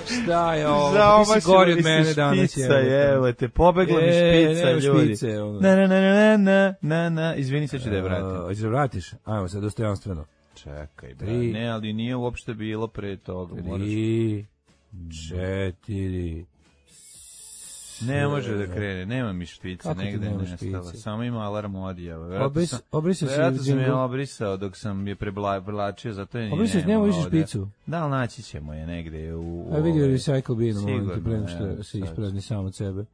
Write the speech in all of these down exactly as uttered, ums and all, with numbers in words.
Šta je ovo? Pa ti si gori od mene danas. Špica, evo te, pobegla mi špica, e, ljudi. Špice, ono. Na, na, na, na, na, na, na, izvini, sad ću da je vratim. Hoćeš da vratiš? Ajmo, sad dostojanstveno. Čekaj, bra. Ne, ali nije uopšte bilo pre toga. Tri, četiri, ne može da krene, nema mi špice, negde je nestala. Samo ima alarm odjava. Obrisao si. Vjerojatno sam je obrisao dok sam je prevlačio, zato je obrisao si, nema više špicu. Da, ali naći ćemo je negde u... A vidio recycle bin, momenti, prema što se isprazni sam od sebe.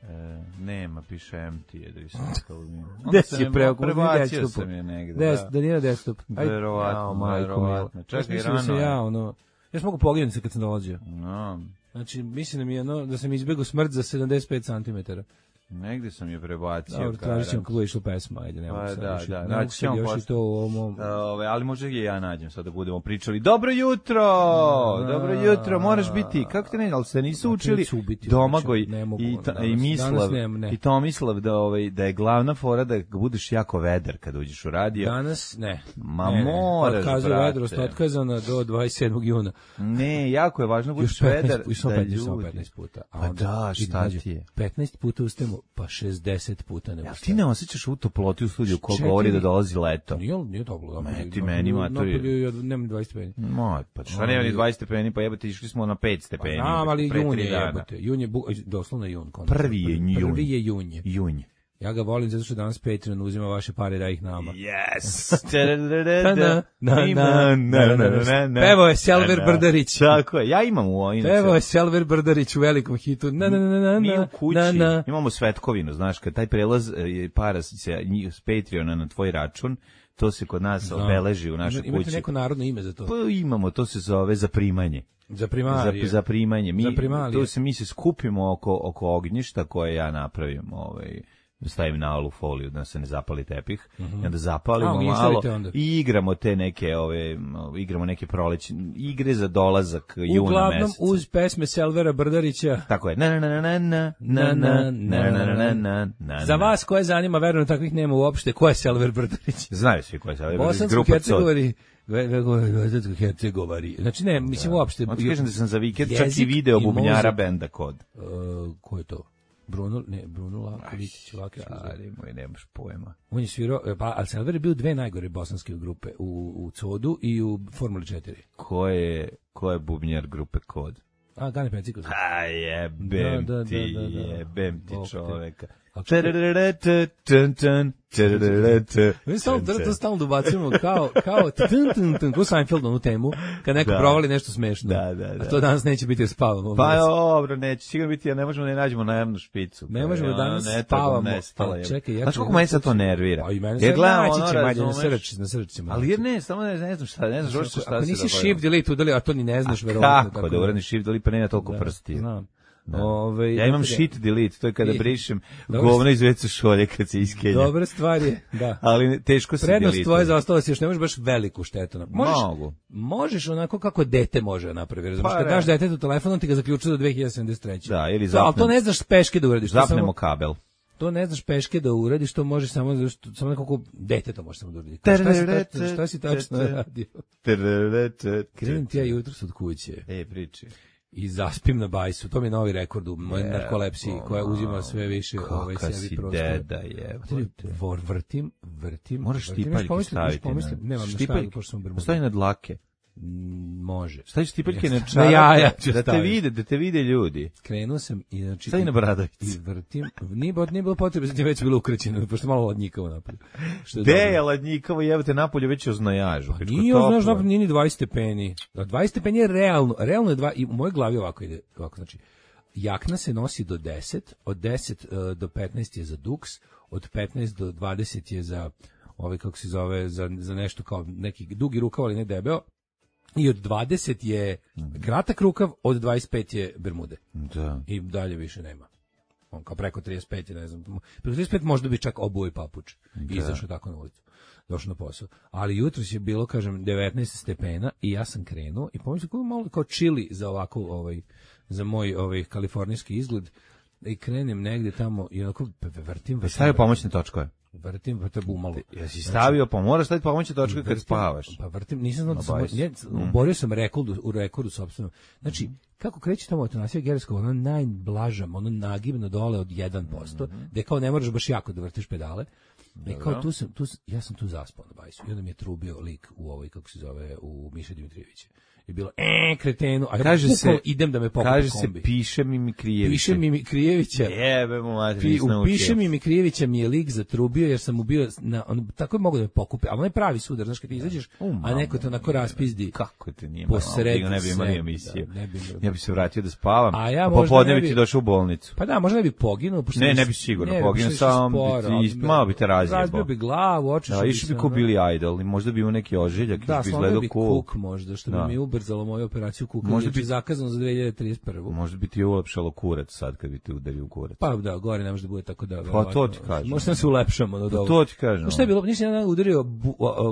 E, nema, piše empty je recycle bin. Gde si je preo? Prebacio sam je negde. Des, da nije desktop. Verovatno, verovatno. Čekaj, rano je. Ja, ono, ja sam mogu poginuti kad sam dolazio. No. Znači, mislim da mi je ono, da sam izbjegao smrt za sedamdeset pet centimetara. Negdje sam je prebacio. Dobro, tražit ćemo kako je išlo pesma, ajde, nema pa, sad da, još, da, naći ćemo još post... i to u ovom... Ove, ali možda i ja nađem sad da budemo pričali. Dobro jutro! A, dobro jutro, moraš biti, kako te ne, ali se nisu učili Domagoj i, ta, i Mislav, i Tomislav da, ovaj, da je glavna fora da budeš jako vedar kad uđeš u radio. Danas ne. Ma ne, moraš, brate. Vedrost otkazana do dvadeset sedmog juna. Ne, jako je važno budeš vedar da ljudi. petnaest puta. A pa da, šta ti je? petnaest puta ustajemo, pa šezdeset puta ne. Ja, ti ne osjećaš u toploti u studiju ko govori da dolazi leto? Nije, nije toplo. Ne, ti meni matori. Nemam dvadeset stepeni. Moj, pa šta nema ni dvadeست stepeni, pa jebate, išli smo na pet stepeni. Pa znam, ali jun je jebate. Jun je, doslovno jun. Prvi je jun. Prvi je jun. Junj. Ja ga volim zato što danas Patreon uzima vaše pare da ih nama. Yes! Pevo je Selver Brdarić. Tako je, ja imam u ovim. Pevo je Selver Brdarić u velikom hitu. Na, na, na, na, mi u kući imamo Svetkovinu, znaš, kad taj prelaz para se s Patreona na tvoj račun, to se kod nas obeleži u našoj kući. Imate neko narodno ime za to? Pa imamo, to se zove zaprimanje. Za primarije. Za, za primanje. Mi, za to se, mi se skupimo oko, oko ognjišta koje ja napravim, ovaj, stavim na alu foliju da se ne zapali tepih, mm-hmm. i onda zapalimo A, malo onda. I igramo te neke, ove, igramo neke proleće, igre za dolazak juna meseca. Uglavnom uz pesme Selvera Brdarića. Tako je. Na, na, na, na, na, na, na, na, na, na, na. Za vas koje zanima, verujem takvih nema uopšte, ko je Selver Brdarić? Znaju svi ko je Selver Brdarić. Bosansko-Hercegovani. Hercegovari. Znači ne, mislim uopšte. Onda kažem da sam za vikend čak i video bubnjara benda Kod. Uh, ko je to? Bruno, ne, Bruno Laković, Laki. Ali moj, nemaš pojma. On je svirao, pa, ali Selver je bio dve najgore bosanske grupe, u, u Codu i u Formuli četiri. Ko je, ko je bubnjar grupe Kod? A, Gane Pencikos. A jebem da, da, ti, da, da, da. jebem ti čoveka. Mi stalno to stalno dobacujemo kao kao ko Seinfeld u temu kad neko provali nešto smešno. Da, da, da. A to danas neće biti spavamo. Pa dobro, neće sigurno biti, ja ne možemo ne nađemo na jednu špicu. Ne možemo danas spavamo. Čekaj, ja. Znaš kako mene sad to nervira? Jer gledamo ono na srč, na srčima. Ali jer ne, samo ne, ne znam šta, ne znaš šta se događa. Ako nisi shift delete udali, a to ni ne znaš verovatno. Kako da uradiš shift delete pa nema toliko prsti. Znam. Ove, ja imam shit delete, to je kada brišem govno iz vecu šolje kad se iskenja. Dobra stvar je, da. Ali teško se delete. Prednost tvoje zaostala si još, ne možeš baš veliku štetu napraviti. Možeš, Mogu. Možeš onako kako dete može napraviti. Pa, kad daš detetu telefon, on ti ga zaključuje do dve hiljade sedamdeset treće. Da, ili zapnem, ali to ne znaš peške da uradiš. Zapnemo samo, kabel. To ne znaš peške da uradiš, to možeš samo, samo nekako dete to može samo da uradi. Šta si, tačno, šta si tačno radio? Krenem ti ja jutros od kuće. E, priči. I zaspim na bajsu. To mi je novi rekord u mojoj narkolepsiji koja uzima sve više ovaj sebi prostor. Kaka si deda je. Vor, vrtim, vrtim. Moraš štipaljke staviti. Nemam na štagu, pošto sam bermuda. Stavi na dlake. Može. Stavi štipaljke na čarape. Na jaja ću da te vide, da te vide ljudi. Krenuo sam i znači... Stavi na bradavicu. I vrtim. Nije, nije bilo potrebe, znači već bilo ukrećeno, pošto malo ladnjikavo napolju. Gde je ladnjikavo, jebate napolju već oznajažu. Pa nije oznajažu napolju, nije ni dvadeset stepeni. dvadeset stepeni je realno. Realno je dva, i u mojoj glavi ovako ide, ovako znači, jakna se nosi do deset, od deset uh, do petnaest je za duks, od petnaest do dvadeset je za, ovaj, kako se zove, za, za nešto kao neki dugi rukav, ali ne debeo. I od dvadeset je kratak rukav, od dvadeset pet je bermude. Da. I dalje više nema. On kao preko trideset pet, ne znam. Preko trideset pet možda bi čak obuo i papuč. I izašao tako na ulicu. Došao na posao. Ali jutros je bilo, kažem, devetnaest stepena i ja sam krenuo i pomislio kako malo kao chili za ovako, ovaj, za moj ovaj kalifornijski izgled. I krenem negde tamo i onako vrtim. Stavio pomoćne točkove. Vrtim, pa te bumalo. Jesi stavio, pa moraš staviti pomoću točka kad spavaš. Pa vrtim, nisam znao da sam, ne, borio sam rekord u rekordu sopstveno. Znači, kako kreće tamo autonasija Gerskog, ono najblaža, ono nagibno dole od jedan posto, mm-hmm. gde kao ne moraš baš jako da vrtiš pedale. I kao tu sam, tu, ja sam tu zaspao na bajsu. I onda mi je trubio lik u ovoj, kako se zove, u Miša Dimitrijevića. Je bilo, e, kretenu, a kaže ja se, idem da me pokupi kaže kombi. Se, piše mi Mikrijevića. Piše mi Mikrijevića. Jebe mu mati, Pi, u Piše mi Mikrijevića mi je lik zatrubio, jer sam mu bio, na, on, tako je mogu da me pokupi, ali on je pravi sudar, znaš, kad ti izađeš, um, a neko te onako raspizdi. Kako te nije malo, ne bi imali emisiju. Da, ne bi, ja bi se vratio da spavam, a, ja a popodne bi ti došao u bolnicu. Pa da, možda ne bi poginuo. Ne, ne bi sigurno poginuo, samo bi malo bi te razjebao. Razbio bi glavu, oči. Da, išao bi ko Billy Idol, i možda bi imao neki ožiljak, da, bi izgledao cool. Kuk možda, što bi mi ubrzalo moju operaciju kuka. Možda bi zakazano za dve hiljade trideset prve. Možda bi ti ulepšalo kurac sad kad bi te udario u kurac. Pa da, gore ne može da bude tako da. Pa to ti kažem. Možda se ulepšamo od ovoga. To ti kažem. Šta je bilo? Nisi jedan udario,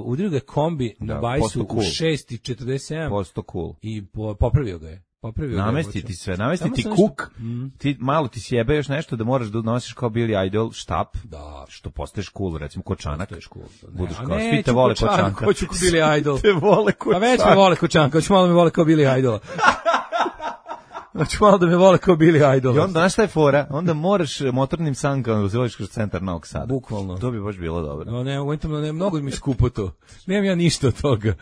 udario ga kombi na bajsu u šest i četrdeset sedam. Posto cool. I popravio ga je. Popravio namesti ti sve, namesti ti kuk, mm. ti malo ti sjebe još nešto da moraš da nosiš kao Billy Idol štap, da, što postaješ cool, recimo kočanak. Cool, budeš kao, svi te vole kočanka. Hoću kao Billy Idol. Te vole kočanka. A već me vole kočanka, hoću malo me vole kao Billy Idol. Znači malo da me vole kao Billy Idol. I onda, znaš šta je fora? Onda moraš motornim sankama da kroz centar Novog Sada. Bukvalno. To bi baš bilo dobro. No, ne, ne, ne, mnogo mi skupo to. Nemam ja ništa od toga.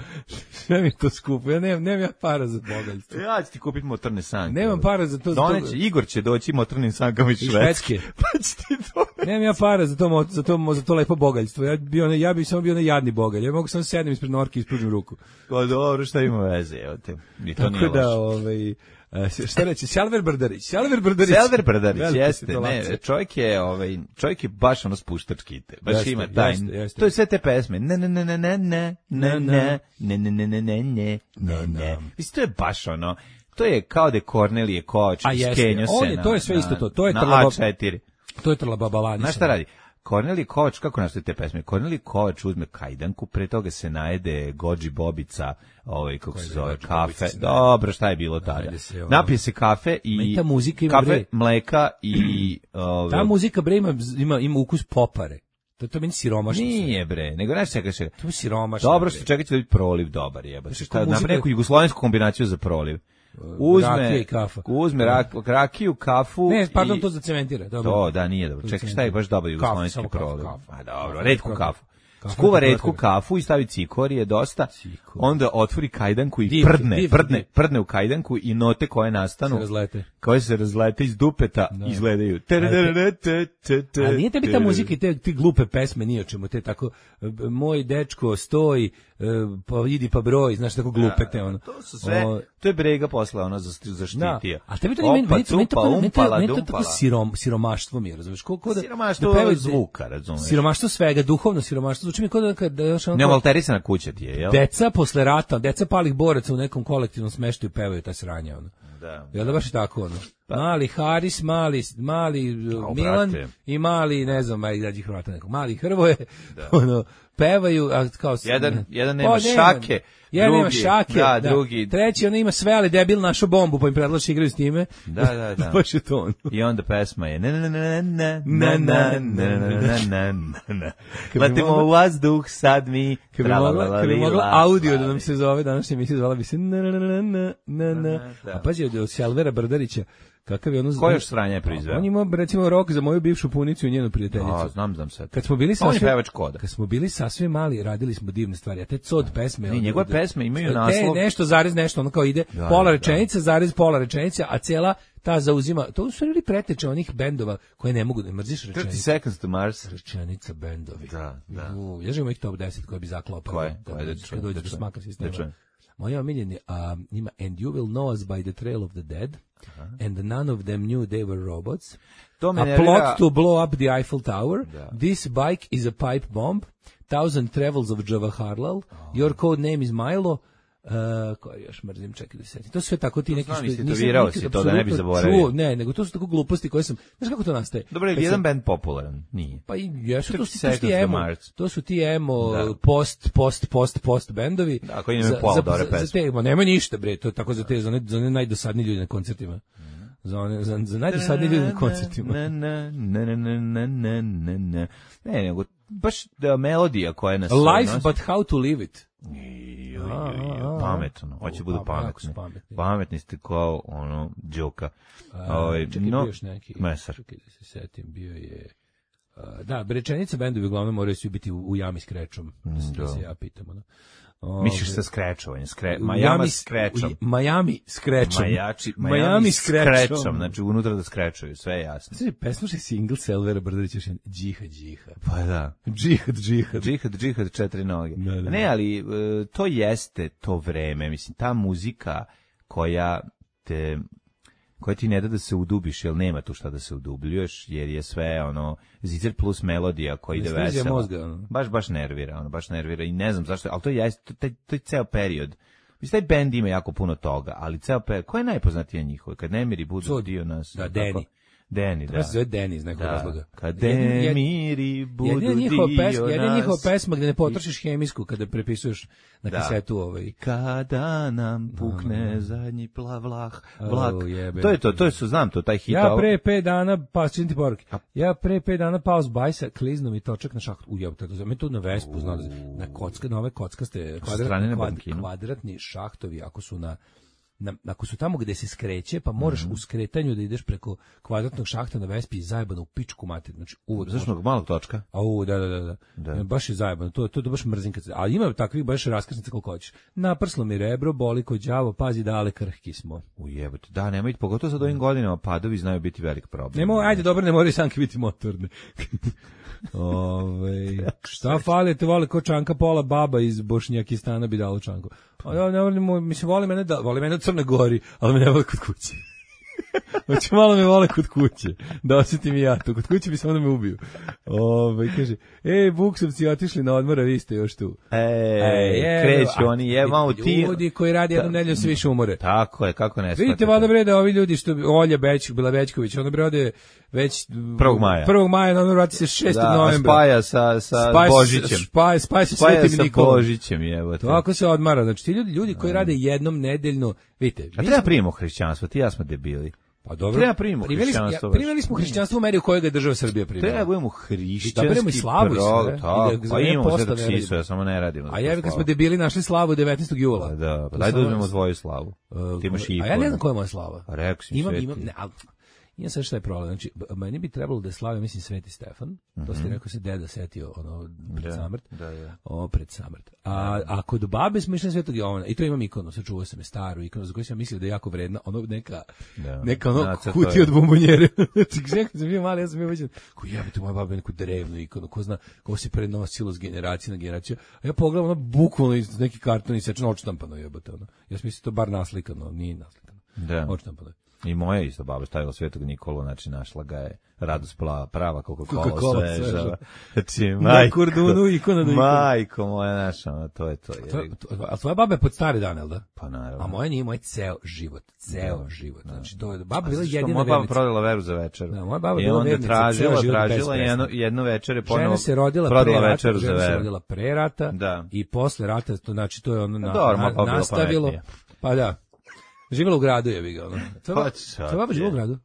Sve mi to skupo. Ja nemam, nemam ja para za bogaljstvo. Ja ću ti kupiti motorne sanke. Nemam para za to. Doneće, Igor će doći motornim sankama iz Švedske. Pa će ti to. Nemam ja para za to, za to, za to lepo bogaljstvo. Ja bi, ne, ja bi samo bio nejadni bogalj. Ja mogu samo sednem ispred norke i ispružim ruku. Pa dobro, šta ima veze, evo te. I to tako nije da, ovaj... Uh, šta reći, Selver Brdarić, Selver Brdarić. Selver Brdarić, jeste, ne, čovjek je, ovaj, čovjek je baš ono spuštački, baš jeste, ima taj, jeste, jeste. To je sve te pesme, ne, ne, ne, ne, ne, ne, ne, ne, ne, ne, ne, ne, ne, ne, ne, ne, mislim, to je baš ono, to je kao da Kornelije Kovač, skenio se na, to je sve isto to, to je na A četiri. To je Trlababalani. Znaš šta radi? Kornelije Kovač, kako nastoje te pesme? Kornelije Kovač uzme kajdanku, pre toga se najede Gođi Bobica, ovaj, kako se zove, kafe. Dobro, šta je bilo tada? Napije se kafe i ta muzika ima kafe, bre. Mleka i... Ove, ta muzika, bre, ima, ima, ima ukus popare. To je to meni siromašno. Nije, bre, nego znaš čeka se. To je siromašno. Dobro, što čekajte da biti proliv dobar, jeba. Šta, napravi neku jugoslovensku kombinaciju za proliv. Uzme, uzme rak, rakiju, kafu. Ne, pardon, i, to zacementira. Dobro. To, da, nije dobro. Čekaj, šta je baš dobar jugoslovenski proliv? A dobro, redku kafu. Skuva redku kafu i stavi cikor, je dosta. Cikor. Onda otvori kajdanku i divke, prdne, divke, prdne, divke. prdne u kajdanku i note koje nastanu, se razlete. koje se razlete iz dupeta, no. izgledaju. A nije tebi ta muzika i te, te glupe pesme, nije o čemu, te tako, moj dečko stoji, pa idi pa broj, znaš, tako glupete, ono. To su sve, o, to je Brega posla, ono, zaštitio. A tebi to nije, meni to tako sirom, siromaštvo mi je, razumiješ? Siromaštvo zvuka, razumiješ? Siromaštvo svega, duhovno siromaštvo, zvuči mi kod da... da još ne, malterisana kuća ti je, jel? Deca posle rata, deca palih boraca u nekom kolektivnom smeštaju pevaju ta sranja, ono. Da. Jel da baš tako, ono? Mali Haris, mali, mali o, Milan brate. I mali, ne znam, aj dađi Hrvata nekog, mali Hrvoje, da. Ono, pevaju, a kao... Jedan, jedan nema o, šake, jedan drugi, nema šake, da, da. drugi. Treći, on ima sve, ali debil našo bombu, pa im predlači igraju s time. Da, da, da. Baš je to ono. I onda pesma je na na na na na na na na na na. Letimo u vazduh, sad mi... Kad bi mogla audio da nam se zove, današnja emisija zvala bi se na na na na na na. A pazi, od Selvera Brdarića, kakav je ono... Ko još sranja je proizveo? On ima, recimo, rok za moju bivšu punicu i njenu prijateljicu. A, znam, znam sad. Kad smo bili sasvim... On je pevač koda. Kad smo bili sasvim mali, radili smo divne stvari. A te cod pesme... Ne, njegove pesme imaju naslov... Te nešto, zarez nešto, ono kao ide da, pola rečenica, da. zarez pola rečenica, a cijela ta zauzima... To su ili preteče onih bendova koje ne mogu da mrziš rečenica. thirty seconds to Mars. Rečenica bendovi. Da, da. U, ja živim ih top deset koje bi zaklopao. Koje? Koje? Da, kad dođe do smaka sistema. Moja omiljeni um, ima And you will know us by the trail of the dead. Uh-huh. And none of them knew they were robots. To a plot to blow up the Eiffel Tower. Da. This bike is a pipe bomb. Thousand travels of Jawaharlal. Oh. Your code name is Milo. Uh, koji još mrzim, čekaj da se setim. To su sve tako ti to neki što nisam nikad si to da ne bi zaboravio. Ne, nego to su tako gluposti koje sam, znaš kako to nastaje? Dobro, je jedan sam, band popularan, nije. Pa i jesu to su ti emo, to su ti emo da. post post post post bendovi. Da, koji imaju pola dobre pesme. Za te, ma nema ništa bre, to je tako za te za ne, za ne najdosadniji ljudi na koncertima. Za one, za, za najdosadniji ljudi na koncertima. Ne, ne, ne, ne, ne, ne, ne, ne, ne, nego baš da melodija koja je na Life nos... but how to live it. I, jo, jo, jo, pametno, hoće budu pametni. Pametni ste kao ono Đoka. Ovaj čekaj, no, bio još neki. Mesar. Čekaj da se setim, bio je uh, da, rečenica bendovi uglavnom moraju svi biti u, u jami s krečom. Da, da se ja pitam, ono. Misliš sa skrečovanjem, skre, Miami s krečom. Miami s krečom. Majači, Miami, Miami s krečom. Znači unutra da skrečuju, sve je jasno. Znači, pesnušaj single Selvera Brdarića, džihad, džihad. Pa da. Džihad, džihad. Džihad, džihad, četiri noge. Da, da. Ne, ali to jeste to vreme, mislim, ta muzika koja te... koja ti ne da da se udubiš, jer nema tu šta da se udubljuješ, jer je sve ono zicer plus melodija koji ide veselo. Mozga, ono. Baš, baš nervira, ono, baš nervira i ne znam zašto, ali to je, to, to, to je ceo period. Mislim, taj bend ima jako puno toga, ali ceo period, ko je najpoznatija njihova? Kad nemiri budu so, dio nas. Da, Deni. Deni, da. To se zove Deni iz nekog da. razloga. Kad nemiri budu dio pes, nas. Jedna njihova pesma gde ne potrošiš hemijsku kada prepisuješ na da. Kasetu ovaj. Kada nam pukne uh, zadnji plavlah, vlak. Oh, to je to, to je su, znam to, taj hit. Ja pre pet dana, pa čini ti poruke. Ja pre pet dana pao s bajsa, kliznom i točak na šahtu. Ujeb, tako za me tu na Vespu, znao, na kocka, na ove kockaste kvadratni, kvad, kvadratni šahtovi, ako su na Na, ako su tamo gde se skreće, pa moraš mm-hmm. u skretanju da ideš preko kvadratnog šahta na Vespi i zajebano u pičku mater. Znači, uvod zašto može... malog točka? A u, da, da, da, da. Ja, baš je zajebano, to, to, to baš mrzim kad se... A ima takvih baš raskrsnica koliko hoćeš. Naprslo mi rebro, boli ko đavo, pazi dale krhki smo. Ujebote, da, nemoj, pogotovo sad ovim godinama padovi znaju biti velik problem. Nemo, ajde, dobro, ne moraju sanke biti motorne. Ove, šta fali, te vole ko Čanka Pola, baba iz Bošnjakistana bi dalo Čanku. A ja ne volim, mislim, voli mene, da, voli mene u Crne Gori, ali me ne voli kod kuće. Znači, malo me vole kod kuće, da osjetim i ja to. Kod kuće bi se onda me ubiju. Ove, kaže, ej, buksovci otišli na odmora, vi ste još tu. Ej, e, kreću oni, je malo ti. Ljudi koji radi jednom nedeljom se više umore. Tako je, kako ne. Vidite, valjda bre da ovi ljudi što, Olja Beć, Bila Bećković, ona bre ode već prvog maja. prvog maja, na ono vrati se šestog novembra. Spaja sa, sa spaj, Božićem. Spaja, spaja sa Svetim Nikolom. Božićem, jevo te. Tako se odmara, znači ti ljudi, ljudi koji rade jednom nedeljno, vidite. A treba primimo hrišćanstvo, ti ja smo debili. Pa dobro. Treba primimo hrišćanstvo. Primili smo hrišćanstvo u meri u kojoj ga država Srbija primila. Treba budemo hrišćanski i slavu prog, i tako, pa imamo sve dok sisu, ja samo ne radimo. A ja kad smo debili našli slavu devetnaestog jula. Da, pa daj da uzmemo tvoju slavu. Ti imaš i A ja ne znam koja je moja slava. Rekao si imam, imam, ne, ali, imam sve što je problem. Znači, meni bi trebalo da je slavio, mislim, Sveti Stefan. Mm-hmm. To ste rekao se deda setio ono, pred da, samrt. Da, da. O, pred samrt. A, a kod babe smo išli na Svetog Jovana. I to imam ikonu, sačuvao sam je staru ikonu, za koju sam mislio da je jako vredna. Ono neka, da. neka ono kutija od bombonjere. Znači, kad sam bio mali, ja sam bio većan. Ko jebate, moja baba je neku drevnu ikonu. Ko zna, ko se prenosilo s generacije na generaciju. A ja pogledam ono bukvalno iz neki karton i sečeno odštampano jebate. Ono. Ja sam mislio to bar naslikano, nije naslikano. Da. Odštampano. I moja isto baba stavila Svetog Nikolu, znači našla ga je radost prava Coca-Cola sveža. Znači, majko, majko moja naša, to je to. Je. A tvoja baba je pod stari dan, jel da? Pa naravno. A moja nije moj ceo život, ceo da, život. Znači, to je, baba bila jedina vernica. Moja baba prodala veru za večeru. Da, moja baba bila vernica. I onda tražila, tražila jedno, jedno večer je ponovo se rodila prodala pre večeru za veru. Žena se rodila pre rata da. I posle rata, to, znači, to je ono na, Dobro, na, nastavilo. Pa da. Živjela u gradu, je bi ga, ono. Pa tvoja baba živjela u gradu?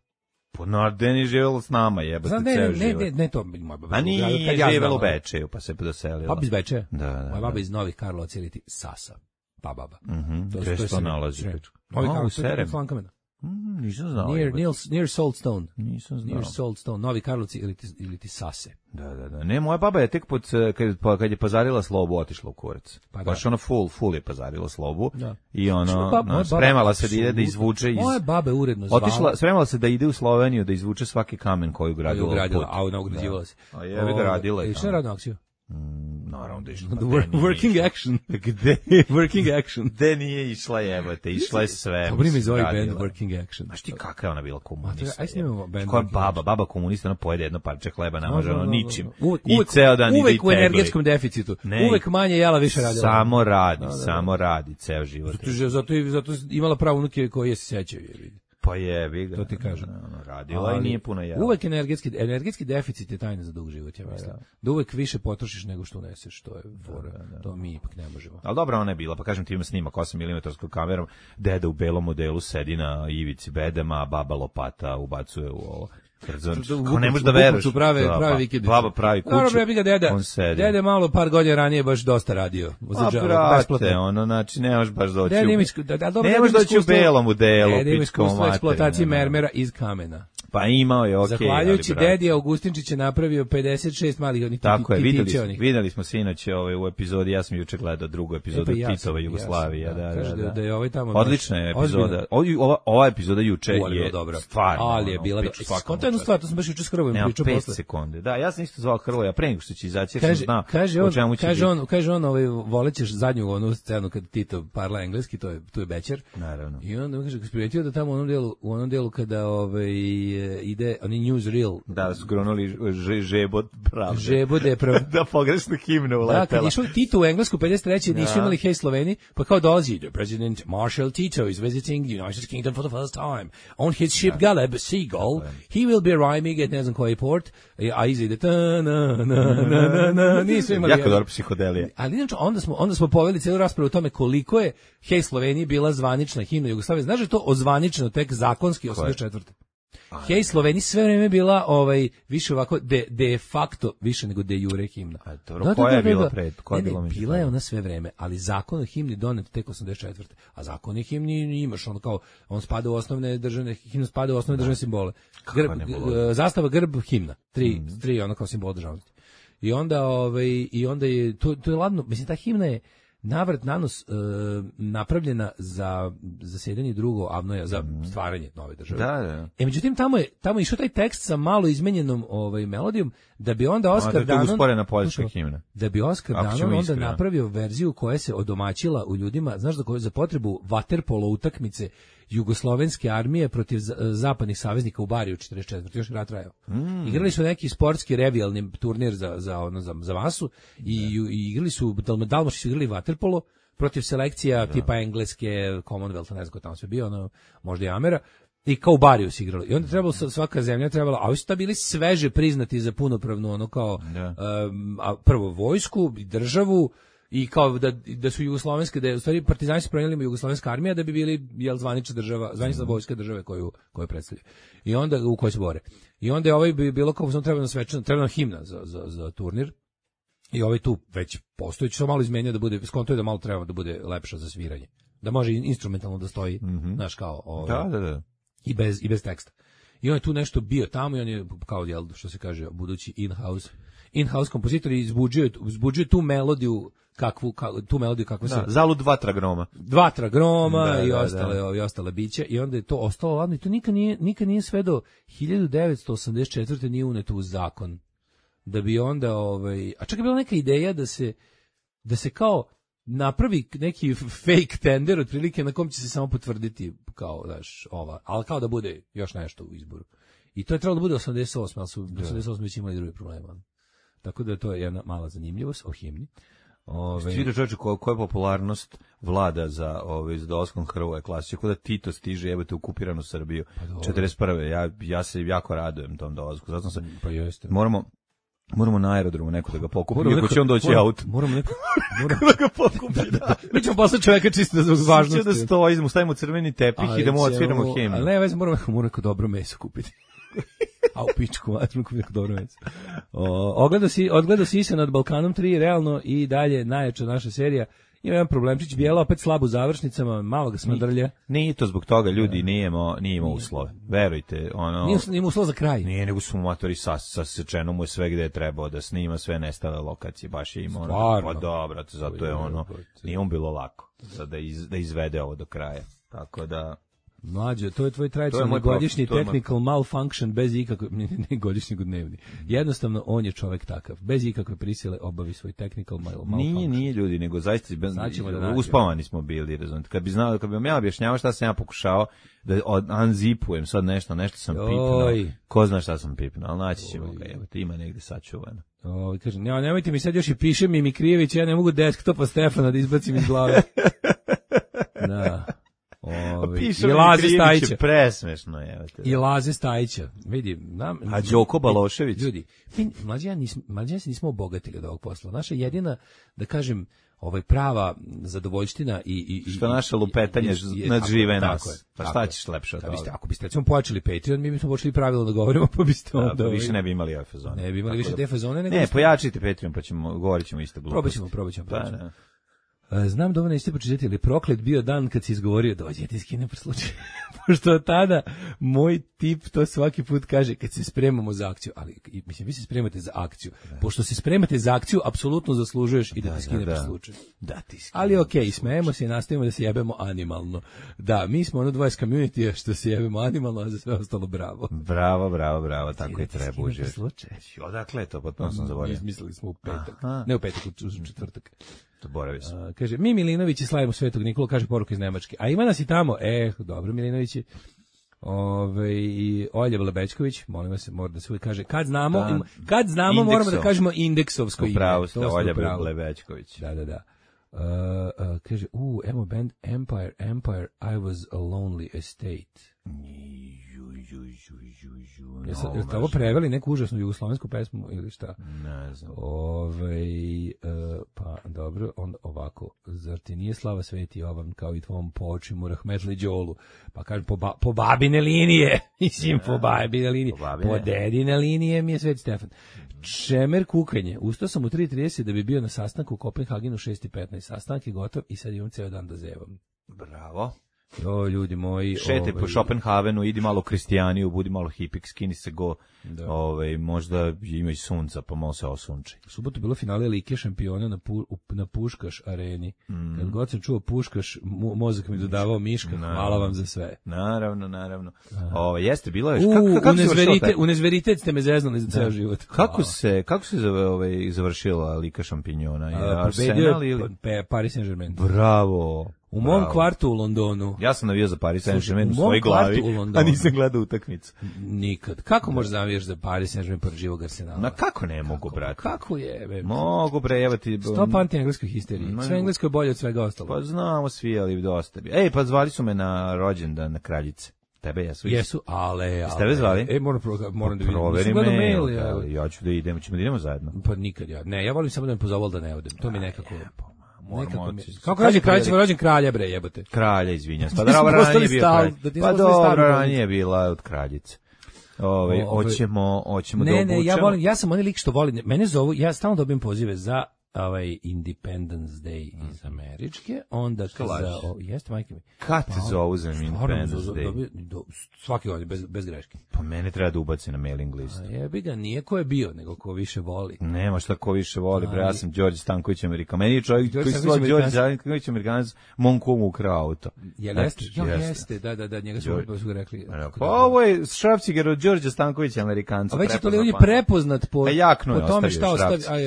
Po Nardeni živjela s nama, jebate ne, ceo ne, život. Ne, ne, ne, to moja baba. A nije ja živjela u Bečeju, pa se doselila. Baba iz Bečeja? Da, da. Moja baba iz Novih Karlovaca ili ti Sasa. Pa baba. Mhm. Gde se to nalazi? Novi Karlovac, Slankamena. Mm, nisam znao. Near, near, near Saltstone. Nisam znao. Near Saltstone, Novi Karlovci ili ti, ili ti Sase. Da, da, da. Ne, moja baba je tek pod, kad, kad je pazarila slobu, otišla u kurac. Pa baš ono full, full je pazarila slobu. Da. I ono, baba, no, spremala baba, se da ide da izvuče iz... Moja baba je uredno zvala. Otišla, spremala se da ide u Sloveniju, da izvuče svaki kamen koji ugradila. Koju ugradila, a ona ugrađivala se. A je ga radila. I šta je radila akciju? Mm, naravno da išla. Working action. Gde? Working action. Gde nije išla jebate, išla je sve. Dobro mi zove band Working action. Znaš ti kakva je ona bila komunista? Aj snimamo band. Koja baba, baba komunista, ona pojede jedno parče hleba, namaže ono ničim. Uvek, I ceo dan ide i uvek u energetskom deficitu. Ne, uvek manje jela, više radila. Samo radi, samo radi, ceo život. Zato, zato, zato imala pravo unuke koje se sećaju. Pa je, vi ga. To ti kažem. Ono, radila ali, i nije puno jela. Uvek energetski, energetski deficit je tajna za dug život, ja mislim. Da, da uvek više potrošiš nego što uneseš, to je fora. Da, da, da. To mi ipak ne možemo. Ali dobra ona je bila, pa kažem ti ima snimak osam milimetara kamerom, deda u belom modelu sedi na ivici bedema, a baba lopata ubacuje u ovo. Kao ne možeš da veruješ. Prave, prave vikendice. Baba pravi kuću. Dobro, ja bih ga deda. Dede malo par godina ranije baš dosta radio. A brate, ono, znači, ne možeš baš doći u... Ne možeš doći u belom u delu. Dede ima iskustvo eksploatacije mermera iz kamena. Pa imao je, okej. Okay, zahvaljujući dedi Augustinčić je napravio pedeset šest malih onih titića. Tako je, videli, videli smo sinoć ovaj, u epizodi, ja sam juče gledao drugu epizodu e, pa ja Titova Jugoslavija. Ja da, da, da, da je ovaj tamo odlična je epizoda. Ova, ova epizoda juče je dobra. Stvarno. Ali je bila skonto jednu stvar, to sam baš juče s Hrvojem pričao posle. pet sekunde. Da, ja sam isto zvao Hrvoja pre nego što će izaći, jer sam znao o čemu će Kaže on, kaže on, ovaj volećeš zadnju onu scenu kad Tito parla engleski, to je tu je Bećer. Naravno. I onda kaže kako primetio da tamo u onom delu, u onom delu kada ovaj ide oni newsreel. Da, su gronuli žebot pravde. Žebot je prav... da pogrešnu himnu uletela. Da, kad išao Tito u Englesku pedeset treće nisu imali Hej Sloveni, pa kao dolazi the president Marshal Tito is visiting the United Kingdom for the first time. On his ship Galeb Seagull, he will be arriving at ne znam koji port, a iza ide ta na na na na nisu imali. Jako dobro psihodelija. Ali inače onda smo onda smo poveli celu raspravu o tome koliko je Hej Sloveniji bila zvanična himna Jugoslavije. Znaš da je to ozvaničeno tek zakonski osamdeset četvrte Hej Sloveniji sve vreme bila ovaj više ovako de, de facto više nego de jure himna. A dobro, da, koja da, je da, bila pred? Koja ne, je bila ne, bila je ona sve vreme, ali zakon o himni donet tek osamdeset četvrte A zakon o himni imaš on kao on spada u osnovne državne himna spada u osnovne državne simbole. Grb, zastava, grb, himna. Tri mm. tri ono kao simbol državnosti. I onda ovaj i onda je to to je ladno, mislim ta himna je navrat nanos e, napravljena za zasedanje drugo Avnoja za stvaranje nove države. Da, da. E međutim tamo je tamo išao taj tekst sa malo izmenjenom ovaj melodijom da bi onda Oskar Danon usporena poljska himna. Da bi Oskar Danon onda napravio verziju koja se odomaćila u ljudima, znaš za koju za potrebu vaterpolo utakmice jugoslovenske armije protiv zapadnih saveznika u Bariju četrdeset četvrte još rat trajao. Mm. Igrali su neki sportski revijalni turnir za za ono za, za masu i, i igrali su Dalmaši su igrali vaterpolo protiv selekcija da. Tipa engleske, Commonwealtha, ne znam ko tamo sve bio, ono, možda i Amera. I kao u Bariju se igralo. I onda trebalo svaka zemlja trebala, a ovi su bili sveže priznati za punopravnu ono kao um, a prvo vojsku i državu i kao da da su jugoslovenske da je, u stvari partizani su prenijeli jugoslovenska armija da bi bili jel zvanična država, zvanična vojska države koju koju predstavljaju. I onda u kojoj se bore. I onda je ovaj bi bilo kao sam trebalo svečano, trebalo himna za za za turnir. I ovaj tu već postojeći samo malo izmenio da bude skonto je da malo treba da bude lepša za sviranje. Da može instrumentalno da stoji, mm-hmm. znaš kao ovaj, da, da, da. i bez i bez teksta. I on je tu nešto bio tamo i on je kao jel što se kaže budući in-house in-house kompozitor i izbuđuje izbuđuje tu melodiju kakvu ka, tu melodiju kakvu da, se zalud dva tragroma. Dva tragroma da, i da, ostale da. i ostale biće i onda je to ostalo ladno i to nikad nije nikad nije sve do hiljadu devetsto osamdeset četvrte nije uneto u zakon. Da bi onda ovaj a čak je bila neka ideja da se da se kao napravi neki fake tender otprilike na kom će se samo potvrditi kao daš ova, ali kao da bude još nešto u izboru. I to je trebalo da bude osamdeset osme ali su osamdeset osme već imali druge probleme. Tako da to je jedna mala zanimljivost o himni. Ove Vidio čoveče koja je popularnost vlada za ovaj za dolaskom Hrvoja klasično kako da Tito stiže jebote u okupiranu Srbiju pa četrdeset prve Ja ja se jako radujem tom dolasku. Zato sam pa jeste. Moramo Moramo na aerodromu neko da ga pokupi, ako će on doći moramo, auto. Moramo neko, moramo da ga pokupi, da. da. Mi ćemo poslati čoveka čisto da zbog važnosti. Da stoji, mu stavimo crveni tepih ali i da mu odsviramo himnu. Ali ne, već moramo, moramo neko dobro meso kupiti. A u pičku, vatru kupiti neko dobro meso. Ogledao si, odgledao si se nad Balkanom tri, realno i dalje najjača naša serija. Ima jedan problemčić, Bijela opet slabo u završnicama, malo ga smrdrlja. Nije to zbog toga, ljudi, nije imao, nije imao uslove. Verujte, ono... Nije, nije imao uslova za kraj. Nije, nego su motori sa, sasečeno mu je sve gde je trebao da snima, sve nestale lokacije, baš je imao... Stvarno? Pa dobro, zato je ono, nije on bilo lako da, iz, da izvede ovo do kraja. Tako da... Mlađe, to je tvoj tradicionalni godišnji technical moj... malfunction bez ikakve, ne, ne godišnji dnevni. Jednostavno, on je čovjek takav. Bez ikakve prisile obavi svoj technical malfunction. Nije, nije ljudi, nego zaista bez, da uspavani smo bili, razumite. Kad bi znao, kad bi vam ja objašnjavao šta sam ja pokušao da unzipujem sad nešto, nešto sam pipnuo. Ko zna šta sam pipnuo, ali naći ćemo ga, evo, ima negde sačuvano. Oj, kažem, ja, nemojte mi sad još i piše mi Mikrijević, ja ne mogu desktopa Stefana da izbacim iz glave. Da. Ovi, i Laze Stajića. Presmešno je. I Laze Stajića. Vidi, nam, a Đoko Balošević. Ljudi, mi, mlađi ja, nismo, mlađi ja se nismo obogatili od ovog posla. Naša jedina, da kažem, ovaj prava zadovoljština i i što naše lupetanje nadžive nas. Pa šta ćeš lepše od toga? Ako biste recimo pojačali Patreon, mi bismo počeli pravilno da govorimo, pa biste onda da, pa više ne bi imali ove fazone. Ne bi imali više te fazone, nego ne, pojačajte Patreon, pa ćemo govorit ćemo isto gluposti. Probaćemo, probaćemo, probaćemo. Znam da ovo nećete pročitati, ali proklet bio dan kad si izgovorio dođe ti skinem po slučaju. Pošto tada moj tip to svaki put kaže kad se spremamo za akciju, ali mislim vi se spremate za akciju. Da. Pošto se spremate za akciju, apsolutno zaslužuješ i da, da ti skine da, po slučaju. Da ti skine. Ali okej, okay, smejemo se i nastavimo da se jebemo animalno. Da, mi smo ono dvoje s community što se jebemo animalno, a za sve ostalo bravo. Bravo, bravo, bravo, tako je treba uživati. Odakle to, potpuno sam zaboravio. Izmislili smo u petak. Aha. Ne u petak, u četvrtak. Uh, kaže, mi Milinovići slavimo Svetog Nikolu, kaže poruka iz Nemačke. A ima nas i tamo, e, dobro Milinovići. Ove, i Olja Lebečković, molim vas, mora da se uvijek kaže, kad znamo, da, kad znamo indeksov. Moramo da kažemo indeksovsko ime. Upravo ste, Olja Lebečković. Da, da, da. Uh, uh, kaže, u, emo band Empire, Empire, I was a lonely estate. Jeste no, ovo preveli neku užasnu jugoslovensku pesmu ili šta? Ne znam. Ove, uh, pa dobro, on ovako, zar ti nije slava Sveti Jovan kao i tvom po očimu Rahmetli Đolu? Pa kaže, po, ba, po babine linije, mislim, po babine linije, po, po dedine linije mi je Sveti Stefan. Čemer kukanje, ustao sam u tri trideset da bi bio na sastanku u Kopenhagenu šest i petnaest, sastanak je gotov i sad imam ceo dan da zevam. Bravo. O, ljudi moji. Šete ovaj, po Schopenhavenu, idi malo Kristijaniju, budi malo hipik, skini se go, ovaj, možda ima i sunca, pa malo se osunči. U subotu bilo finale Lige šampiona na, pu, na Puškaš areni. Mm. Kad god sam čuo Puškaš, mo, mozak mi dodavao Miška, naravno. Hvala vam za sve. Naravno, naravno. O, jeste, bilo je... Kako, kako unezverite, unezveritet ste me zeznali za ceo život. Kako se, kako se ovaj, završila Liga šampiona? Arsenal ili? Paris Saint-Germain. Bravo. U mom Bravo. kvartu u Londonu. Ja sam navijao za Paris Saint-Germain u svojoj glavi, a nisam gledao utakmicu. Nikad. Kako možeš da navijaš za Paris Saint-Germain pored živog Arsenala? Na kako ne mogu, brate? Kako je? Be? Mogu, bre, evo ti... Stop anti-engleskoj histeriji. Sve englesko je bolje od svega ostalo. Pa znamo svi, ali dosta bi. Ej, pa zvali su me na rođendan na Kraljice. Tebe jesu. Jesu, ale, ale. Jeste tebe zvali? E, moram, moram da vidim. Proveri me, mail, ja. ja ću da idemo, ćemo da idemo zajedno. Pa nikad ja. Ne, ja volim samo da me pozovol da ne odem. To mi nekako... Nekako mi... Kako kaže kralj, ćemo rođen kralja, bre, jebote. Kralja, izvinjam. Pa dobro, ranije bio kralj. Pa dobro, ranije bila od kraljice. Ove, hoćemo, hoćemo da obučemo. Ne, ne, ja volim, ja sam onaj lik što volim. Mene zovu, ja stalno dobijem pozive za ovaj Independence Day mm. iz Američke, onda za o, jeste majke mi. Kad te zovu za Independence Day? Dobi, do, svaki godin bez bez greške. Pa mene treba da ubaci na mailing list. A jebi ga, nije ko je bio, nego ko više voli. Nema šta ko više voli, bre, ja sam Đorđe Stanković Amerikan. Meni je čovjek koji se zove Đorđe Stanković Amerikanac, mom kumu ukrao auto. Jel jeste? Ja jeste, da, da, da, njega su su rekli. Pa ovo je šrafciger od Đorđe Stankovića Amerikanca. A već je to ljudi prepoznat po po tome šta ostavi. Aj,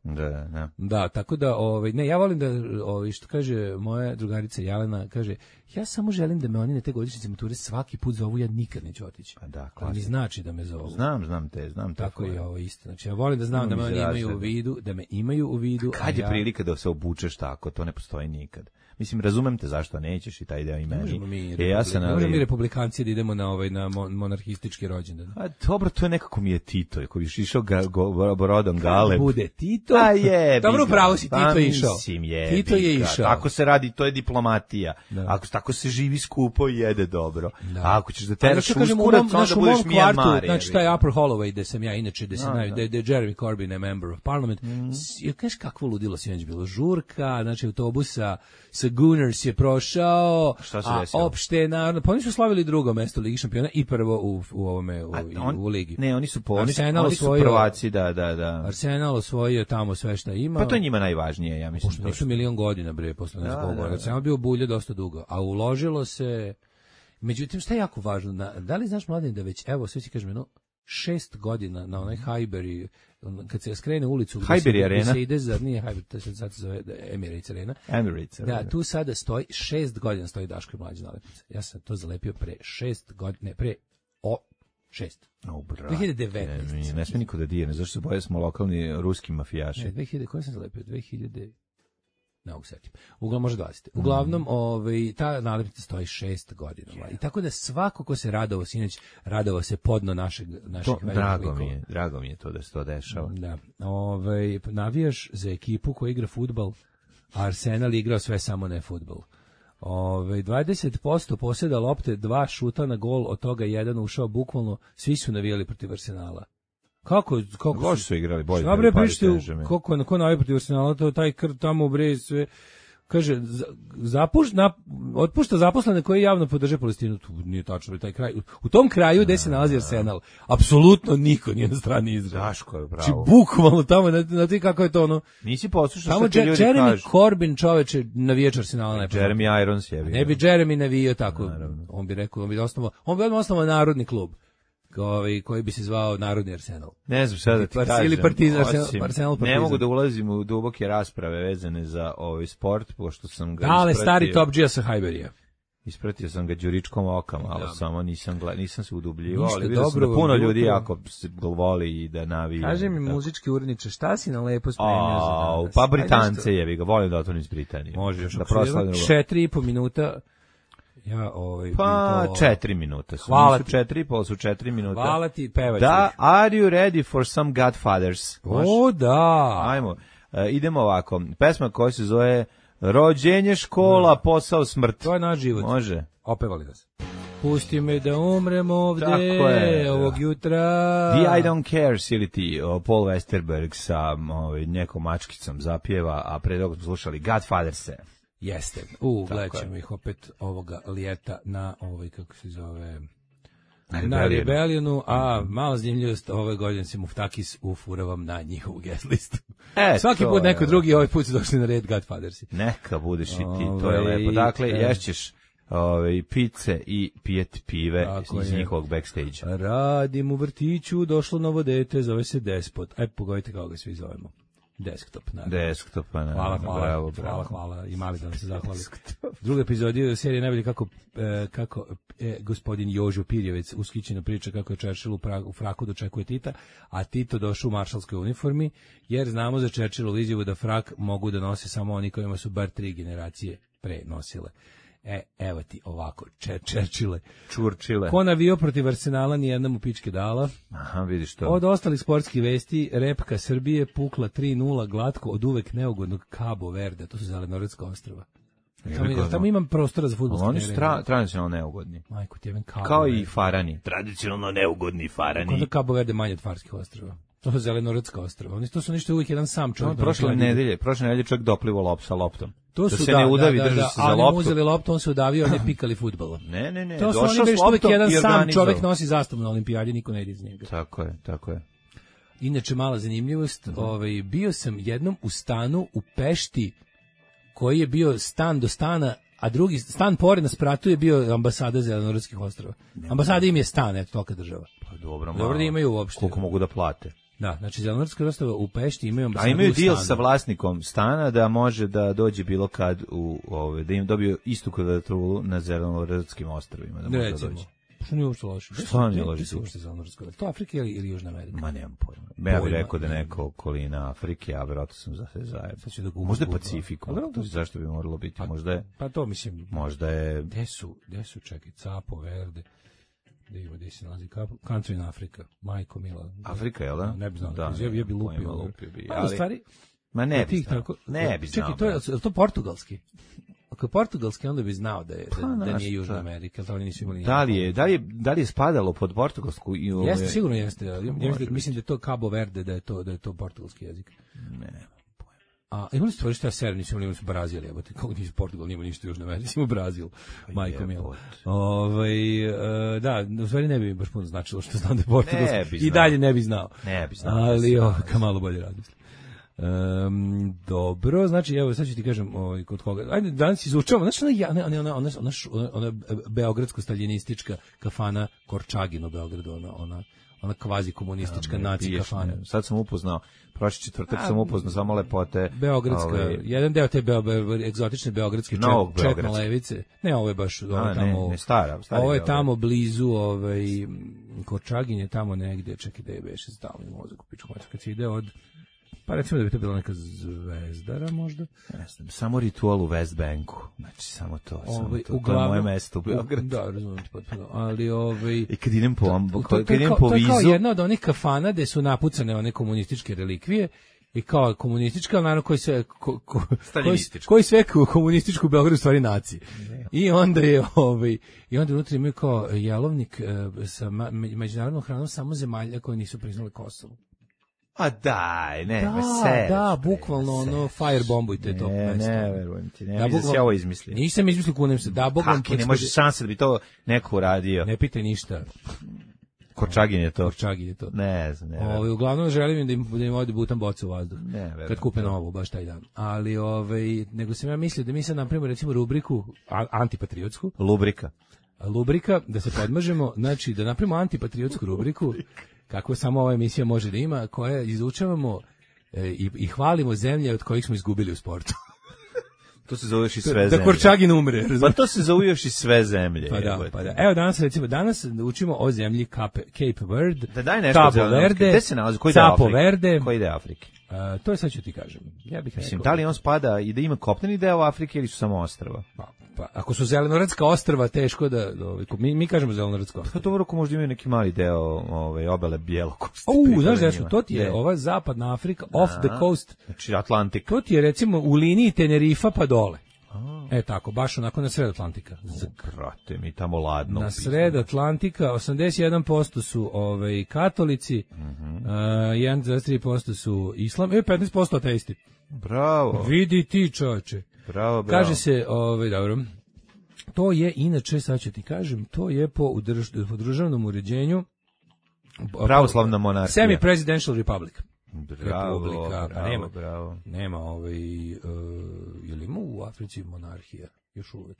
da. Ne. Da, tako da, ovaj, ne, ja volim da, ovaj, što kaže moja drugarica Jelena, kaže, ja samo želim da me oni na te godišnjice mature svaki put zovu, ja nikad neću otići. A da, to mi znači da me zovu. Znam, znam te, znam te. Tako je ovo isto. Znači, ja volim da znam da me oni imaju u vidu, da me imaju u vidu. Kad je ja... prilika da se obučeš tako, to ne postoji nikad. Mislim, razumem te zašto nećeš i taj deo i meni. Možemo mi, e, ja sam, ali... mi republikanci da idemo na ovaj na monarhistički rođendan. A dobro, to je nekako mi je Tito, koji je išao ga, go, brodom Galeb. Bude Tito? A je. Dobro, pravo si, Tito je išao. Je, Tito je išao. Tako se radi, to je diplomatija. Da. Ako tako se živi skupo i jede dobro. Da. A ako ćeš da teraš uskurac, onda budeš Mijanmar. Znači, taj Upper Holloway, gde sam ja, inače, gde se naj, da je Jeremy Corbyn a member of parliament. Mm. Ja kažeš kakvo ludilo sinoć bilo. Žurka, znači autobusa sa Gunners je prošao, a opšte naravno, pa oni su slavili drugo mesto Ligi šampiona i prvo u, u ovome u, on, u ligi. Ne, oni su po, oni, oni su prvaci, da, da, da. Arsenal osvojio tamo sve šta ima. Pa to je njima najvažnije, ja mislim. Pošto nisu milion godina bre posle nekog da, da, Arsenal bio bulje dosta dugo, a uložilo se. Međutim, šta je jako važno, na, da li znaš mladen da već evo sve ti kažem, no šest godina na onaj Highbury, kad se skrene ulicu Highbury Arena, se ide za, nije Highbury, to se sad zove Emirates Arena. Emirates Arena. Da, tu sada stoji, šest godina stoji Daško i mlađa nalepnica. Ja sam to zalepio pre šest godina, ne, pre o, šest. O, brate. dve hiljade devetnaeste. Ne, ne sme niko da dirne, zašto se boje smo lokalni ruski mafijaši. Ne, dve hiljade, koje sam zalepio? dve hiljade Ne mogu setim. Uglavnom može dvadeset. Uglavnom, mm. ovaj, ta nalepnica stoji šest godina. Yeah. I tako da svako ko se radovao sinoć, radovao se podno našeg naših to, drago mi je, drago mi je to da se to dešava. Da. Ovaj, navijaš za ekipu koja igra fudbal, Arsenal igrao sve samo ne fudbal. Ove, dvadeset posto posjeda lopte, dva šuta na gol, od toga jedan ušao bukvalno, svi su navijali protiv Arsenala. Kako, kako Loši su igrali, bolje. Šta bre pišite, kako na ko navija protiv Arsenala, to taj kr tamo bre sve. Kaže, zapušta, na, otpušta zaposlene koji javno podrže Palestinu. Tu nije tačno, taj kraj. U tom kraju gde se nalazi Arsenal, apsolutno niko nije na strani Izraela. Daško je pravo. Či bukvalno tamo, na, na ti kako je to ono. Nisi poslušao što ti ljudi kažu. Jeremy Corbyn, čoveče, navijač Arsenala. Ne Jeremy Irons je. Ne bi Jeremy navijao tako. Naravno. On bi rekao, on bi osnovao, on bi osnovao narodni klub. Koji, koji bi se zvao Narodni Arsenal. Ne znam šta da ti kažem. Ili Partizan, Arsenal, Arsenal Partizan. Ne mogu da ulazim u duboke rasprave vezane za ovaj sport, pošto sam ga Ale, stari Top G sa Hajberija. Ispratio sam ga đuričkom okama, ali da. samo nisam, gled, nisam se udubljivao, ali vidio sam da puno ljudi jako se voli i da navija. Kaže mi tako. Muzički uredniče, šta si na lepo spremio za danas? Pa Britance jebi ga, volim da otonim iz Britanije. Može još da proslavim. Četiri i po minuta. Ja, ovaj, pa to... četiri minuta su. Hvala ti. Četiri i pol su četiri minuta. Hvala ti, pevač. Da, are you ready for some Godfathers? O, da. Ajmo, e, idemo ovako. Pesma koja se zove Rođenje, škola, da. Posao, smrt. To je naš život. Može. Opevali nas. Pusti me da umrem ovde ovog jutra. The I Don't Care ili ti Paul Westerberg sa ovaj, nekom mačkicom zapjeva, a pre toga smo slušali Godfathers-e. Jeste. U, gledat ćemo ih opet ovoga ljeta na ovaj, kako se zove, na, na Rebellionu, a malo zanimljivost, ove godine se Muftakis ufuravam na njihovu guest listu. E, svaki put neko je. drugi, ovaj put su došli na red Godfathersi. Neka budeš i ti, ove, to je lepo. Dakle, e, ješćeš ove, pice i pijet pive iz je. njihovog backstage. Radim u vrtiću, došlo novo dete, zove se Despot. Aj, pogodite kako ga svi zovemo. Desktop, naravno. Desktop, naravno. Hvala, hvala, bravo, bravo. hvala, hvala. I mali da vam se zahvali. Druga epizodija serije najbolje kako, e, kako e, gospodin Jožo Pirjevec uskićeno priča kako je Churchill u, pra, u fraku dočekuje Tita, a Tito došao u maršalskoj uniformi, jer znamo za Churchillovu izjavu da frak mogu da nose samo oni kojima su bar tri generacije pre nosile. E, evo ti ovako, Churchille. Čurčile. Ko navio protiv Arsenala, nijedna mu pičke dala. Aha, vidiš to. Od ostalih sportskih vesti, repka Srbije pukla tri nula glatko od uvek neugodnog Cabo Verde, to su Zelenorodska ostrva. Tamo, tamo imam prostora za fudbalske oni su tra, tradicionalno neugodni. Majko, tjeven Cabo Kao Verde. I Farani. Tradicionalno neugodni Farani. Kako da Cabo Verde manje od Farskih ostrva? To su Zelenorodska ostrva. Oni to su ništa uvijek jedan sam čovjek. No, prošle nedelje, prošle nedelje čovjek doplivo lop sa loptom. To da su se da, ne udavi, da, drži da, se za ali loptu. Ali uzeli loptu, on se udavio, oni pikali fudbalom. Ne, ne, ne. To su oni bili što uvijek jedan sam čovjek nosi zastavu na olimpijadi, niko ne ide iz njega. Tako je, tako je. Inače, mala zanimljivost, mm-hmm. ovaj, bio sam jednom u stanu u Pešti, koji je bio stan do stana, a drugi stan pored na spratu je bio ambasada Zelenorodskih ostrva. Ambasada im je stan, eto, tolika država. Pa dobro, dobro da imaju uopšte. Koliko mogu da plate? Da, znači Zelenorodska ostrva u Pešti imaju ambasadu. A imaju deal sa vlasnikom stana da može da dođe bilo kad u ove, da im dobiju istu kvadraturu na Zelenorodskim ostrvima, da može Recimo. da dođe. Što nije uopšte loše? Što nije loše? To Afrika ili, ili Južna Amerika? Ma nemam pojma. Ja bih rekao da neko okolina Afrike, a verovatno sam za sve zajedno. Da možda je Pacifiku. To zašto bi moralo biti? Pa, možda je, pa to mislim. Možda je... Gde su, gde su, čekaj, Capo Verde, gde ima, gde se nalazi, country in Afrika, majko mila. Afrika, jel da? Ne bi znao, da, je bi lupio. lupio bi, ali... stvari, ma ne bi znao. Tako, ne bi znao. Čekaj, to je, je to portugalski? Ako je portugalski, onda bi znao da je da, pa, da nije Južna Amerika, ali nisu imali. Da li je, da li je, da li je spadalo pod portugalsku i ove... Jeste, sigurno jeste. Ja, ja mislim, mislim da je to Cabo Verde, da je to da je to portugalski jezik. Ne, nemam pojma. A imali ste što ja ser, nisu imali su Brazil, jebote, kako nisu Portugal, nema ništa Južna Amerika, ima Brazil. Majko mila. Ovaj uh, da, u stvari ne bi baš puno značilo što znam da je portugalski. I dalje ne bi znao. Ne bi znao. Ali ovo ka malo bolje razmislim. Um, dobro, znači evo sad ću ti kažem ovaj, kod koga. Ajde, danas izučavamo. Znači ona ona ona ona ona, ona beogradsko-staljinistička kafana Korčagin u Beogradu, ona ona ona kvazi komunistička ja, naci kafana. Ne. Sad sam upoznao, prošli četvrtak A, sam upoznao samo lepote. Beogradska, ovaj, jedan deo te beo, beo, egzotične beogradske čet, četno levice. Ne, ovo je baš ovo A, tamo. Ne, ne stara, stari ovo je tamo blizu, ovaj Korčagin je tamo negde, čekaj da je beše stalni mozak u pičku, kad se ide od pa recimo da bi to bila neka Zvezdara možda. Ne znam, samo ritual u West Banku. Znači, samo to. Ove, samo to, uglavnom, to je moje mesto u Beogradu. Da, razumijem potpuno. Ali, ovaj, i kad idem po, to, to, to, kad idem po to vizu... To je kao jedna od onih kafana gde su napucane one komunističke relikvije i kao komunistička, ali naravno koji sve ko, ko, koji, koji sve komunističku u Beogradu stvari naci. I onda je ovaj i onda unutra imaju kao jelovnik e, sa ma, međunarodnom hranom samo zemalja koje nisu priznale Kosovo. A daj, ne, da, sereš, da, bukvalno ono firebombujte to. Ne, ne, verujem ti, ne, da, mislim da se ovo izmislio. Nisam izmislio, kunem se, da, bukvalno. Kako ne može šanse da bi to neko uradio? Ne pitaj ništa. Korčagin je to. Korčagin je to. Ne znam, ne verujem. Ovaj, uglavnom želim da im, da im odi butan boca u vazduh. Ne verujem. Kad kupe novu, baš taj dan. Ali, ovaj, nego sam ja mislio da mi sad napravimo recimo rubriku a, antipatriotsku. Lubrika. Lubrika, da se podmažemo, znači da napravimo antipatriotsku rubriku, kako samo ova emisija može da ima, koja izučavamo e, i, i hvalimo zemlje od kojih smo izgubili u sportu. To se zove još i sve zemlje. Da Korčagin umre. Pa to se zove još i sve zemlje. Pa da, pa da. Evo danas recimo, danas učimo o zemlji Cape, Cape Verde, da daj nešto Cabo Verde, gde se nalazi, koji Capo deo Verde. Koji deo Afrike? Uh, to je sad ću ti kažem. Ja bih Mislim, da li on spada i da ima kopneni deo Afrike ili su samo ostrva? Pa, pa ako su zelenorodska ostrva, teško da, da mi, mi kažemo zelenorodska ostrva. Pa dobro, ako možda imaju neki mali deo ovaj, obale Bjelokosti. U, znaš da su, to ti je ne. ova zapadna Afrika, off the coast. Znači Atlantik. To ti je recimo u liniji Tenerifa pa dole. E tako, baš onako na sred Atlantika. Krate mi tamo ladno. Na sred Atlantika osamdeset jedan posto su ovaj katolici, mm-hmm. uh, jedan zarez tri posto su islam, i petnaest posto ateisti. Bravo. Vidi ti, čoveče. Bravo, bravo. Kaže se, ovaj dobro. To je inače, sad ću ti kažem, to je po, udrž, po državnom uređenju pravoslavna monarhija. Semi-presidential republic. Bravo, Republika, bravo, nema, bravo. Nema ovaj, uh, je li ima u Africi monarhija? Još uvek.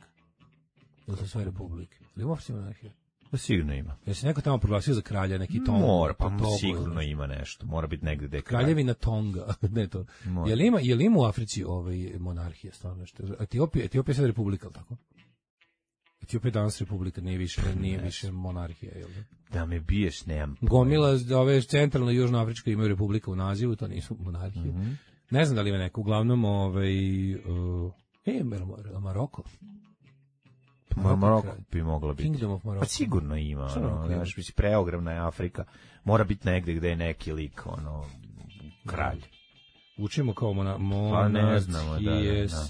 Ili su sve republike? Ili ima u Africi monarhija? Pa sigurno ima. Je se neko tamo proglasio za kralja, neki Tonga? Mora, pa Togo, sigurno ima nešto. Mora biti negde gde je kralj. Kraljevina Tonga, ne to. Je li ima, je li ima u Africi ovaj monarhija, stvarno nešto? Etiopija, Etiopija je sad republika, ali tako? Etiopija je danas republika, nije više, nije više monarhija, jel da? Da me biješ, nemam. Gomila, ove centralno i južnoafrička imaju republika u nazivu, to nisu monarhije. Mm-hmm. Ne znam da li ima neko, uglavnom, ovaj, uh, e, Maroko. Maroko, Maroko bi moglo biti. Kingdom of Morocco. Pa sigurno ima, ono, znaš, mislim, preogromna je Afrika, mora biti negde gde je neki lik, ono, kralj. Učimo kao mona, pa ne znamo, da, da,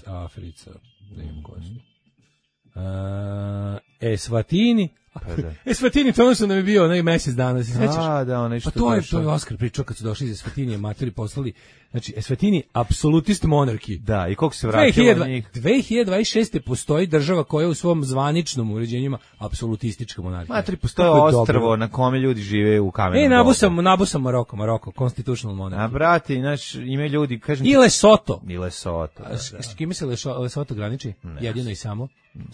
da. Africa, da imam koji su. Uh, Eswatini. Pa da. Eswatini, to ono što nam je bio onaj mesec dana, se sećaš? A, da, onaj što pa to je, to je Oskar pričao kad su došli iz Eswatini, materi poslali. Znači, Eswatini, apsolutist monarki. Da, i koliko se vratilo njih? dve hiljade dvadeset šeste. postoji država koja u svom zvaničnom uređenju ima apsolutistička monarhija. Materi, postoje ostrvo na kome ljudi žive u kamenom. E, nabusam, nabusam Maroko, Maroko, constitutional monarchy. A, brati, znaš, imaju ljudi, kažem... I Lesoto. I Lesoto, da, S, s kime se Lesoto graniči? Ne. Jedino i samo.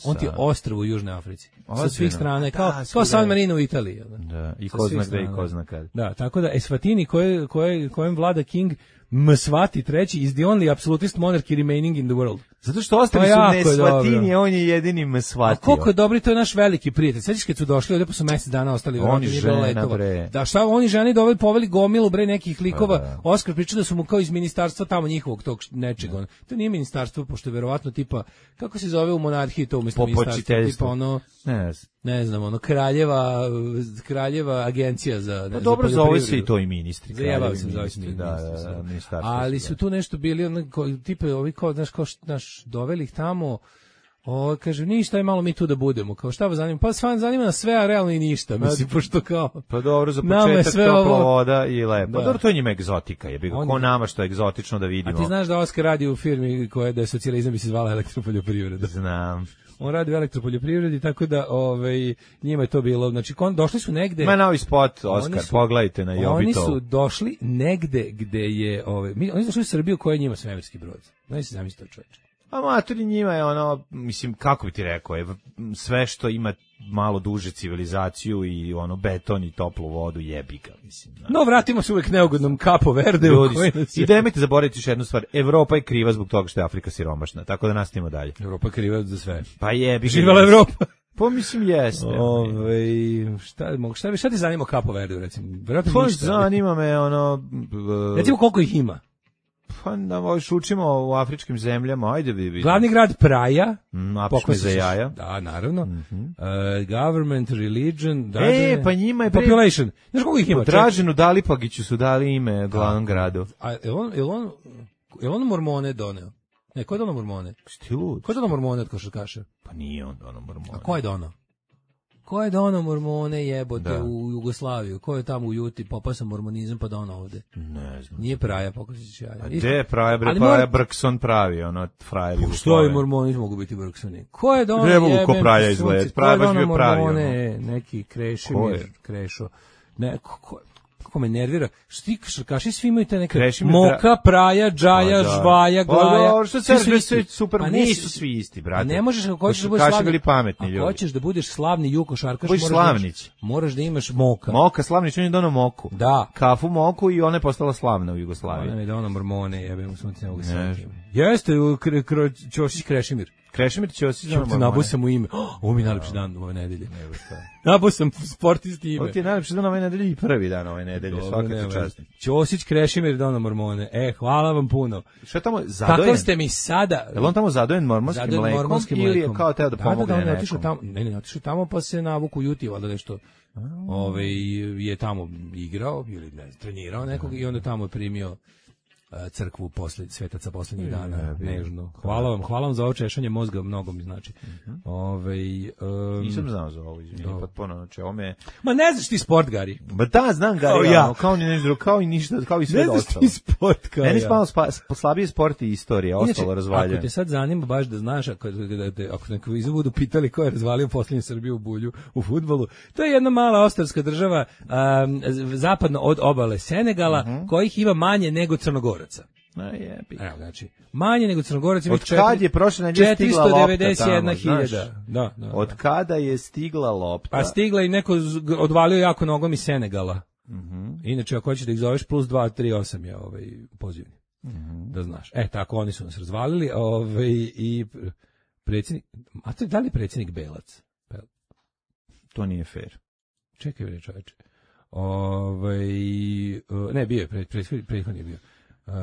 On ti je ostrvo u Južnoj Africi. Ozbiljno. Sa svih strana, kao, da, kao San Marino u Italiji. Da, i ko zna gde i ko zna kad. Da, tako da Eswatini koje, koje, kojem vlada King Mswati treći is the only absolutist monarchy remaining in the world. Zato što ostali su Eswatini, on je jedini Mswati. A koliko je dobri, to je naš veliki prijatelj. Sveći kad su došli, ovdje pa su mesec dana ostali. Oni žena, bre. Da, šta oni ženi doveli, poveli gomilu, bre, nekih likova. Da. Oskar pričao da su mu kao iz ministarstva tamo njihovog tog nečega. Da. To nije ministarstvo, pošto je verovatno tipa, kako se zove u monarhiji to umjesto ministarstva? Tipa ono, ne, ne znam, ono, kraljeva, kraljeva agencija za... Pa dobro, zove se i to i ministri. Zajebao sam, zove se ministri. Da, da, ali su tu nešto bili, ono, tipe, ovi kao, znaš, kao, znaš, doveli ih tamo, o, kaže, ništa je malo mi tu da budemo, kao šta vas zanima, pa svan zanima nas sve, a realno i ništa, mislim, pošto kao... Pa dobro, za početak topla voda i lepo. Pa dobro, to je njima egzotika, je bi ga, ko nama što je egzotično da vidimo. A ti znaš da Oskar radi u firmi koja da je socijalizam bi se zvala Elektropoljoprivreda? Znam. On radi u elektropoljoprivredi, tako da ovaj, njima je to bilo, znači kon, došli su negde... Ima novi spot, Oskar, su, pogledajte na Jobitov. Oni su došli negde gde je... Ovaj, mi, oni su došli u Srbiju koja je njima svemirski brod. Znači se zamislite čoveče. A matori njima je ono, mislim, kako bi ti rekao, je sve što ima malo duže civilizaciju i ono beton i toplu vodu jebi ga, mislim. Znači. No, vratimo se uvek neugodnom Capo Verde. I nemojte zaboraviti još jednu stvar, Evropa je kriva zbog toga što je Afrika siromašna, tako da nastavimo dalje. Evropa je kriva za sve. Pa jebi ga. Živala Evropa. Pa mislim jeste. Ove, šta, šta, šta ti zanima Capo Verde, recimo? Pa zanima me ono... Recimo koliko ih ima? Pa da možeš učimo u afričkim zemljama, ajde bi vidim. Glavni grad Praja. Mm, Apšme za jaja. Da, naravno. Mm-hmm. Uh, government, religion. Dražene, e, pa njima je... Population. Znaš koliko ih ima? Draženu Dalipagiću su dali ime glavnom gradu. A je on, je on, je on mormone doneo? Ne, ko je donao mormone? Šti lud? Ko je donao mormone od košarkaša? Pa nije on donao mormone. A ko je donao? Ko je donao mormone jebote da. U Jugoslaviju? Ko je tamo u Juti popao sam mormonizam pa donao ovde? Ne znam. Nije Praja, pokusić ja. A gde je Praja, bre, Praja mor... Brkson pravi, ono, frajer Jugoslavije. Što je mormonizam mogu biti Brksoni? Ko je donao jebem? Ne mogu ko Praja izgleda, Praja baš bio pravi. Mormone, neki Krešimir, Krešo. Ne, ko, ko, kako me nervira, što ti košarkaši svi imaju te neke Krešimir, Moka, Praja, Džaja, da. Žvaja, Glaja. Pa što se sve sve super, pa nisu svi isti, brate. A ne možeš ako hoćeš da budeš slavni, pametni ljudi. Ako hoćeš da budeš slavni ju košarkaš, moraš Slavnić. Da moraš da imaš Moka. Moka Slavnić, on je donao Moku. Da. Kafu Moku i ona je postala slavna u Jugoslaviji. Ona je donao mormone, jebem u sunce mogu se. Jeste Ćosić Krešimir. Krešimir Ćosić donao mormone. Nabuo sam mu ime. Ovo mi je najlepši dan ove nedelje. Nabuo sam sportisti ime. Ovo ti je najlepši dan ove nedelje i prvi dan ove nedelje. Svaka čast. Ćosić Krešimir donao mormone. E, hvala vam puno. Šta tamo zadojen? Kako ste mi sada? Je on tamo zadojen mormonskim zadojen mlekom, mormonskim ili je kao teo da pomogne da, da, nekom? Otišao tamo, ne, ne, otišao tamo pa se navuku Juti, valjda nešto ove, je tamo igrao ili ne, trenirao nekog i onda tamo je primio crkvu posle svetaca poslednjih dana, nežno. Hvala vam, hvala vam za ovo češanje mozga, mnogo mi znači. Uh-huh. Ovaj um, nisam znao za ovo, izvinite, potpuno, znači ovo me... Ma ne znaš ti sport, Gari. Ma da, znam Gari, kao, ja. Ono, kao, ni nešto, kao i ništa, kao i sve ostalo. Ne znaš ti sport, kao ja. Meni je spalo slabije sport i istorija, ostalo razvaljeno. Ako te sad zanima baš da znaš, ako, da te, ako neko izu budu pitali ko je razvalio posljednju Srbiju u bulju u fudbalu, to je jedna mala ostrvska država um, zapadno od obale Senegala, uh-huh. kojih ima manje nego Crnogoraca. Na jebi. Evo, znači, manje nego Crnogorac ima od kad je prošle nedelje stigla lopta tamo, četiristo devedeset jedna hiljada. Da, da. Od kada je stigla lopta? Pa stigla i neko odvalio jako nogom iz Senegala. Mhm. Inače, ako hoćeš da ih zoveš, plus dva tri osam je ovaj pozivni. Mhm. Da znaš. E, tako, oni su nas razvalili, ovaj, i predsjednik, a to je da li predsjednik Belac? To nije fair. Čekaj, bre, čoveče. Ovaj, ne, bio je, prethodni je bio. Uh,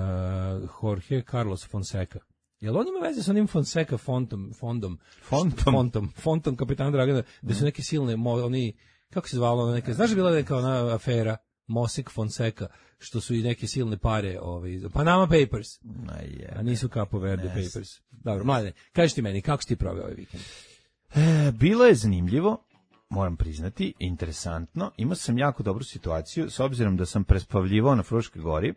Jorge Carlos Fonseca. Jel on ima veze sa onim Fonseca fontom, fondom, fontom, fontom, fontom kapitana Dragana, gde su neke silne, oni, kako se zvalo, neke, znaš da bila neka ona afera, Mosik Fonseca, što su i neke silne pare, ovaj, Panama Papers, a nisu Capo Verde yes. Papers. Dobro, mladine, kažeš ti meni, kako si ti proveo ovaj vikend? E, bilo je zanimljivo, moram priznati, interesantno, imao sam jako dobru situaciju, s obzirom da sam prespavljivao na Fruškoj gori,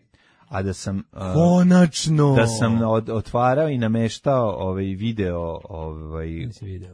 a da sam uh, konačno da sam od, otvarao i nameštao ovaj video ovaj video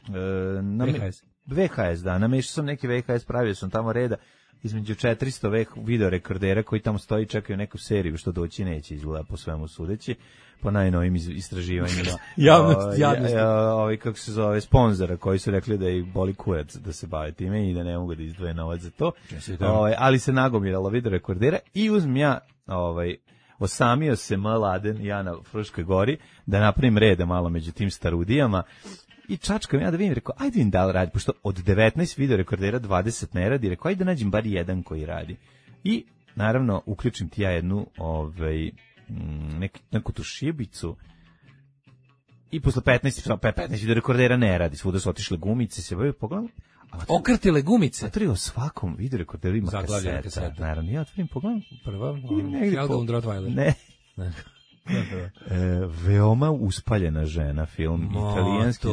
uh, na V H S V H S da nameštao sam neki V H S, pravio sam tamo reda između četiristo video rekordera koji tamo stoji, čekaju neku seriju što doći neće, izgleda po svemu sudeći, po najnovim istraživanjima javnost, javnost. Ovaj, kako se zove, sponzora koji su rekli da ih boli kurac da se bave time i da ne mogu da izdvoje novac za to, ovaj, ali se nagomiralo video rekordera i uzmem ja ovaj, osamio se mladen ja na Fruškoj gori da napravim reda malo među tim starudijama i čačkam ja da vidim, rekao, ajde vidim da li radi, pošto od devetnaest video rekordera dvadeset ne radi, rekao, ajde da nađem bar jedan koji radi. I, naravno, uključim ti ja jednu, ovaj, nek, neku tu šibicu i posle petnaest, petnaest video rekordera ne radi, svuda su otišle gumice, se bavio, pogledam. Okrtile gumice? Otvorio u svakom video rekorderu ima kaseta. kaseta. Naravno, ja otvorim, pogledam. Prva, Sheldon Rottweiler. Ne. E, veoma uspaljena žena, film italijanski.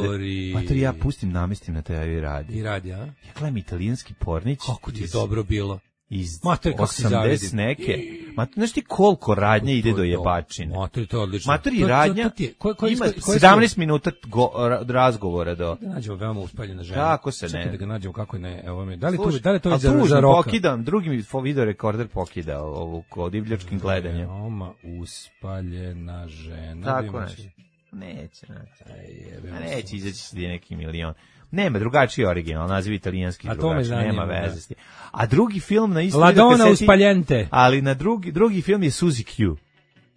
Matori, ja pustim, namestim na tebi i radi. I radi, a? Ja gledam italijanski pornić. Kako ti je dobro bilo? Iz Matori, osamdeset neke. Ma, znaš ti koliko radnje ide do jebačine? Matori, to je odlično. Matori, radnja to, to, to ko, ko, ima sedamnaest minuta go, razgovora do... Da nađemo veoma uspaljena žena. Kako se ne? Čekaj da ga nađemo kako ne. Evo me. Da li Sluš, to, da li to je za, za roka? Pokidam, drugi mi video rekorder pokida ovu kod divljačkim gledanjem. Veoma uspaljena žena. Tako nešto. Neće, neće. Neće izaći se neki milion. Nema, drugačiji original, naziv italijanski drugačiji, nema veze s tim. A drugi film na isto Ladona uspaljente. Ali na drugi drugi film je Suzy Q.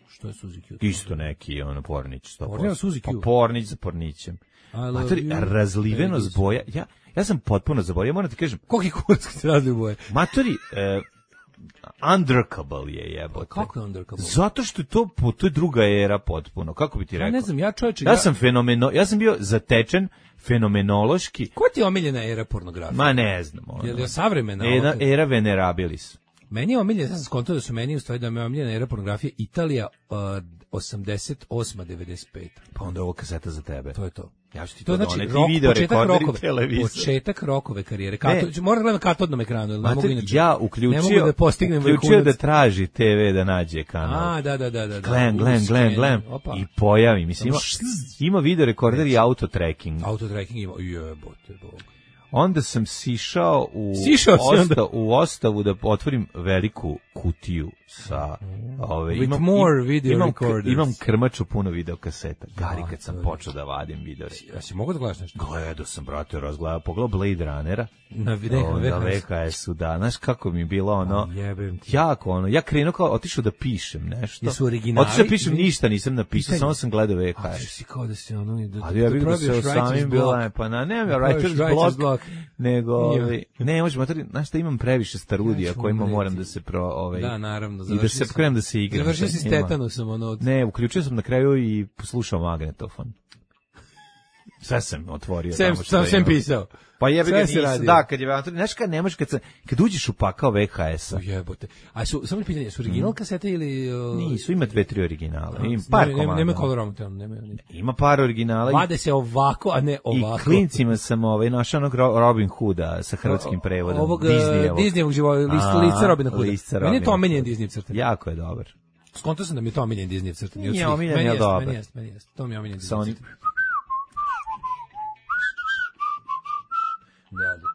Što je Suzy Q? Isto neki, ono, pornić. sto posto. Pornić Suzy Q? Pa pornić za pornićem. Matori, razlivenost boja, ja, ja sam potpuno zaboravio, ja moram ti kažem. Koliki kurac se razliju boje? Matori, e, undrkable je jebote. Kako je undrkable? Zato što je to, to je druga era potpuno. Kako bi ti rekao? Ja ne znam, ja čovječe... Ja, ja sam fenomeno, ja sam bio zatečen fenomenološki. Ko ti je omiljena era pornografije? Ma ne znam. Ono. Je li savremena? Era, era venerabilis. Meni je omiljena, ja sam skontao da su meni u stvari da me je omiljena era pornografije Italija uh, osamdeset osma devedeset peta. Pa onda je ovo kaseta za tebe. To je to. Ja ću ti to, to znači, doneti, rok, video početak rokove, televizor. Početak rokove karijere. Kato, moram gledam na katodnom ekranu. Ne mogu inače, ja uključio, ne mogu da postignem uključio da traži te ve da nađe kanal. A, da, da, da. da gledam, gledam, gledam, gledam. I pojavi. Mislim, ima, ima video rekorder i auto tracking. Auto tracking ima, jebote, bog. Onda sam sišao u sišao osta, u ostavu da otvorim veliku kutiju sa ove imam more video imam, recorders. Imam krmaču puno video kaseta. Gari kad sam počeo da vadim video. Ja si mogu da gledaš nešto? Gledao sam, brate, razgledao, pogledao Blade Runnera. Na video na ve ka esu, da. Znaš kako mi je bilo ono, jako ono, ja krenuo kao, otišao da pišem nešto. Jesu originali? Otišao da pišem, ništa nisam napisao, samo sam gledao ve ka es. A si kao da si ono... Da, ali ja bih da se samim bila, pa na, nemam ja writer's block, nego, ne, možemo, znaš šta, imam previše starudija kojima moram da se pro, ovaj, da, naravno, i da se krenem da se igram. Završio si s tetanusom, ono... Ne, uključio sam na kraju i slušao magnetofon. Sve sam otvorio. Sem, sam sem pisao. Pa jebi ga nisam, da, kad je, znaš kad nemaš, kad, kad uđeš u pakao ve ka esa. Jebote. A su, samo mi pitanje, su original mm. kasete ili... Uh, nisu, ima dve, tri originale. Ima par nema, komada. Nema kolorom, nema, nema. Ima par originala. Vade se ovako, a ne ovako. I klincima sam ovaj, našao onog Robin Hooda sa hrvatskim prevodom. Ovog Disneyevog. Disneyevog života, list, lica Robina Hooda. Lica Meni je to omiljen Disneyev crtan. Jako je dobar. Skontao sam da mi je to omiljen Disneyev crtan. Nije omiljen, je dobar. Meni jest, meni jest. To mi je omiljen Disneyev crtan. Da, da.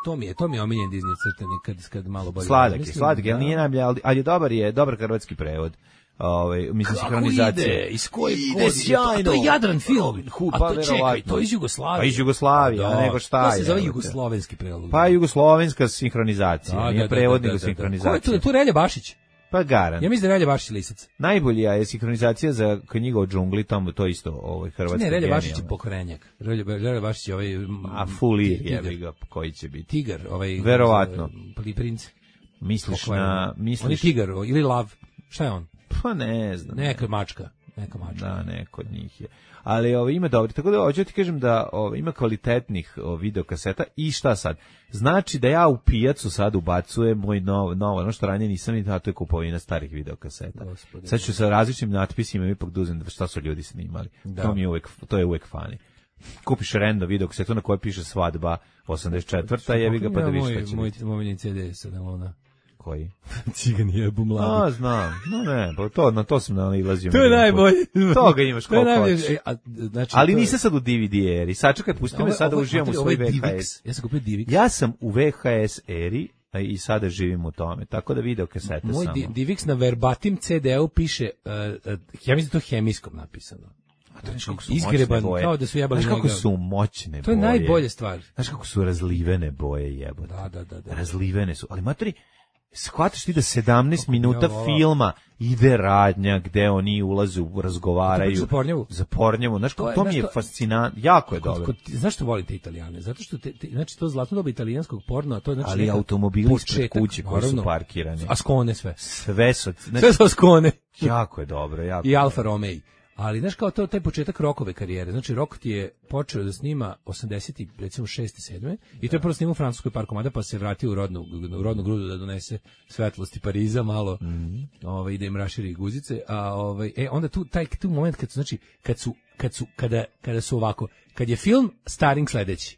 To mi je, to mi je omiljen Disney crtani kad kad malo bolje. Sladak je, sladak je, ali nije najbolje, ali, ali je dobar je, dobar hrvatski prevod. Ovaj, mislim sinhronizacija. Ide, iz koje ide sjajno. To je Jadran film. A to čekaj, to je iz Jugoslavije. Pa iz Jugoslavije, a nego šta je. To se zove jugoslovenski prevod. Pa jugoslovenska sinhronizacija, nije prevod nego sinhronizacija. Ko je tu, tu Relja Bašić? Pa garan. Ja mislim da Relja Bašić lisac. Najbolja je sinhronizacija za knjigu o džungli, tamo to isto ovaj hrvatski. Ne, Relja Bašić je pokrenjak. Relja Bašić je ovaj a fulir je ga koji će biti. Tigar, ovaj verovatno. Pli princ. Misliš na misliš on je tigar ili lav. Šta je on? Pa ne znam. Neka mačka, neka mačka. Da, neko od njih je. Ali ovo ima dobro, tako da hoću ti kažem da ovo, ima kvalitetnih o, videokaseta i šta sad? Znači da ja u pijacu sad ubacujem moj novo, novo ono što ranije nisam vidio, a to je kupovina starih videokaseta. Gospodine. Sad ću sa različitim natpisima ipak da uzem šta su ljudi snimali. Da. To mi je uvek, to je uvek fani. Kupiš random videokasetu na kojoj piše svadba osamdeset četvrta jebi ga pa da vidiš šta će moj, moj, moj ce de sa Nelona. Koji? Cigan je bumlado. A, znam. No ne, pa to, na to sam nalazio. To je najbolje. Toga imaš koliko hoćeš. Znači, ali nisam sad u D V D eri. Sačekaj, pusti me sada uživam u svoj ve ha es. Ja sam kupio D V X. Ja sam u ve ha es eri i sada živim u tome. Tako da video kasete samo. Moj D V X na verbatim ce de-u piše, uh, uh, ja mislim to hemijskom napisano. Izgreban, kao da su jebali njega. Znaš kako su moćne boje. To je najbolje stvar. Znaš kako su razlivene boje jebote. Da, da, da, da. Razlivene su. Ali matori, shvataš ti da sedamnaest minuta filma ide radnja gde oni ulaze, razgovaraju. Za Pornjevu? Za Pornjevu. Znaš, to, to mi je fascinantno. Jako je dobro. Znaš što volite Italijane? Zato što, te, te, znači, to zlatno doba italijanskog porno, to je znači... Ali automobili ispred kuće koji su parkirani. A skone sve. Sve su... Znači, sve su skone. Jako je dobro. Jako I Alfa Romeo. Ali znaš kao to taj početak Rokove karijere. Znači Rok ti je počeo da snima osamdeset recimo šeste sedme i to je prvo snimao u Francuskoj par komada pa se vratio u rodnu u rodnu grudu da donese svetlosti Pariza malo. Mm-hmm. Ovaj ide im raširi guzice, a ovaj e onda tu taj tu moment kad su znači kad su kad su kada kada su ovako, kad je film starring sledeći.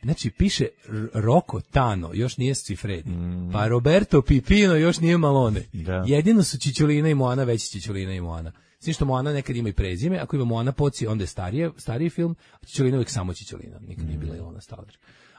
Znači piše Rocco Tano, još nije Cifredi. Mm. Pa Roberto Pipino još nije Malone. Da. Jedino su Čičolina i Moana, veći Čičolina i Moana. Sve što Moana nekad ima i prezime, ako ima Moana Poci, onda je starije, stariji film, a Čičolina uvijek samo Čičolina, nikad nije bila Ilona Stalač.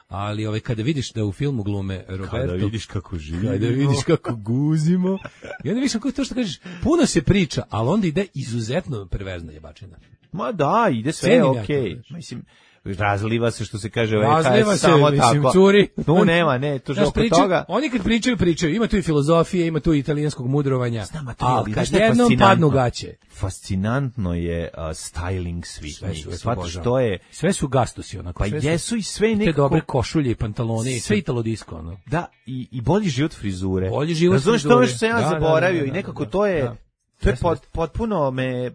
Ali ovaj, kada vidiš da u filmu glume Roberto... Kada vidiš kako živimo. Kada vidiš kako guzimo. I onda vidiš kako to što kažeš, puno se priča, ali onda ide izuzetno perverzna jebačina. Ma da, ide sve okej. Okay. Mislim, razliva se, što se kaže, razliva se, samo mislim, tako. Curi. Tu nema, ne, to je oko toga. Oni kad pričaju, pričaju, ima tu i filozofije, ima tu i italijanskog mudrovanja, Znam, ali kad jednom padnu gaće. Fascinantno je uh, styling svih sve njih. Su, Shvataš što je... Sve su gastusi, onako. Pa sve jesu su, i sve nekako... Te dobre košulje i pantalone, i sve italo disko, ono. Da, i, i bolji život frizure. Bolji život Razumeš frizure. Razumeš to što sam ja da, zaboravio da, da, da, i nekako da, to je... Da. To je pot, potpuno me...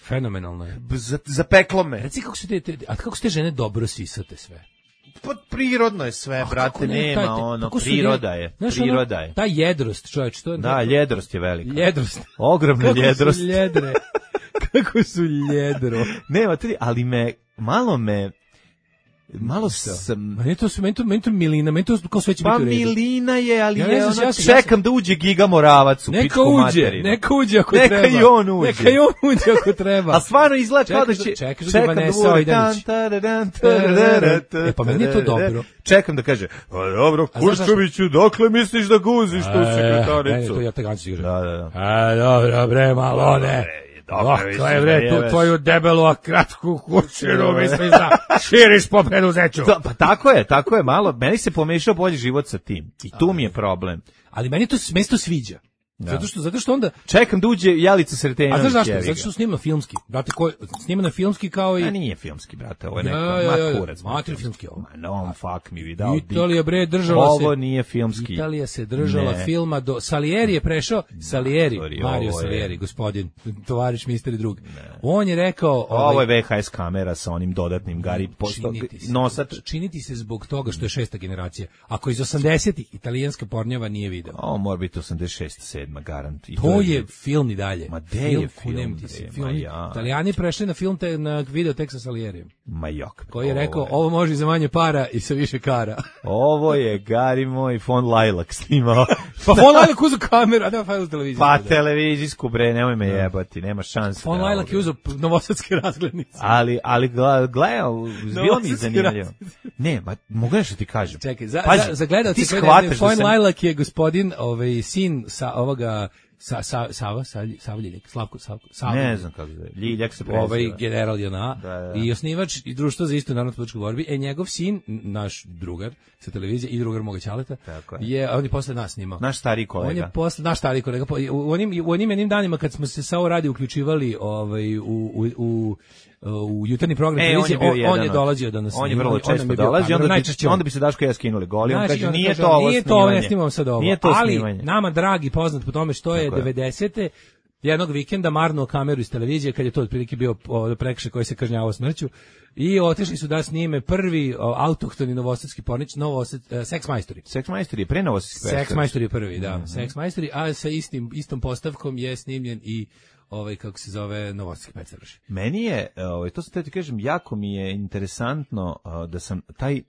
Fenomenalno je. Zapeklo me. Reci kako su te, te, a kako su te žene dobro sisate sve? Pa prirodno je sve, a, brate, ne, nema taj, ono, priroda je, znaš, priroda ono, je. Ta jedrost, čovječ, to je... Da, ljedrost je velika. Ljedrost. Ogromna kako ljedrost. Kako su ljedre. Kako su ljedro. Nema, ali me, malo me, malo sam... Meni to, meni to, meni to milina, meni to kao sve će pa biti u redu. Pa milina je, ali ja je znam, ono, ja čekam ja sam... da uđe Giga Moravac u neka pičku uđe, materinu. Neka uđe ako neka treba. Neka i on uđe. Neka i on uđe ako treba. A stvarno izgleda kao da će... Čekaš da Vanessa Ojdanić. E, pa meni je to dobro. Čekam da kaže, pa dobro, Kurčoviću, dokle misliš da guziš tu sekretaricu? Meni to ja te ganci igram. Da, da, da. A, dobro, bre, malone. Dokle, bre, tu tvoju debelu, a kratku kućinu, misliš da širiš po preduzeću. Pa tako je, tako je, malo, meni se pomešao bolji život sa tim. I tu mi je problem. Ali meni to mesto sviđa. Da. Zato što zato što onda čekam da uđe Jelica Sretenović. A znaš zašto? Zato što snima filmski. Brate, ko snima filmski kao i a nije filmski, brate, ovo je neko ja, ja, ja, makurac. Mater filmski ovo. Ma no, fuck mi vidao. Italija bre držala se. Ovo nije filmski. Italija se držala ne. filma do Salieri je prešao, Salieri, Sorry, Mario Salieri, gospodin, tovariš mister i drug. Ne. On je rekao, ovaj, ovo je V H S kamera sa onim dodatnim gari posto nosač. Činiti se zbog toga što je šesta generacija. Ako iz osamdesetih italijanska pornjava nije video. O, mora biti osamdeset šesta sedma garant. To je film i dalje. Ma de je film? film. Ja. Italijani prešli na film te, na video tek sa Salierijem. Ma jok. Koji je rekao, ovo, je. ovo može za manje para i sa više kara. Ovo je, Gari moj, Von Lajlak snimao. Pa Von Lajlak uzeo kameru, a da pa uzeo televiziju. Pa televizijsku, bre, nemoj me jebati, nema šanse. Von Lajlak je uzeo novosadske razglednice. Ali, ali gledao, bilo mi zanimljivo. Ne, ma, mogu nešto ti kažem. Čekaj, za, Pazi, za, za gledalce, Von Lajlak je gospodin, ovaj, sin sa ovoga... Sa, sa, Sava, Sava Ljiljak, Slavko, Slavko, Sava. Ne znam kako se Ljiljak se preziva. Ovaj general J N A da, da. I osnivač i društvo za istu narodnu političku borbu. E, njegov sin, naš drugar sa televizije i drugar moga ćaleta, je. je, on je posle nas snimao. Naš stari kolega. On je posle, naš stari kolega. U onim, u onim jednim danima kad smo se sa ovo radi uključivali ovaj, u, u, u u jutarnji program e, on, je on, on je dolazio da nas on je vrlo često dolazio, onda, najčešće onda bi se Daško ja skinuli goli, on kaže nije to ovo nije to, ne snimam sad ovo, to ali snimanje. Nama dragi poznat po tome što je devedesete jednog vikenda marnuo kameru iz televizije kad je to otprilike bio prekršaj koji se kažnjavao smrću i otišli su da snime prvi autohtoni novosadski pornić, Novosad, uh, Seks majstori. Seks majstori je pre novosadski. Seks majstori je prvi, da. Mm -hmm. Seks majstori, a sa istim istom postavkom je snimljen i ovaj kako se zove novosadski pecaraš. Meni je, ovaj to se ti kažem, jako mi je interesantno uh, da sam taj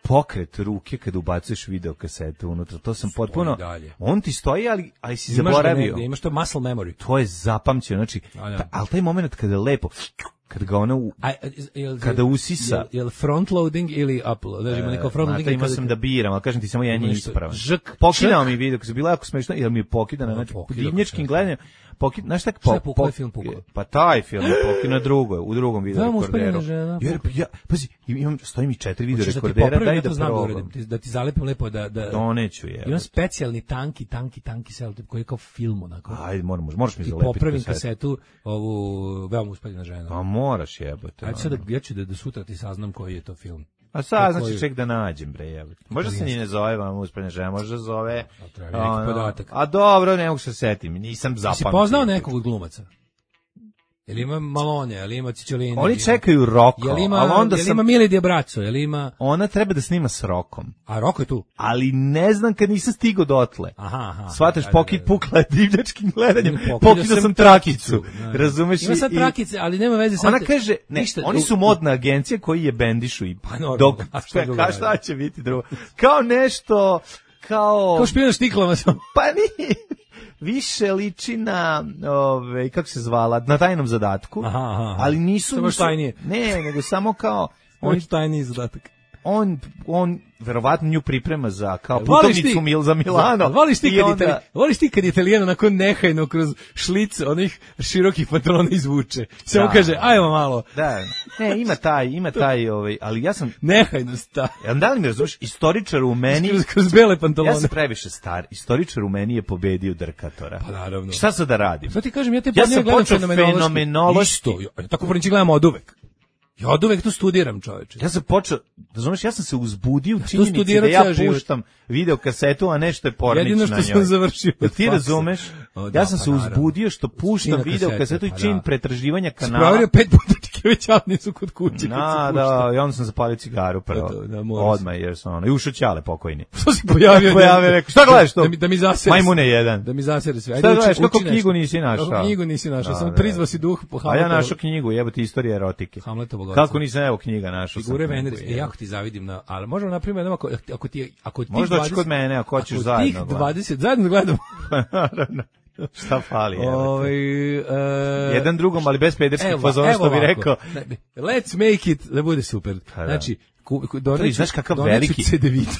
pokret ruke kada ubacuješ video kasetu unutra, to sam stoji potpuno dalje. On ti stoji, ali ali si imaš zaboravio. Ne, imaš to muscle memory. To je zapamćeno, znači, ta, ali taj moment kada je lepo kad ga ona u, A, jel, kada usisa jel, jel front loading ili upload, znači ima neko front loading. Ima sam da biram, al kažem ti samo jedan je ispravan. Pokidao mi video, kad je bilo jako smešno, jer mi je pokidano, znači divnjačkim gledanjem. Pokid, znaš tak po, po, film pukao? Pa taj film je pokid na drugoj, u drugom video rekorderu. Jer ja, pazi, imam stoji mi četiri video rekordera, daj da probam. Da ti zalepim lepo da da doneću je. Imam specijalni tanki, tanki, tanki selotip koji je kao film onako. Ajde, moram, možeš mi zalepiti. Popravim kasetu, ovu veoma uspešna žena. Pa moraš jebote. Ajde sad ja ću da do sutra ti saznam koji je to film. A sad znači ček da nađem bre jebote. Možda se ni ne zove vam uspešna žena, možda zove neki podatak. A dobro, ne mogu se setim, nisam zapamtio. Si poznao nekog od glumaca? Jel ima Malone, jel ima Cicciolini? Oni čekaju Roko, jel ima, ali onda jel sam... ima Mili Diabraco, jel ima... Ona treba da snima s Rokom. A Roko je tu? Ali ne znam kad nisam stigao dotle. Aha, aha. Shvataš, pokid pukla je divljačkim gledanjem, pokidao sam trakicu. Razumeš? Ima sad trakice, ali nema veze sad... Ona kaže, ne, ništa, oni su modna agencija koji je bendišu i... Pa normalno, dok, a šta, ka, šta će biti drugo? Kao nešto, kao... Kao špijun štiklama sam. Pa nije... više liči na, ove, kako se zvala, na tajnom zadatku, aha, aha. ali nisu... Samo tajnije. Ne, nego samo kao... On je tajniji zadatak. On, on verovatno nju priprema za kao putovnicu Mil za Milano. Voliš ti, kad onda... voliš ti kad Italijano nakon nehajno kroz šlic onih širokih patrona izvuče. Samo da. Kaže, ajmo malo. Da. Ne, ima taj, ima taj, ovaj, ali ja sam... Nehajno star. Ja, da li me razumiješ, istoričar u meni... Kroz, kroz bele pantalone. Ja sam previše star. Istoričar u meni je pobedio Drkatora. Pa naravno. Šta sad da radim? Šta ti kažem, ja te ja sam počeo fenomenološki. Isto, ja tako porniči gledam od uvek. Ja od uvek to studiram, čoveče. Ja sam počeo, razumeš, ja sam se uzbudio u činjenici da ja puštam video kasetu, a nešto je pornič na njoj. Jedino što sam završio. Da ti razumeš? O, da, ja sam pa se uzbudio što puštam video kasetu i čin pa pretraživanja kanala. Spravio pet puta Tikevićalni su kod kuće. Na, da, i onda sam zapalio cigaru prvo. To, da, odmah, jer sam ono, i ušao Ćale pokojni. Što si pojavio? Pojavio, rekao, šta gledaš to? Da mi, da mi zasere. Majmune jedan. Da mi zasere sve. Šta gledaš, kako knjigu nisi našao? Kako knjigu nisi našao, sam prizvao si duh po Hamletovu. A ja našao knjigu, jebote, istorija erotike. Hamletovo. Kako nisam evo knjiga našao? Figure Venere, e, jako ti zavidim na, ali možemo na primjer, ako, ako ti, ako ti možda doći kod mene, ako hoćeš zajedno. Ako tih dvadeset, zajedno gledamo. Naravno. Šta fali? Ovaj uh, jedan drugom, ali bez pederskih fazona, što bi rekao. Let's make it, da bude super. Znači, doneću, znaš kakav veliki,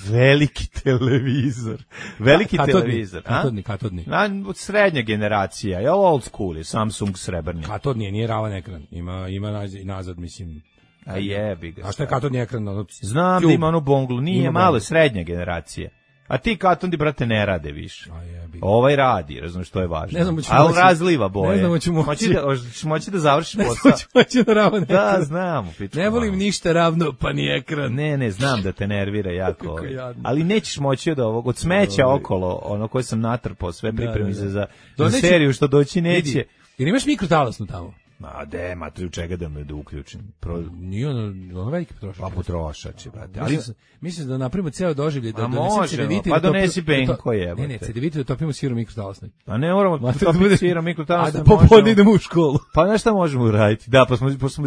veliki televizor. Veliki katodni, televizor. Katodni, katodni. Na, srednja generacija, je old school, je Samsung srebrni. Katodni, nije ravan ekran. Ima, ima nazad, mislim. A jebi ga. A šta je katodni ekran? Ono, znam tube. Da ima onu bonglu, nije ima malo, srednja generacija. A ti katondi, brate, ne rade više. Ovaj radi, razumiješ, što je važno. Ne znam, ali razliva boje. Ne znam, ću moći. Moći da, moći da završiš posao. Ne znam, moći da ravno da, znam. Pičku, ne volim malo. Ništa ravno, pa ni ekran. Ne, ne, znam da te nervira jako. Ali nećeš moći od ovog, od smeća okolo, ono koje sam natrpao, sve pripremi za, za, za seriju što doći neće. Vidi, jer imaš mikrotalasnu tamo? Ma de, matri, u čega da me da uključim? Pro... Nije ono, ono veliki potrošač. Pa potrošač, brate. Ali mislim da napravimo ceo doživljaj, da donesem cedevite. Pa donesi benko je. Ne, ne, cedevite da topimo sirom mikrotalasnoj. Pa ne moramo topiti sirom mikrotalasnoj. A da popodne idemo u školu. Pa znaš šta možemo uraditi? Da, pa smo, pa smo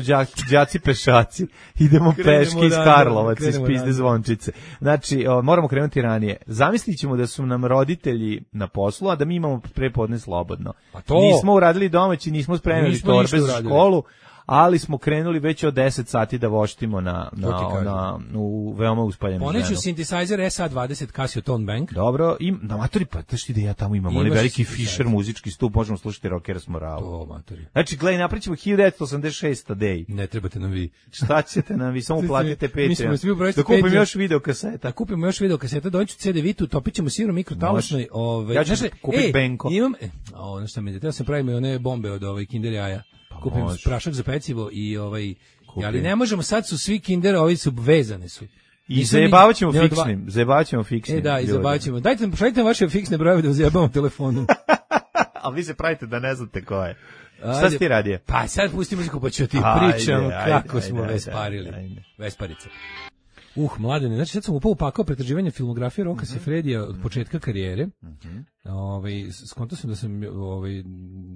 đaci pešaci, idemo peški iz Karlovaca, iz Pizde Zvončice. Znači, o, moramo krenuti ranije. Zamislit ćemo da su nam roditelji na poslu, a da mi imamo prepodne slobodno. Pa to... Nismo uradili domaći, nismo spremili torbe za školu, ali smo krenuli već od deset sati da voštimo na, na, na, u veoma uspaljenom ženu. Poneću synthesizer S A dvadeset Casio Tone Bank. Dobro, im, na matori, pa znaš ti da ja tamo imam onaj veliki Fisher muzički stup, možemo slušati Rockers Moralu. To, matori. Znači, gledaj, napričimo hiljadu devetsto osamdeset šesta day. Ne trebate nam vi. Šta ćete nam vi, samo platite Patreon. Da kupimo još video kaseta. Da kupimo još video kaseta, doneću C D vitu, topit ćemo sirom mikrotalasnoj. Ove, ja ću kupiti benko. Imam, e, ono šta mi, da sam pravim one bombe od ovaj Kinder jaja. Kupim može. Prašak za pecivo i ovaj, kupim. Ali ne možemo, sad su svi Kinder, ovi su vezane su. I zajebavat ćemo fiksnim, dva... zajebavat ćemo fiksnim. E da, i zajebavat ćemo. Dajte, šaljite vaše fiksne brojeve da vas zajebamo telefonom. Ali vi se pravite da ne znate ko je. Šta si ti radio? Pa sad pusti muziku pa ću ti pričam kako ajde, smo ajde, vesparili. Ajde, ajde. Vesparice. Uh, mladene, znači sad sam upao upakao pretraživanje filmografije Roka uh -huh. Sefredija od početka karijere. Uh -huh. Ovaj skonto sam da sam ovaj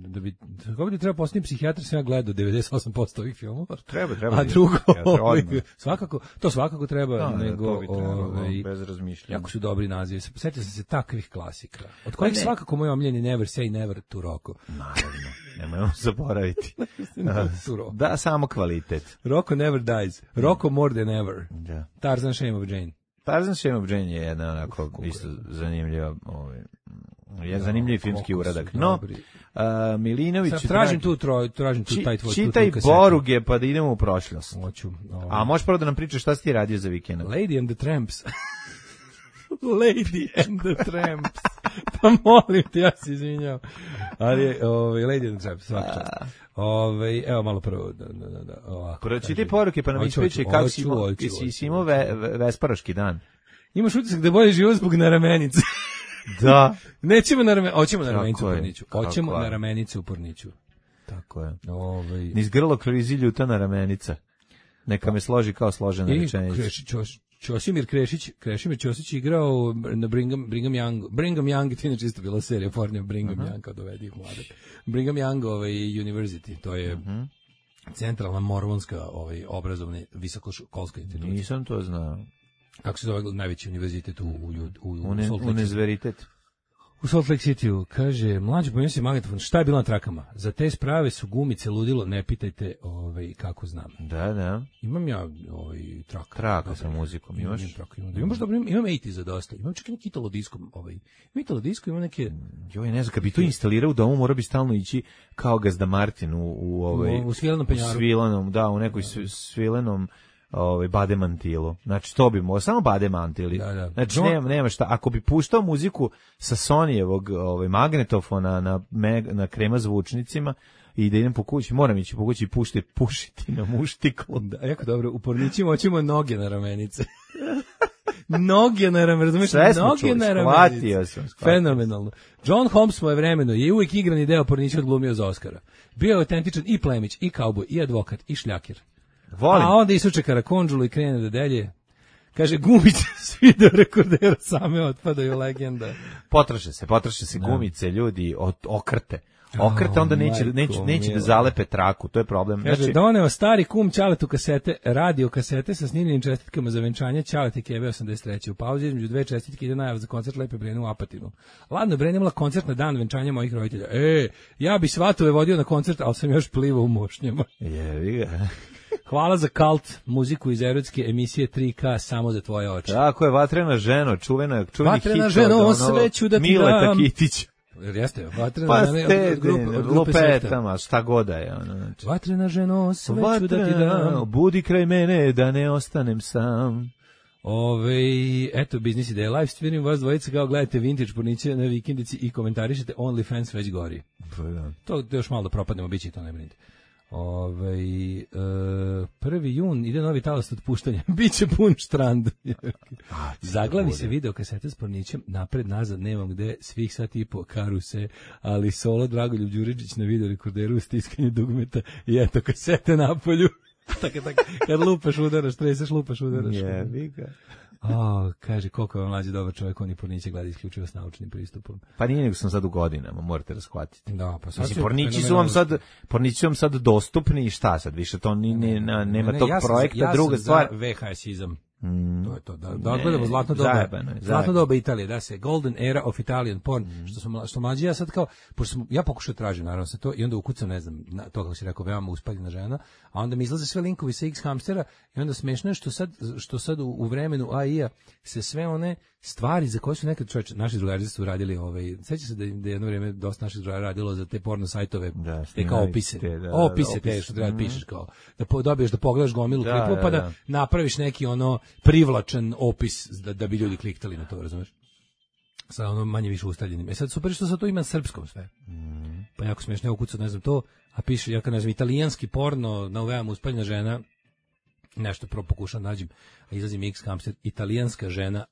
da bi kako bi trebao postati psihijatar, sam ja gledao devedeset osam posto ovih filmova. Treba, treba. A drugo, ovaj, svakako, to svakako treba, da, nego treba, ovaj bez razmišljanja. Jako su dobri nazivi. Setio sam se takvih klasika. Od kojih ne. Svakako moj omiljeni Never Say Never to Rocco. Naravno. Nemojmo zaboraviti. Da, samo kvalitet. Rocco never dies. Rocco more than ever. Da. Tarzan Shame of Jane. Tarzan Shame of Jane je jedna onako isto zanimljiva, ovaj, je zanimljiv filmski uradak. No, uh, Milinović... Sad tražim tu, troj, tražim tu taj tvoj... Čitaj Boruge pa da idemo u prošlost. Hoću. A možeš prvo da nam pričaš šta si ti radio za vikend? Lady and the Tramps. Lady and the Tramps. Pa molim te, ja se izvinjam. Ali, ovaj, Lady and the Tramps, svaka čast. Ove, evo malo prvo da da da ovako. Pročitaj poruke pa nam ispričaj kako si imao, si imao ve, ve, vesparoški dan. Imaš utisak da bolje život zbog na ramenice. Da. Nećemo na ramenicu, hoćemo na ramenicu u Porniću. Hoćemo na ramenicu u Porniću. Tako je. Ovaj niz grlo krizi ljuta na ramenica. Neka me složi kao složena rečenica. Ćosimir Krešić, Krešimir Ćosić igrao na Brigham, Brigham Young, Brigham Young, to je čisto bila serija pornija Brigham uh -huh. Young, kao dovedi ih mladak. Brigham Young ovaj, University, to je uh -huh. centralna mormonska ovaj, obrazovna visokoškolska institucija. Nisam to znao. Kako se zove najveći univerzitet u, u, u, u Une, Univerzitet. U Salt Lake City-u, kaže, mlađe pomenuo si magnetofon, šta je bilo na trakama? Za te sprave su gumice ludilo, ne pitajte ovaj, kako znam. Da, da. Imam ja ovaj, trak. Traka sa muzikom, imaš? Imam trak, imam, imam, dobro, imam osamdeset za dosta, imam čak i neki Italo disco, ovaj, imam Italo disco, imam neke... Joj, ne znam, kad bi to instalirao u domu, mora bi stalno ići kao Gazda Martin u, u, ovaj, u, u svilenom penjaru. U svilenom, da, u nekoj svilenom ovaj bademantilu. Znači to bi mogao samo bademantili. Da, da. Znači nema nema šta. Ako bi puštao muziku sa Sonyjevog ovaj magnetofona na meg, na krema zvučnicima i da idem po kući, moram ići po kući i pušti pušiti na muštiklu. Da, jako dobro. U pornićima hoćemo noge na ramenice. Noge na ramenice, razumiješ? Noge na ramenice. Sam, fenomenalno. John Holmes svoje vremeno je uvijek igrani deo pornića odglumio za Oscara. Bio je autentičan i plemić, i kauboj, i advokat, i šljakir. Volim. A onda isuče karakondžulu i krene da delje. Kaže, gumice s video rekordera same otpadaju, legenda. Potroše se, potroše se gumice, ljudi, od, okrte. Okrte, onda neće, oh, neće, neće da zalepe traku, to je problem. Kaže, znači, doneo stari kum Ćaletu kasete, radio kasete sa snimljenim čestitkama za venčanje Ćaleti Keve osamdeset treće. U pauzi između dve čestitke ide najava za koncert Lepe Brene u Apatinu. Ladno, Brene imala koncert na dan venčanja mojih roditelja. E, ja bi svatove vodio na koncert, ali sam još plivao u mošnjama. Jevi ga. Hvala za Kalt, muziku iz erotske emisije tri K samo za tvoje oči. Tako je, Vatrena ženo, čuvena, čuveni hit. Vatrena ženo, sve ću da ti Mileta dam. Kitić. Jeste, Vatrena pa ženo od grupe, od grupe Lupetama, šta god da je. Ono, znači. Vatrena ženo, sve Vatrena, ću da ti dam. Budi kraj mene da ne ostanem sam. Ove, eto, biznis ideja, live streaming, vas dvojica kao gledate vintage porniće na vikendici i komentarišete OnlyFans već gori. Da. To još malo da propadnemo, bit će to, ne brinite. Ove, e, prvi jun ide novi talas otpuštanja, biće pun štrand. Zaglavi se video kasete s pornićem, napred, nazad, nemam gde, svih sat i po, karuse, ali solo Dragoljub Đuričić na video rekorderu u stiskanju dugmeta i eto kasete napolju. Tako, tako, kad lupaš udaraš, treseš, lupaš udaraš. Jebi ga. O, kaže, koliko je vam mlađi dobar čovjek, on i porniće gleda isključivo s naučnim pristupom. Pa nije nego sam sad u godinama, morate raskvatiti. Da, pa sad Mislim, pornići su vam sad, pornići su vam sad dostupni i šta sad, više to ni, ne, ne, nema ne, tog ja sam, projekta, ja druga sam stvar. za V H S-izam. Mm. To je to, da, da odgledamo zlatno doba, zajebano, zlatno doba Italije, da se, golden era of Italian porn, mm. što sam, što mlađi ja sad kao, pošto sam, ja pokušao tražim naravno se to i onda ukucam, ne znam, na, to kako si rekao, veoma uspaljena žena, a onda mi izlaze sve linkovi sa X-hamstera i onda smešno je što sad, što sad u, u vremenu A I-a se sve one stvari za koje su nekad čovječe, naši drugari su radili, ovaj, seća se da, da je jedno vrijeme dosta naših drugara radilo za te porno sajtove, da, te kao opise, te, da, opise da, te opis. što treba da mm. pišeš kao, da po, dobiješ da pogledaš gomilu da, klipova pa da, da napraviš neki ono privlačan opis da, da bi ljudi kliktali na to, razumeš? Sa ono manje više ustavljenim. E sad super što sad to ima na srpskom sve. Mm. Pa jako smiješno, ukucao, ne znam to, a piše, ja kad ne znam, italijanski porno, na veoma uspaljena žena, nešto pro pokušam nađem, a izlazim X-hamster, italijanska žena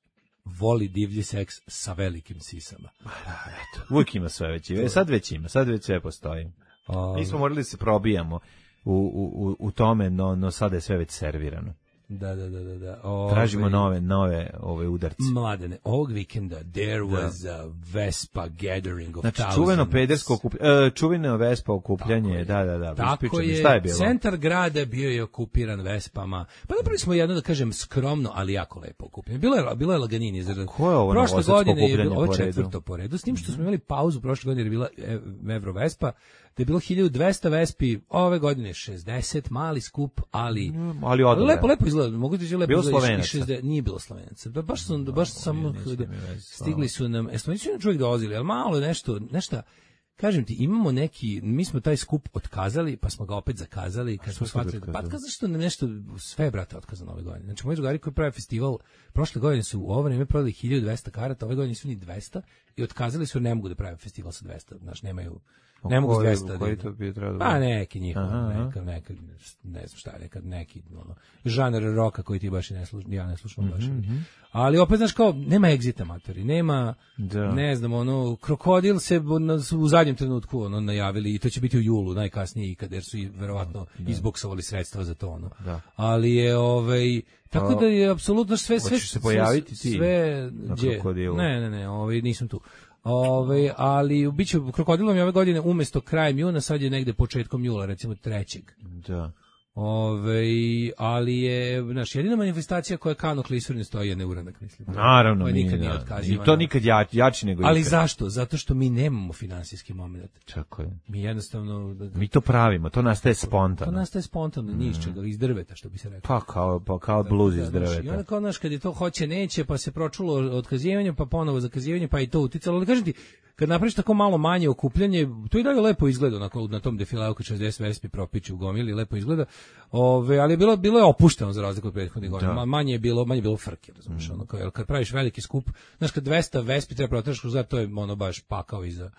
voli divlji seks sa velikim sisama. Da, eto. Uvijek ima sve već. E, sad već ima, sad već sve postoji. Um, Nismo morali da se probijamo u, u, u tome, no, no sada je sve već servirano. Da, da, da, da, da. Ove, Tražimo nove, nove ove udarce. Mladene, ovog vikenda there was da. a Vespa gathering of znači, thousands. čuveno pedersko okupljanje, uh, čuveno Vespa okupljanje, da, da, da. Tako je, šta je bilo? Centar grada bio je okupiran Vespama. Pa napravili smo jedno, da kažem, skromno, ali jako lepo okupljanje. Bilo je, bilo je laganini. Ko je ovo prošle godine je bilo, po ovo četvrto po redu, s tim što smo imali pauzu prošle godine jer je bila Evro Vespa, da je bilo hiljadu dvesta Vespi, ove godine šezdeset, mali skup, ali, mm, ali odle. lepo, lepo izgleda, mogu ti lepo bilo izgleda, šezdeset, nije bilo Slovenaca, da, baš sam, no, baš samo stigli su nam, e, Slovenci su čovjek dolazili, ali malo nešto, nešto, kažem ti, imamo neki, mi smo taj skup otkazali, pa smo ga opet zakazali, kad smo shvatili, pa zašto nam nešto, sve brate otkazano ove godine. Znači, moji drugari koji prave festival, prošle godine su u ovo vreme prodali hiljadu dvesta karata, ove godine nisu ni dvesta i otkazali su, ne mogu da prave festival sa dvesta, znači, nemaju, ne mogu s dvesta. Koji to bi trebalo? Pa neki njihov, neka, neka, ne znam šta, nekad neki, ono, žanar roka koji ti baš i ne slušam, ja ne slušam baš. Mm-hmm. Ali opet, znaš, kao, nema egzita matori, nema, da. ne znam, ono, Krokodil se u zadnjem trenutku, ono, najavili i to će biti u julu, najkasnije ikad, jer su i verovatno da. izboksovali sredstva za to, ono. Da. Ali je, ovaj, tako da je apsolutno sve, sve, se pojaviti sve, sve, gdje, ne, ne, ne, ovaj, nisam tu. Ove, ali biće Krokodilom je ove godine umjesto krajem juna, sad je negde početkom jula, recimo trećeg. Da. Ove, ali je, znaš, jedina manifestacija koja Kano Klisur ne stoji je neuranak, mislim. Naravno, koja nikad nije otkazivana. I to nikad ja, jači nego ali ikad. Zašto? Zato što mi nemamo finansijski moment. Čako je. Mi jednostavno... Mi to pravimo, to nastaje spontano. To nastaje spontano, mm. niš čega, iz drveta, što bi se rekao. Pa kao, pa kao bluz iz drveta. I onda kao, znaš, kad je to hoće, neće, pa se pročulo otkazivanje, pa ponovo zakazivanje, pa i to uticalo. Ali kažem ti, kad napraviš tako malo manje okupljanje, to i dalje lepo izgleda na, na tom defileu kad šezdeset Vespi propiću u gomili, lepo izgleda. Ove, ali je bilo bilo je opušteno za razliku od prethodnih godina. Ma, manje je bilo, manje je bilo frke, razumiješ, mm. ono kao, kad praviš veliki skup, znaš, kad dvesta Vespi treba protraš kroz, to je ono baš pakao iza.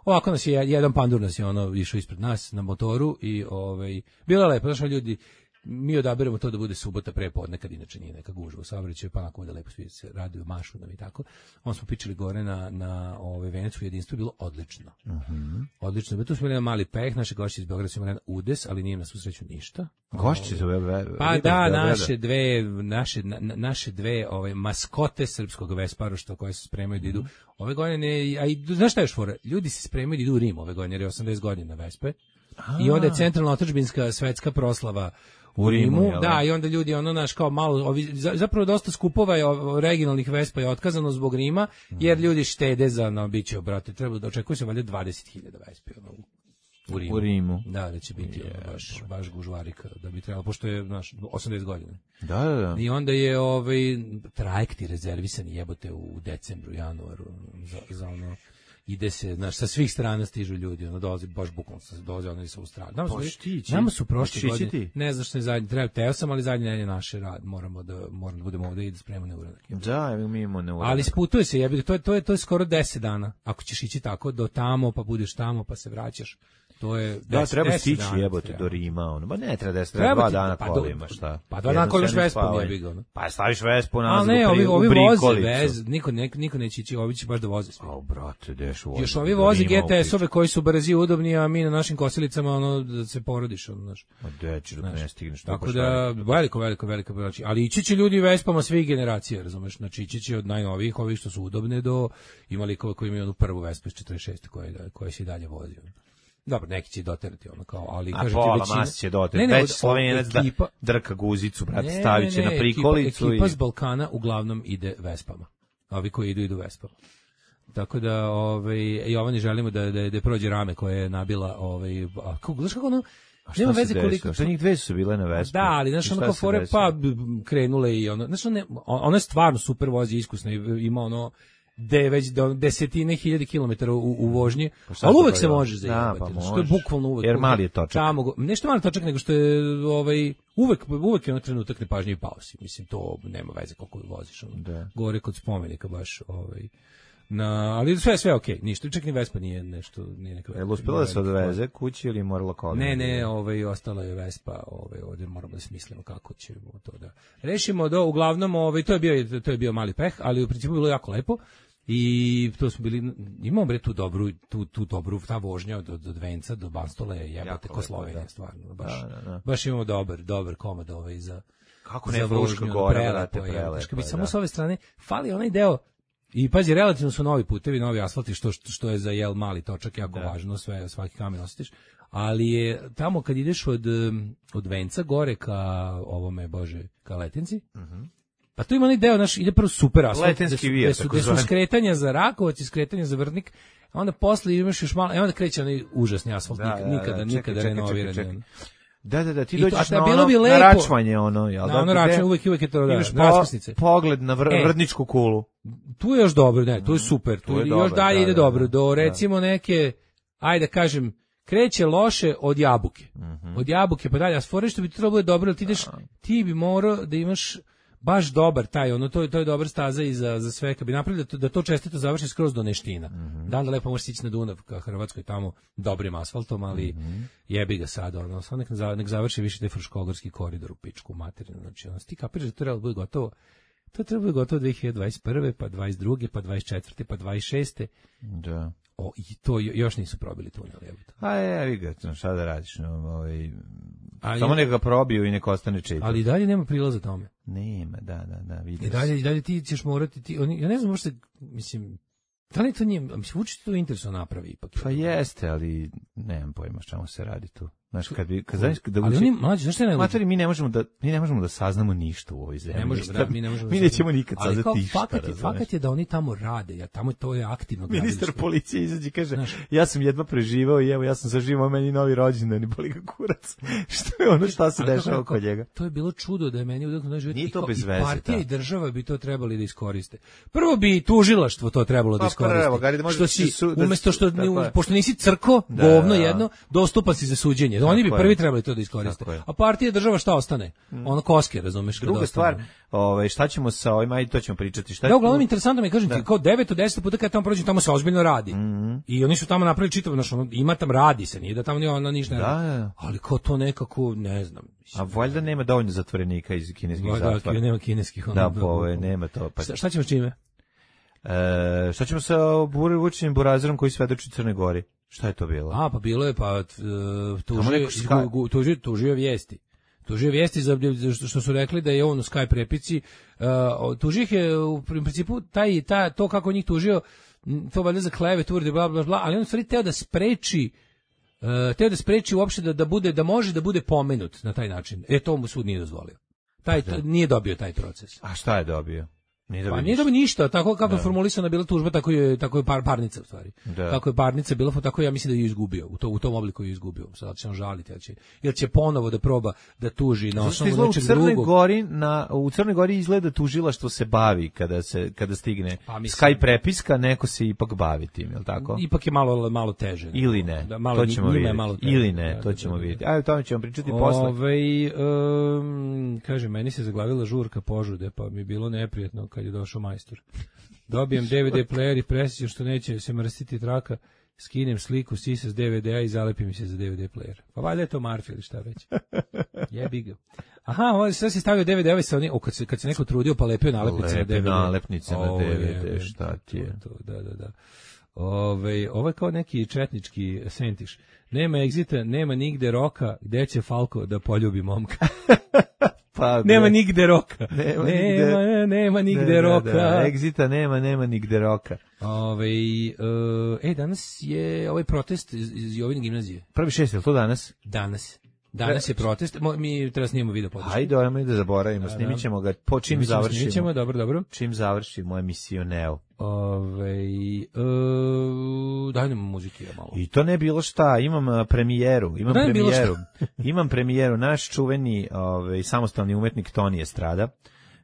Ovako nas je jedan pandur nas je ono išao ispred nas na motoru i ovaj bilo je lepo, znaš, ljudi mi odaberemo to da bude subota prepodne kad inače nije neka gužva u saobraćaju, pa onako da lepo svi se raduju, mašu nam i tako. On smo pičili gore na na ovaj Venecu jedinstvo, bilo odlično. Mhm. Uh-huh. Odlično. Tu smo imali mali peh, naši gošći iz Beograda su imali udes, ali nije na svu sreću ništa. Gošći iz Beograda. Pa da, naše dve naše na, naše dve ove maskote srpskog Vesparoštva koje se spremaju da idu ove godine, a i znaš šta je još fora? Ljudi se spremaju da idu u Rim ove godine, jer je osamdeset godina Vespe. A. I onda je centralna otadžbinska svetska proslava u Rimu, Rimu da, i onda ljudi ono naš kao malo, ovi, zapravo dosta skupova je regionalnih Vespa je otkazano zbog Rima, jer ljudi štede za, no, bit će, brate, treba da očekuje se valjda dvadeset hiljada Vespi, ono, u Rimu. U Rimu. Da, da će biti yeah. ono, baš, baš gužvarika, da bi trebalo, pošto je, znaš, osamdeset godina. Da, da, da. I onda je, ovaj, trajekti rezervisani jebote u decembru, januaru, za, za ono, ide se, znaš, sa svih strana stižu ljudi, ono dolazi baš bukvalno, dolazi ono iz Australije. Nama, nama su prošle godine, ne znam što je zadnji, treba, teo sam, ali zadnji ne je naše rad, moramo da, moramo da budemo ovde i da spremamo neuranak. Da, mi imamo neuranak. Ali sputuje se, jebi, to je, to je, to je skoro deset dana, ako ćeš ići tako, do tamo, pa budeš tamo, pa se vraćaš. To je da, treba stići jebote do Rima, ono. Ba ne, treba deset, treba dva dana pa kolima, šta? Pa dva dana kolimaš Vespu, jebi ga, ono. Pa staviš Vespu nazad u prikolicu. Ali ne, ovi, ovi voze vez, niko, ne, niko neće ići, ovi će baš da voze sve. Au, brate, deš voze. Još ovi voze G T S-ove koji su brzi i udobni, a mi na našim kosilicama, ono, da se porodiš, ono, znaš. A deći, dok ne stigneš. Tako da, veliko, veliko, veliko, znači, ali ići će ljudi Vespama svih generacija, razumeš, znači ići će od najnovijih, ovih što su udobne, do ima likova koji imaju onu prvu Vespu iz četrdeset šeste koje, koje se i dalje vozi. Dobro, neki će doterati ono kao, ali kažem ti većina. A pola mas će doterati. Već Slovenac da drka guzicu, brate, stavit će na prikolicu. Ekipa, ekipa s Balkana uglavnom ide Vespama. Ovi koji idu, idu Vespama. Tako da, ovaj, i ovani želimo da, da, da prođe rame koje je nabila, ovaj, a kako, znaš kako ono, nema veze koliko. Što njih dve su bile na Vespi. Da, ali znaš ono kao fore, pa krenule i ono, znaš ono, ono je stvarno super vozi, iskusno, ima ono, da je već do desetine hiljade kilometara u, u vožnji, pa ali uvek se može zajebati, da, pa što je bukvalno uvek. Jer mali je točak. Tamo, nešto mali točak, nego što je ovaj, uvek, uvek je na trenutak nepažnje i pausi. Mislim, to nema veze koliko voziš. Ono. Da. Gore kod spomenika baš, ovaj, na, ali sve sve okej, okay, ništa, čak ni Vespa nije nešto, nije neka. Je uspela da se odveze kući ili morala kolima? Ne, ne, ovaj ostala je Vespa, ovaj ovdje moramo da smislimo kako ćemo to da rešimo. Do uglavnom, ovaj to je bio to je bio mali peh, ali u principu bilo jako lepo. I to smo bili, imamo bre tu dobru, tu, tu dobru, ta vožnja od, od Venca do Banstole je jebote ko Slovenija, stvarno, baš, da, da, da. Baš imamo dobar, dobar komad ovaj za, kako ne Fruška gora, brate, prelepo. Bi samo s ove strane, fali onaj deo, i pazi, relativno su novi putevi, novi asfalti, što, što je za jel mali točak jako da. Važno, sve, svaki kamen osjetiš, ali je tamo kad ideš od, od Venca gore ka ovome, bože, ka Letenci, mhm. Pa tu ima onaj deo, naš, ide prvo super asfalt, gde su, vijat, su, gde su skretanja za Rakovac i skretanja za Vrnik, a onda posle imaš još malo, e onda kreće onaj užasni asfalt, da, nikada, da, da, nikada renoviran. Da, da, da, ti dođeš na, ono, bi lepo, na račvanje, ono, jel da? Na ono račvanje, uvek, uvek je to, da, imaš po, pogled na vr, e, vrdničku kulu. Tu je još dobro, ne, tu je super, tu, tu je još dobar, dalje da, ide da, dobro, do recimo da. Neke, ajde kažem, kreće loše od Jabuke. Mm-hmm. Od Jabuke pa dalje, a stvore što bi trebalo bude dobro, ti ideš, ti bi morao da imaš baš dobar taj, ono, to je, to je dobar staza i za, za sve, kad bi napravili da to, da to čestito završi skroz do Neština. Mm-hmm. Da, da lepo možeš ići na Dunav ka Hrvatskoj tamo dobrim asfaltom, ali mm-hmm. jebi ga sad, ono, sad nek, nek završi više taj Fruškogorski koridor u pičku materinu, znači, ono, ti kapiraš da to treba bude gotovo, to treba bude gotovo dve hiljade dvadeset prve, pa dvadeset druge, pa dvadeset četvrte, pa dvadeset šeste. Da. O, i to još nisu probili tunel, jebote. A je, vi ga, šta da radiš, no, ovaj, ali, samo neka ga probiju i neka ostane čitav. Ali i dalje nema prilaza tome. Nema, da, da, da, vidim. I dalje, i dalje ti ćeš morati, ti, oni, ja ne znam, možda, mislim, da li to nije, mislim, učiti to interesno napravi ipak. Pa jeste, ali nemam pojma čemu se radi tu. Znaš, kad bi, kad znaš, da ali oni mlađi, znaš šta je najluđe? Matori, mi ne možemo da, mi ne možemo da saznamo ništa u ovoj zemlji. Ne možemo, da, mi ne možemo. Mi nećemo nikad saznati ništa. Fakat je, fakat je da oni tamo rade, ja tamo to je aktivno gradilište. Ministar policije izađe i kaže, znaš, ja sam jedva preživao i evo ja sam saživao, meni novi rođendan i boli ga kurac. Što je ono šta se dešava oko njega? To je bilo čudo da je meni udahnuo život. Nije to bez veze. Partija i država bi to trebali da iskoriste. Prvo bi tužilaštvo to trebalo da iskoriste. Što si umesto što pošto nisi crko, govno jedno, dostupa si za suđenje. Oni bi prvi trebali to da iskoriste. A partija i država šta ostane? Ono koske, razumeš? Druga stvar, ovaj šta ćemo sa ovim, ajde to ćemo pričati. Šta je? Da, uglavnom interesantno mi kažem ti, kao devet od deset puta kad tamo prođem, tamo se ozbiljno radi. I oni su tamo napravili čitav, znači ima tam radi se, nije da tamo nije ona ništa ne radi. Ali kao to nekako, ne znam. A valjda nema dovoljno zatvorenika iz kineskih zatvora. Da, nema kineskih. Da, pa nema to. Šta ćemo s čime? E, šta ćemo sa Vučićem Burazerom koji svedoči Crnoj Gori? Šta je to bilo? A, pa bilo je, pa tužio, tužio, tužio vijesti. Tužio vijesti za što su rekli da je on u Skype prepici. Uh, tužio ih je u principu taj, ta, to kako njih tužio, to valjda za klevet, uvrede, bla, bla, bla, ali on u stvari teo da spreči uh, teo da spreči uopšte da, da bude, da može da bude pomenut na taj način. E, to mu sud nije dozvolio. Taj, to, nije dobio taj proces. A šta je dobio? Nije dobio pa nije dobio ništa, tako kako je formulisana bila tužba, tako je, tako je par, parnica u stvari. Da. Kako je parnica bila, tako ja mislim da je izgubio, u, to, u tom obliku je izgubio. Sad će on žaliti, jer će, jer će ponovo da proba da tuži na osnovu nečeg drugog. Gori, na, u Crnoj Gori izgleda tužilaštvo se bavi kada, se, kada stigne pa, Skype prepiska, neko se ipak bavi tim, je li tako? Ipak je malo, malo teže. Ili ne, da, malo, to ćemo vidjeti. Malo Ili ne, da, to ćemo da, da, vidjeti. Ajde, o tome ćemo pričati posle. Ove, um, kaže, meni se zaglavila žurka požude, pa mi je bilo neprijatno kad je došao majstor. Dobijem D V D player i presjećam što neće se mrstiti traka, skinem sliku sisa s D V D-a i zalepim se za D V D player. Pa valjda je to Marfi ili šta već. Jebi ga. Aha, ovo sve se stavio D V D-ove sa onim, o, kad se, kad se neko trudio pa lepio nalepnice na D V D. Nalepnice na D V D, šta ti je? To, da, da, da. Ove, ovo je kao neki četnički sentiš. Nema egzita, nema nigde roka, gde će Falko da poljubi momka. Pa, nema nigde roka. Nema, nema nigde, nema nigde ne, roka. Da, da, egzita nema, nema nigde roka. Ove, uh, e, danas je ovaj protest iz, iz Jovine gimnazije. Prvi šest, je li to danas? Danas. Danas je protest, mi treba snimamo video podršku. Hajde, ajmo da zaboravimo, da, snimit ćemo ga, po čim završimo. Snimit ćemo, dobro, dobro. Čim završimo emisiju Neo. Ove, uh, daj nam muziki ja malo. I to ne bilo šta, imam premijeru, imam da premijeru, imam premijeru, naš čuveni ove, samostalni umetnik Toni Estrada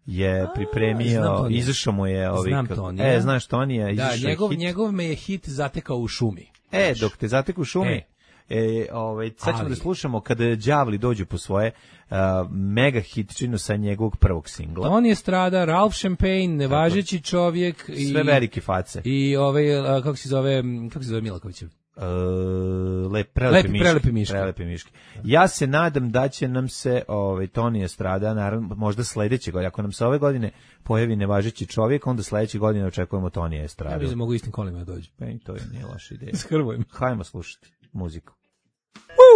je pripremio, izašao mu je ovi, znam Tonija. E, znaš Tonija, izašao da, njegov, hit. njegov me je hit zatekao u šumi. E, znaš. Dok te zateku u šumi, e. E, ovaj, sad ćemo da slušamo kada đavli dođu po svoje uh, mega hitčinu sa njegovog prvog singla. On je strada, Ralph Champagne, nevažeći čovjek i sve velike face. I ovaj uh, kako se zove, kako se zove Milakovićev? Uh, lep, prelepi, Lepi, miški, prelepi miški. Prelepi miški. Ja se nadam da će nam se ovaj Toni Estrada, naravno možda sledeće godine, ako nam se ove godine pojavi nevažeći čovjek, onda sledeće godine očekujemo Toni Estrada. Ja mislim da mogu istim kolima da dođu. Pa i to je nije loša ideja. S Hrvojem. Hajmo slušati muziku.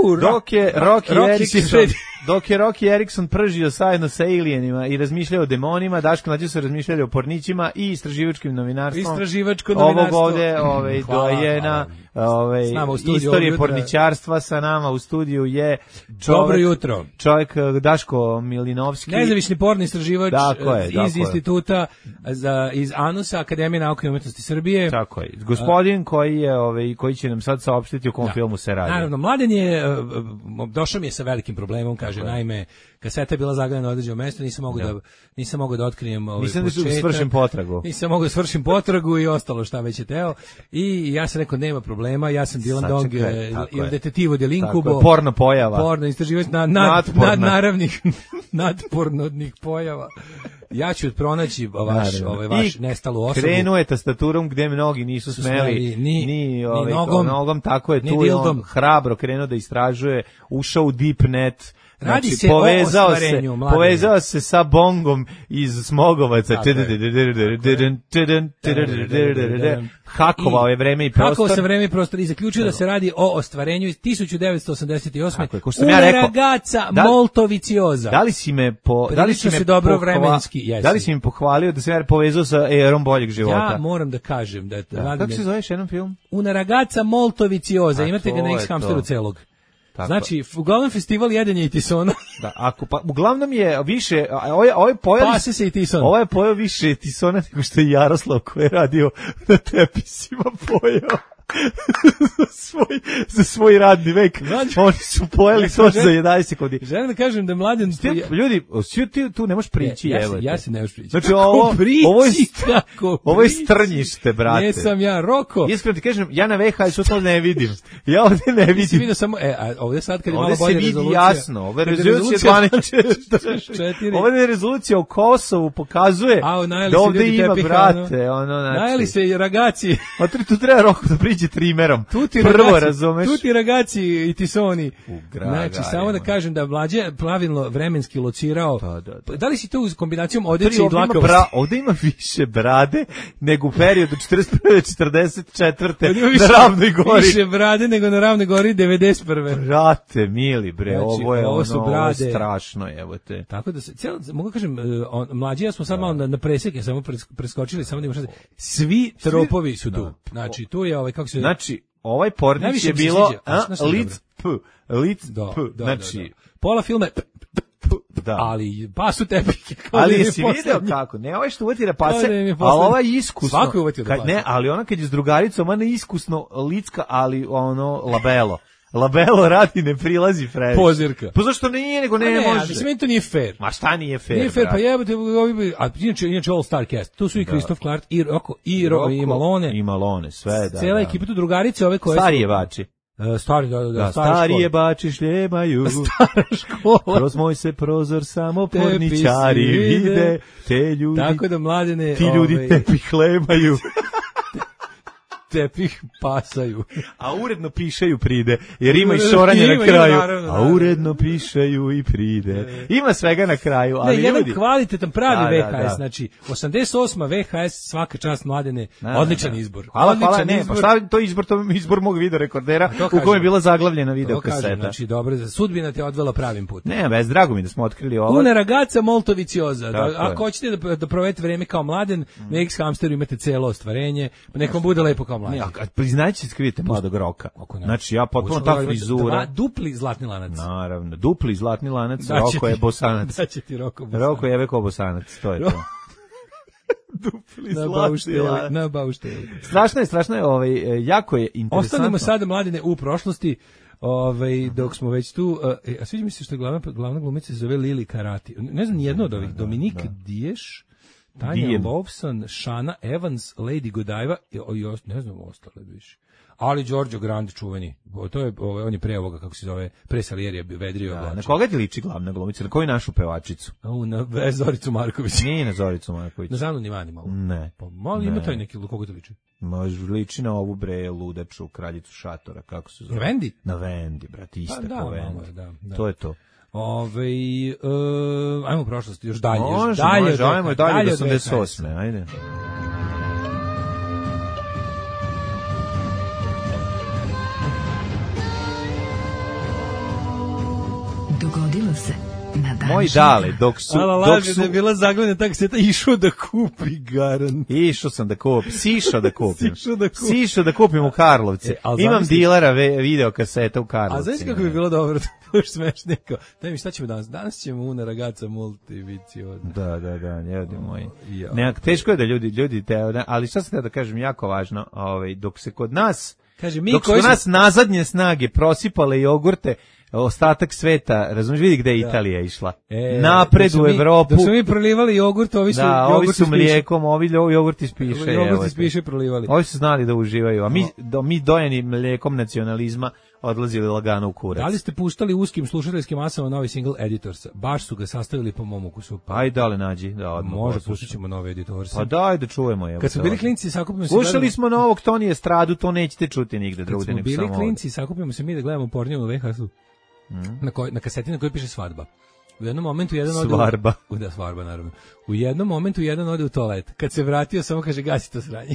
Uh, dok je Rocky Erikson, dok je Rocky Erikson pržio zajedno sa alienima i razmišljao o demonima, Daško Mlađa su razmišljali o pornićima i istraživačkim novinarstvom. Istraživačko novinarstvo. Ovog ovde, ovaj, dojena, ovaj, istorije porničarstva sa nama u studiju je čovjek, dobro jutro. Čovjek Daško Milinovski. Nezavisni porni istraživač je, iz instituta za, iz ANUS-a, Akademije nauke i umetnosti Srbije. Tako je. Gospodin koji je, ovaj, koji će nam sad saopštiti o kom da. filmu se radi. Naravno, Mladen je došao mi je sa velikim problemom, kaže, okay. Naime, kaseta je bila zagledana na određeno mesto, nisam mogao da. da nisam mogao da otkrijem ovaj početak. Nisam da svršim potragu. Nisam mogao da svršim potragu i ostalo šta već je teo. I ja sam rekao nema problema, ja sam Dylan Dog ili detektivo dell'incubo. Porno pojava. Porno istraživač na nad, nad naravnih nadpornodnih pojava. Ja ću pronaći vaš ovaj vaš I nestalu osobu. Krenuo je tastaturom gde mnogi nisu smeli ni, ni, ovaj, ni nogom, nogom, tako je tu je on hrabro krenuo da istražuje, ušao u deep net. Radi znači, se povezao o ostvarenju, se, povezao se sa bongom iz Smogovaca. Hakovao je vreme i prostor. Hakovao se vreme i prostor i zaključio da se radi o ostvarenju iz tisuću devetsto osamdeset osme. Tako je, ko što sam ja rekao. Ragazza molto viziosa. Da li si me po, da li si me dobro vremenski, jesi. Da li si mi pohvalio da se ja povezao sa erom boljeg života? Ja moram da kažem da da. Kako se zoveš jedan film? Una ragazza molto viziosa. Imate ga na X-Hamsteru celog. Tako. Znači, uglavnom festival jedenja i tisona. Da, ako pa uglavnom je više ovaj ovaj pojeo Pase se i tison. Ovaj pojeo više tisona nego što je Jaroslav koji je radio na tepisima pojeo. za, svoj, za svoj radni vek. Znači, oni su pojeli ja to za jedanaest sekundi. Želim da kažem da mladen... Ti, ljudi, ti tu ne možeš prići. Ja, evo ja, ja se ne možeš prići. Znači, ovo, prići, ovo, je, kako ovo je strnjište, brate. Jesam ja, Roko. Iskreno ti kažem, ja na V H S to ne vidim. Ja ovdje ne vidim. Ti vidio samo, e, a ovdje sad kad je malo bolje rezolucija. Ovdje se vidi jasno. Ove rezolucije dvanaest četrdeset. Ove rezolucija o Kosovu pokazuje a, da ovdje ima, tepih, brate. Ono, znači. Najeli se i ragaci. A tu treba Roko da priđe trimerom. Tuti Prvo, ragazzi, razumeš? Tuti ragazzi i tisoni. Gra, znači, gra, samo da kažem da Mlađe pravilno vremenski locirao. Da, da, da. Da li si to uz kombinacijom odeće i dlakavosti? Bra, ovdje ima više brade nego u periodu četrdeset prve četrdeset četvrte na Ravnoj gori. Više brade nego na Ravnoj gori devedeset prve Brate, mili bre, znači, ovo je ovo, su ono, brade. Ovo je strašno, evo te. Tako da se, cijelo, mogu kažem, on, Mlađi ja smo sad da. malo na, na preseke, samo preskočili, samo da imamo šta. Svi tropovi su tu. Da. Znači, tu je ovaj, kako se... Znači, ovaj pornić je bilo a, lic p, lic da, p, da, znači... Da, da. Pola filma je p, p, p, da. Ali pasu tepike. Ali si video kako, ne ovaj što uvatira pase, ali ova je iskusno. Svako je uvatio da kad, ne, ali ona kad je s drugaricom, ona je iskusno licka, ali ono, labelo. Labelo radi, ne prilazi Fredić. Pozirka. Pa zašto nije, nego ne, ne može. Ali mislim, to nije fair. Ma šta nije fair, Nije fair, brat? Pa jebate, a inače, inače All Star Cast. Tu su i Christoph Clark, i Roko, i, Ro, i Malone. I Malone, sve, da. Cijela da. ekipa tu drugarice, ove koje Stari jebači. Uh, stari, da, da, da, stari jebači šljemaju. Stara škola. Kroz moj se prozor samo porničari vide, te ljudi. Tako da, mladene... Ti ljudi ove, tepih lemaju. Tepih pasaju. A uredno pišaju pride, jer ima i šoranje na kraju. A uredno pišaju i pride. Ima svega na kraju, ali ne, jedan ljudi... kvalitetan pravi da, V H S, da, da. znači osamdeset osma V H S, svaka čast Mladene, da, odličan da. izbor. Hvala, odličan hvala, ne, izbor. pa šta to izbor, to izbor mog videorekordera u kojem je bila zaglavljena videokaseta. Znači, dobro, sudbina te odvela pravim putem. Ne, bez drago mi da smo otkrili ovo. Una ragazza molto viziosa. Da, ako hoćete da, da provedete vreme kao Mladen, mm. na X-Hamsteru imate celo ostvarenje, pa nek vam bude lepo kao Mladen. Priznaće se skrivite mladog Roka. Znači, ja potpuno ta frizura. Dva, dupli zlatni lanac. Naravno, dupli zlatni lanac, da Roko je bosanac. Da će ti Roko bosanac. Roko je veko bosanac, to je to. Dupli na zlatni lanac. Na baušteli. Strašno je, strašno je, ovaj, jako je interesantno. Ostanemo sada, Mladene, u prošlosti. Ovaj dok smo već tu, a sviđa mi se što je glavna glavna glumica se zove Lili Karati. Ne znam ni jedno od ovih. Dominik Diješ, Tanja Lawson, Shana Evans, Lady Godiva i ne znam ostale više. Ali Giorgio Grande čuveni. To je ovaj on je pre ovoga kako se zove, pre Salierija vedrio. Da, na koga ti liči glavna glumica? Na koju našu pevačicu? U na Zoricu Marković. Nije na Zoricu Marković. Na Zanu Nivani malo. Ne. Pa malo ima taj neki koga to liči. Može liči na ovu bre ludaču kraljicu šatora, kako se zove? Na Vendi? Na Vendi, brate, ista pa, da, ko Vendi. Malo, da, da. To je to. Ove, uh, ajmo u prošlosti, još dalje. Može, još dalje, može, ajmo dalje, dalje do osamdeset osme ajde. Dogodilo se na dan Moj dale, dok su... Ala dok laže su... da je bila zaglavljena tak seta, išao da kupi garan. Išao sam da kupim, sišao da kupim. Sišao da kupim. Sišao da kupim u Karlovce. E, Imam zamisli... dilera video kaseta u Karlovci. A znaš kako bi bilo dobro, to je smešniko. Daj mi, šta ćemo danas? Danas ćemo una ragazza multiviciozna. Da, da, da, ljudi moji. Ne, teško je da ljudi, ljudi te, ali šta sam da kažem, jako važno, ovaj, dok se kod nas, kaže, mi dok su nas nazadnje snage prosipale jogurte, ostatak sveta, razumiješ, vidi gde je da. Italija išla. E, napred u Evropu. Dok su mi prolivali jogurt, ovi su, da, ovi su mlijekom, ovi jogurt ispiše. Jogurt ispiše prolivali. Ovi su znali da uživaju, a mi, do, mi dojeni mlijekom nacionalizma odlazili lagano u kurac. Da li ste puštali uskim slušateljskim masama novi single Editorsa? Baš su ga sastavili po mom ukusu. Pa i dale nađi. Da, odmah može, pustit ćemo nove Editorse. Pa daj da čujemo. Evo, kad smo bili klinci, sakupimo se... Slušali gledamo... smo novog Tonije Stradu, to nećete čuti nigde drugde. Kad smo bili klinci, sakupimo se mi da gledamo porniju na V H S-u. Mm. Na, koj, na kaseti na kojoj piše svadba. U jednom momentu jedan ode Svarba. U, da, svarba, naravno. U jednom momentu jedan ode u toalet. Kad se vratio, samo kaže, gasi to sranje.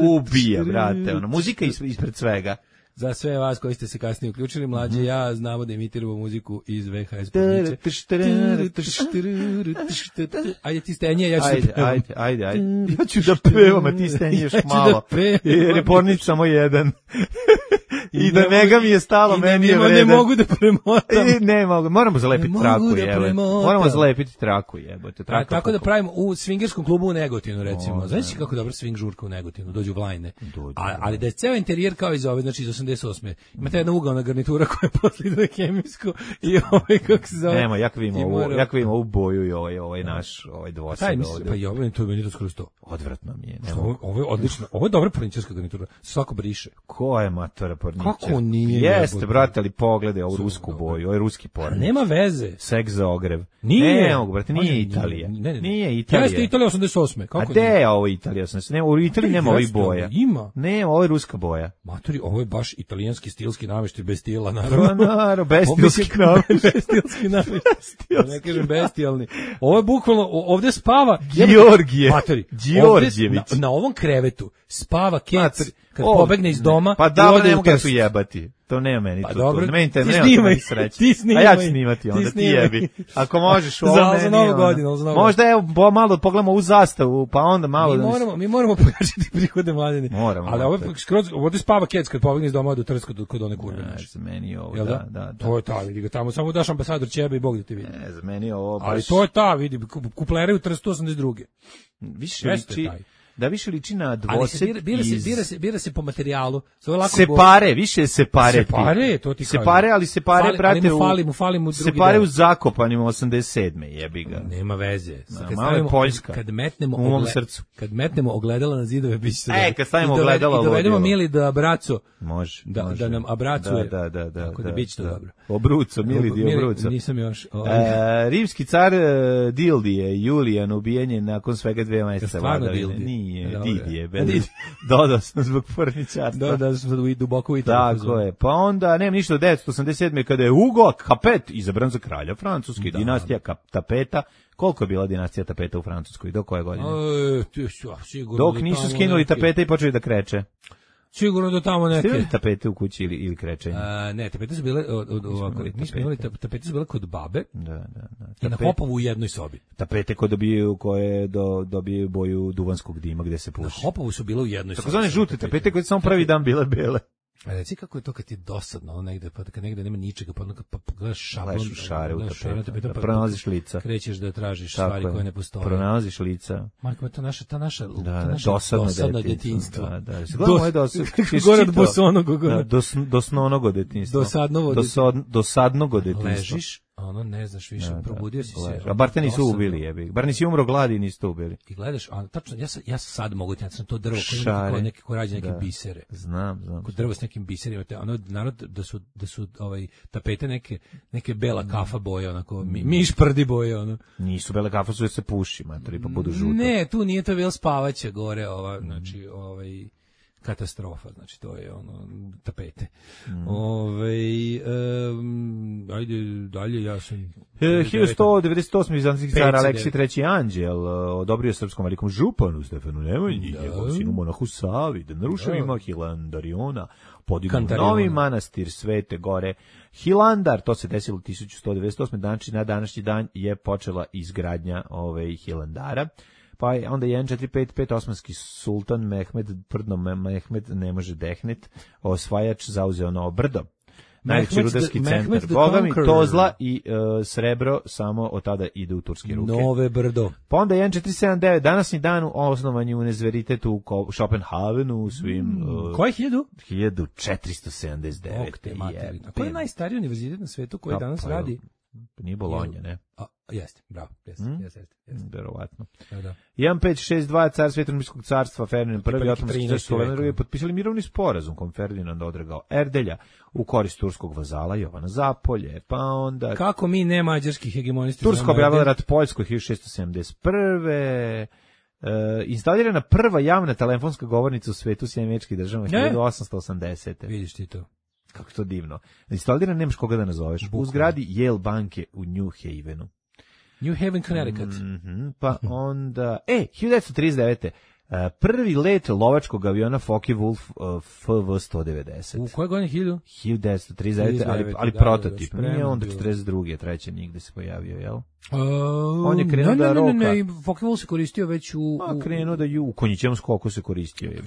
ubije, brate, ono, muzika ispred svega. Za sve vas koji ste se kasnije uključili, mlađe mm-hmm. ja znamo da imitiramo muziku iz V H S pornice. Ajde ti stenje, ja ću ajde, da pevam. Ajde, ajde, ajde. Ja ću da pevam, a ti stenješ ja malo. Da jer je pornic samo jedan. I, I da mega mi je stalo, meni je vredan. Ne mogu da premotam. I ne mogu, moramo zalepiti traku, da jebe. Moramo zalepiti traku, jebote. A, tako da pravimo u swingerskom klubu u Negotinu, recimo. Znaš kako dobro swing žurka u Negotinu, dođu Vlajne. A, ali da je ceo interijer kao iz ove, znači iz osamdeset osme. Imate jedna ugalna garnitura koja je posle ide na hemijsku i ovaj, kako se zove. Nemo, jak vidimo ovu, jak vidimo ovu boju i ovaj, ovaj naš, ovaj dvosed ovdje. Pa i ovaj, to je meni to skoro sto. Odvratno mi je. Ovo, ovo je odlično, ovo je dobra porničarska garnitura, svako briše. Ko je matora porničar? Kako nije? Jeste, brate, ali pogledaj ovu rusku boju, ovo je ruski pornič. Nema veze. Seks za ogrev. Nije. Ne mogu, brate, nije Italija. Ne, ne, nije Italija. Jeste Italija osamdeset osme. Kako a gde je ovo Italija osamdeset osme? Ne, u Italiji nema ovih boja. Ima. Ne, ovo je ruska boja. Matori, ovo je baš italijanski stilski nameštaj bez stila, naravno. Naravno, bez stilski nameštaj. Bez stilski nameštaj. Ne kažem bestijalni. Ovo je bukvalno, ovde spava... Georgije. Matori, Đorđević. Na, na ovom krevetu spava Kec kad o, pobegne iz doma. Pa da, ne mogu ja tu jebati. To nema meni pa to. Dobro, to. Meni te, ti nema snimaj, sreće. ti snimaj. A ja ću snimati onda, ti, ti jebi. Ako možeš u za, za novu godinu. Za novu možda evo bo, malo pogledamo u zastavu, pa onda malo... Mi da moramo, mi moramo pojačati prihode mladine. Moramo. Ali ovo skroz, ovdje spava Kec kad pobegne iz doma do Trska kod one kurve. Ne, za meni ovo, da, da, da, da. To je ta, vidi ga tamo, samo daš ambasador Čebe i Bog da te vidi. Ne, za meni ovo baš... Ali to je ta, vidi, kuplere u Trstu osamdeset druge. Više liči... Da više liči na dvosed ali se bira, bira, se, bira, se, bira se po materijalu. Se pare, više se pare. Se pare, to ti se pare, ali se pare, fali, brate, ali mu fali, mu fali mu drugi se pare deo. U Zakopanim osamdeset sedme jebi ga. Nema veze. Kad stavimo, Poljska. Kad metnemo, u mom ogle, srcu. Kad metnemo ogledala na zidove, biće se e, kad stavimo ogledala i dovedemo Mili da Abraco. Može, da, može. Da nam abracuje. Da, da, da. Tako da, da biće to da. dobro. Obruco, Mili di Obruco. Nisam još. E, rimski car Dildije, Julijan, ubijen nakon svega dve meseca vladavine. Nije, Didije, dodao sam zbog porničarstva. Dodao sam sad duboko u Italiju. Tako je. Pa onda, nema ništa od devetsto osamdeset sedme kada je Hugo Capet izabran za kralja Francuske, da. Dinastija Tapeta. Koliko je bila dinastija tapeta u Francuskoj? Do koje godine? E, ti, sigurno dok nisu skinuli neki... tapete i počeli da kreće. Sigurno do tamo neke. Ste imali tapete u kući ili, ili krečenje? A, ne, tapete su bile, od, od, ovako, mi smo imali tapete su bile kod babe. Da, da, da. I na Hopovu u jednoj sobi. Tapete koje dobiju, koje do, dobiju boju duvanskog dima gde se puši. Na Hopovu su bile u jednoj sobi. Tako zvane žute tapete koje samo prvi dan bile bele. A reci kako je to kad ti je dosadno, ono negde, pa kad negde nema ničega, pa onda pa gledaš šablon, gledaš u šare u tapetu, pa pronalaziš lica. Krećeš da tražiš tako stvari je. Koje ne postoje. Pronalaziš lica. Marko, ta naša, ta naša, da, ta naša dosadno, dosadno detinjstvo. Da, da. Gledamo je dosadno. Gore od bosonog. Da, dos, dosnonogo detinjstvo. Dosadnovo detinjstvo. Dosadnogo detinjstvo. Ležiš, ono, ne znaš više, da, probudio da, si se. A bar te nisu ubili, jebi. Bar nisi umro gladi i niste ubili. I gledaš, a tačno, ja, ja sad mogu ti, ja sam to drvo, koje neke ko rađe neke da. bisere. Znam, znam. Kod drvo s nekim biserima, te, ono, narod, da su, da su ovaj, tapete neke, neke bela kafa boje, onako, mi, miš prdi boje, ono. Nisu bele kafa, su da se puši, materi, pa budu žuto. Ne, tu nije to bilo spavaće gore, ova, znači, ovaj, katastrofa, znači to je ono tapete. Mm. Ove, um, ajde dalje, ja sam hiljadu sto devedeset osmi Bizantijski car Aleksij treći Anđel odobrio srpskom velikom županu Stefanu Nemanji, njegovom sinu monahu Savi, da na ruševima Hilandariona podignu novi manastir Svete Gore Hilandar. To se desilo tisuću sto devedeset osme. Znači, na današnji dan je počela izgradnja ove Hilandara. Pa onda jedan četiri pet pet osmanski sultan Mehmed Prdno Mehmed ne može dehnet, osvajač zauzeo Novo Brdo. Najveći rudarski centar. Boga mi, Tozla i uh, srebro samo od tada ide u turske ruke. Nove Brdo. Pa onda jedan četiri sedam devet, današnji dan osnovanje univerziteta u Schopenhavenu u svim... Mm, uh, koje hiljadu? hiljadu četiristo sedamdeset devet. A koji je najstariji univerzitet na svetu koji danas pa, radi? Nije Bolonja, ne? A, jeste, bravo, jeste, mm? jeste, jeste. Verovatno. Da, da. jedan pet šest dva, car Svetonimskog carstva, Ferdinand prvi, Otomanski car Sulejman drugi, potpisali mirovni sporazum kom Ferdinand odregao Erdelja u korist turskog vazala Jovana Zapolje, pa onda... Kako mi ne mađarski hegemoniste... Tursko objavila rat Poljskoj hiljadu šessto sedamdeset prve. Uh, instalirana prva javna telefonska govornica u svetu Sjedinjenih Američkih Država hiljadu osamsto osamdesete. Vidiš ti to. Kako to divno. Instalirana, nemaš koga da nazoveš. Bukla. U zgradi Yale banke u New Havenu. New Haven, Connecticut. Mm-hmm, pa onda... E, hiljadu devetsto trideset devete. Uh, prvi let lovačkog aviona Focke-Wulf uh, F V sto devedeset. U koje godine hiljadu? hiljadu devetsto trideset devete, ali, ali da, prototip. Da, nije onda četrdeset druge, treće nigde se pojavio, jel? Uh, on je krenuo da roka. Ne, ne, ne, Focke-Wulf se koristio već u... u... A, krenuo da ju, u konjićevom skoku se koristio. Je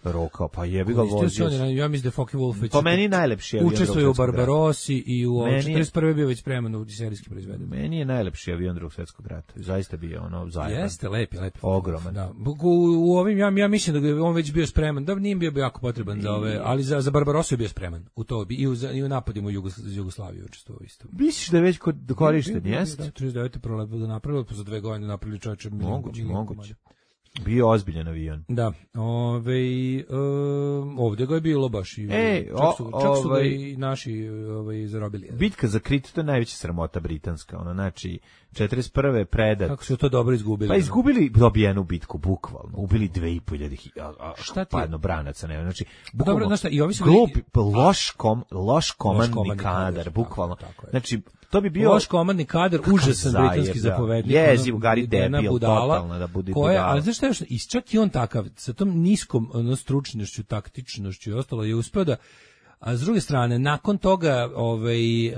roka, pa jebi ga vozio. Se, ja mislim da je Focke-Wulf već... Po meni najlepši avion. Učestvuje u Barbarossi i u četrdeset prve bio već spreman u serijski proizveden. Meni je najlepši avion Drugog svjetskog rata. Zaista bio ono zajeban. Jeste, lepi, lepi. Ogroman. Da. U, u ovim, ja, ja mislim da je on već bio spreman, da nije bio jako potreban I... za ove, ali za, za Barbarossu je bio spreman. U to bi, i u, i u napadima u Jugoslaviju učestvovao isto. Misliš da je već korišten, jeste? trideset devete prolepo da napravili, pa za dve godine napravili čovječe. Moguće, moguće. Bio ozbiljan avion. Da, ove, um, ovdje ga je bilo baš i e, čak su, čak su ovaj, ga i naši ovaj, zarobili. Bitka za Krit, to je najveća sramota britanska, ono, znači, četrdeset prve predat. Kako su to dobro izgubili? Pa izgubili dobijenu bitku, bukvalno. Ubili dve i po hiljade padno branaca, ne, znači, bukvalno, dobro, znaš šta, i ovi su glup, bili... loš, kom, loš komandni loš kadar, kadar, bukvalno. Tako, tako znači, to bi bio... Loš komandni kadar, užasan britanski zapovednik. Jeziv, Gari debil, totalno da bude koja, budala. Ali znaš šta još, i čak i on takav, sa tom niskom ono, stručnošću, taktičnošću i ostalo je uspeo da, a s druge strane, nakon toga ovaj, uh,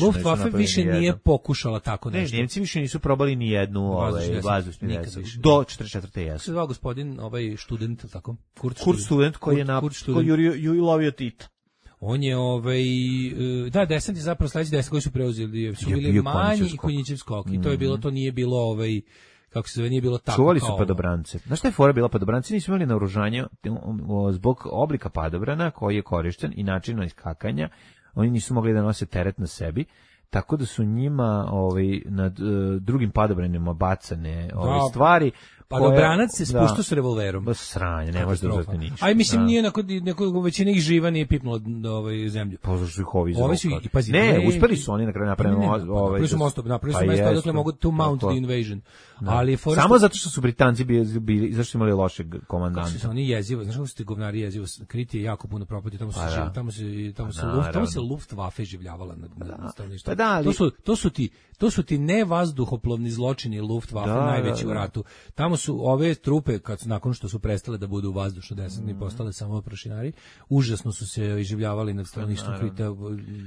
Luftwaffe više nije pokušala tako nešto. Ne, Njemci više nisu probali ni jednu ovaj, vazdušni desnicu. Do četrdeset četvrte jesu. Se zvao gospodin, ovaj student, tako? Kurt, Kurt student, koji je na, koji je lovio Tita. On je ovaj da desant je zapravo sledeći desant koji su preuzeli su bili manji i Konjićev skok. Mm-hmm. I to je bilo, to nije bilo ovaj kako se zove, nije bilo tako. Čuvali su padobrance. Znaš šta je fora bila? Padobranci nisu imali naoružanje zbog oblika padobrana koji je korišten i načina iskakanja. Oni nisu mogli da nose teret na sebi. Tako da su njima ovaj nad uh, drugim padobranima bacane ove da, stvari. Padobranac se spuštao s revolverom. Ba sranje, ne može da uzeti ništa. Aj mislim da. Nije neko neko većina ih živa nije pipnulo do ovaj zemlju. Pa zašto ih ovi Ovi su i pazi. Ne, ne, uspeli su oni na kraju napraviti ovaj. Oni su most napravili su mesto dokle mogu to mount the invasion. Da. Ali for samo zato što su Britanci bili, bili zašto su imali lošeg komandanta. Su oni jezivo, znaš kako su ti govnari jezivo, Krit je jako puno propatio, tamo su pa, da. tamo se tamo se luft, tamo se Luftwaffe življavala na na stanovništvu. Da, ali... To su to su ti to su ti ne vazduhoplovni zločini Luftwaffe da, najveći da, da. u ratu. Tamo su ove trupe kad nakon što su prestale da budu vazdušno desantni mm. postale samo prašinari, užasno su se iživljavali nad stanovništvom Krita,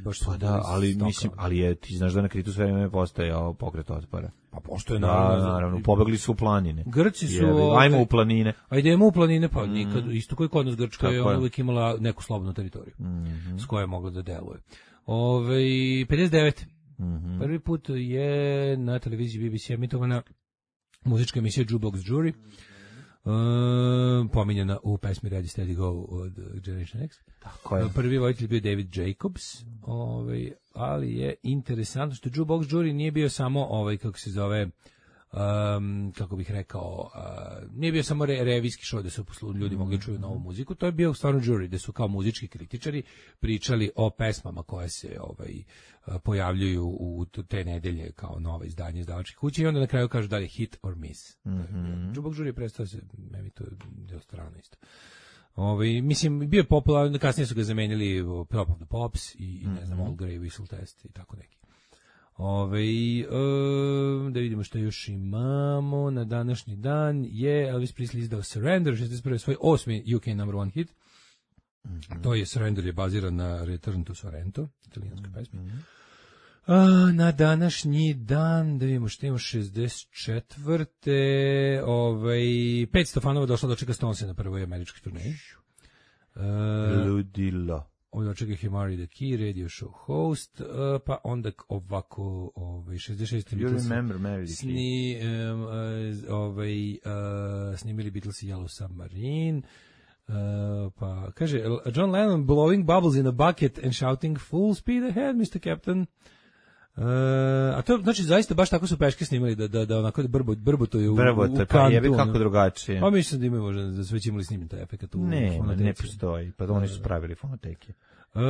baš su pa da, ali stoka. Mislim, ali je ti znaš da na Kritu sve vreme postojao pokret otpora. Pa postoje naravno, da, naravno, pobegli su u planine. Grci su, Jebe, ajmo u planine. Ajdemo u planine, pa mm. nikad, isto koji kod nas Grčka je, ona uvijek imala neku slobodnu teritoriju, mm-hmm. s kojoj je mogla da deluje. Ove, pedeset devet Mm-hmm. Prvi put je na televiziji B B C emitovana muzička emisija Jukebox Jury. Uh, pominjena u pesmi Ready Steady Go od Generation X. Tako je. Prvi vojitelj bio David Jacobs, ovaj, ali je interesantno što Jukebox Jury nije bio samo ovaj, kako se zove, um, kako bih rekao, uh, nije bio samo re, revijski show da su ljudi mogli čuju novu muziku, to je bio stvarno jury, da su kao muzički kritičari pričali o pesmama koje se ovaj, pojavljuju u te nedelje kao nova izdanje izdavačke kuće i onda na kraju kažu da li je hit or miss. Mm-hmm. Jukebox Jury prestao se, meni to je deo strano isto. Ovaj, mislim, bio je popularan, kasnije su ga zamenili Top of the Pops i, mm-hmm. ne znam, All Grey Whistle Test i tako neki. Ove, e, da vidimo što još imamo na današnji dan je Elvis Presley izdao Surrender, šezdeset prve svoj osmi U K number one hit. Mm-hmm. To je Surrender je baziran na Return to Sorrento, italijanskoj mm-hmm. pesmi. A, na današnji dan, da vidimo što imamo šezdeset četvrte Ovaj, petsto fanova došlo do čeka Stonesa na prvoj američkoj turneji. Uh, Ludilo. Ovdje očekaj Himari the Key, radio show host, uh, pa onda ovako ovaj, šezdeset šeste You remember Mary the sni, um, uh, ovaj, uh, snimili Beatles i Yellow Submarine, uh, pa kaže John Lennon blowing bubbles in a bucket and shouting full speed ahead, mister Captain. Uh, a to znači zaista baš tako su peške snimali da da da onako brbo brbotuju u, Brbote, u pa jebi kako drugačije. Pa mislim da imaju možda da sve imali snimljen taj efekat u ne, fonoteci. Ne postoji, pa oni su pravili fonoteke. Uh,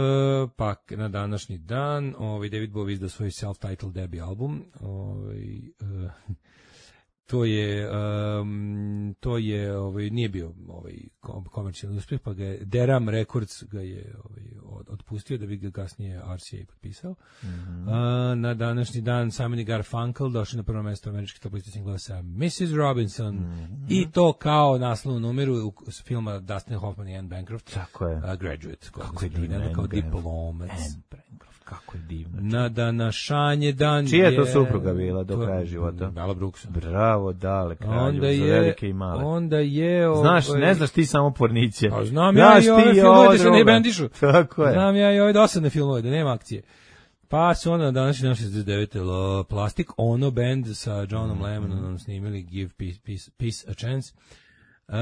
pa na današnji dan ovaj David Bowie izdao svoj self-titled debut album, ovaj uh, to je um, to je ovaj nije bio ovaj komercijalni uspjeh, pa ga je Deram Records ga je ovaj od, otpustio da bi ga kasnije R C A potpisao. Mm-hmm. Uh, na današnji dan Simon i Garfunkel došli na prvo mjesto američkih top liste singlova sa missus Robinson, mm-hmm. i to kao naslovnu numeru s filma Dustin Hoffman i Anne Bancroft. Tako je. Uh, Graduate. Kako je divno. Kao diplomac. Anne Bancroft. Kako je divno. Na današanje dan čija je to supruga bila do kraja života? Bela Brooks. Bravo, dale, kralju, za velike i male. Onda je... Ovaj, znaš, ne znaš ti samo porniće. Pa znam ja i ove filmove da se ne bendišu. Tako je. Znam ja i ove dosadne filmove, da nema akcije. Pa su onda današnji dan šezdeset devete Plastic Ono Band sa Johnom mm-hmm. Lennonom snimili Give Peace, Peace, Peace a Chance. Uh,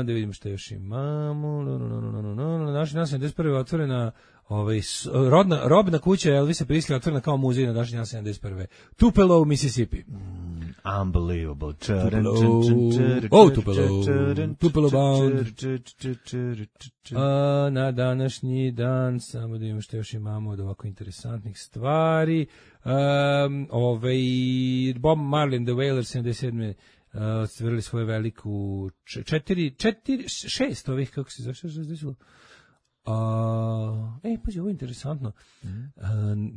da vidimo što još imamo. No, no, no, no, no, no. Na današnji dan sedamdeset prve otvorena ovaj, rodna, robna kuća Elvisa Presley otvorena kao muzej na današnji dan sedamdeset prve Tupelo, Mississippi. Mm, unbelievable. Tupelo. Oh, Tupelo. Tupelo bound. Uh, na današnji dan, samo da vidimo što još imamo od ovako interesantnih stvari. Um, ovaj, Bob Marley and the Wailers sedamdeset sedme ostvarili svoju veliku četiri, četiri, šest ovih, kako se zašto se desilo? Uh, ej, pazi, ovo je interesantno. Mm-hmm. Uh,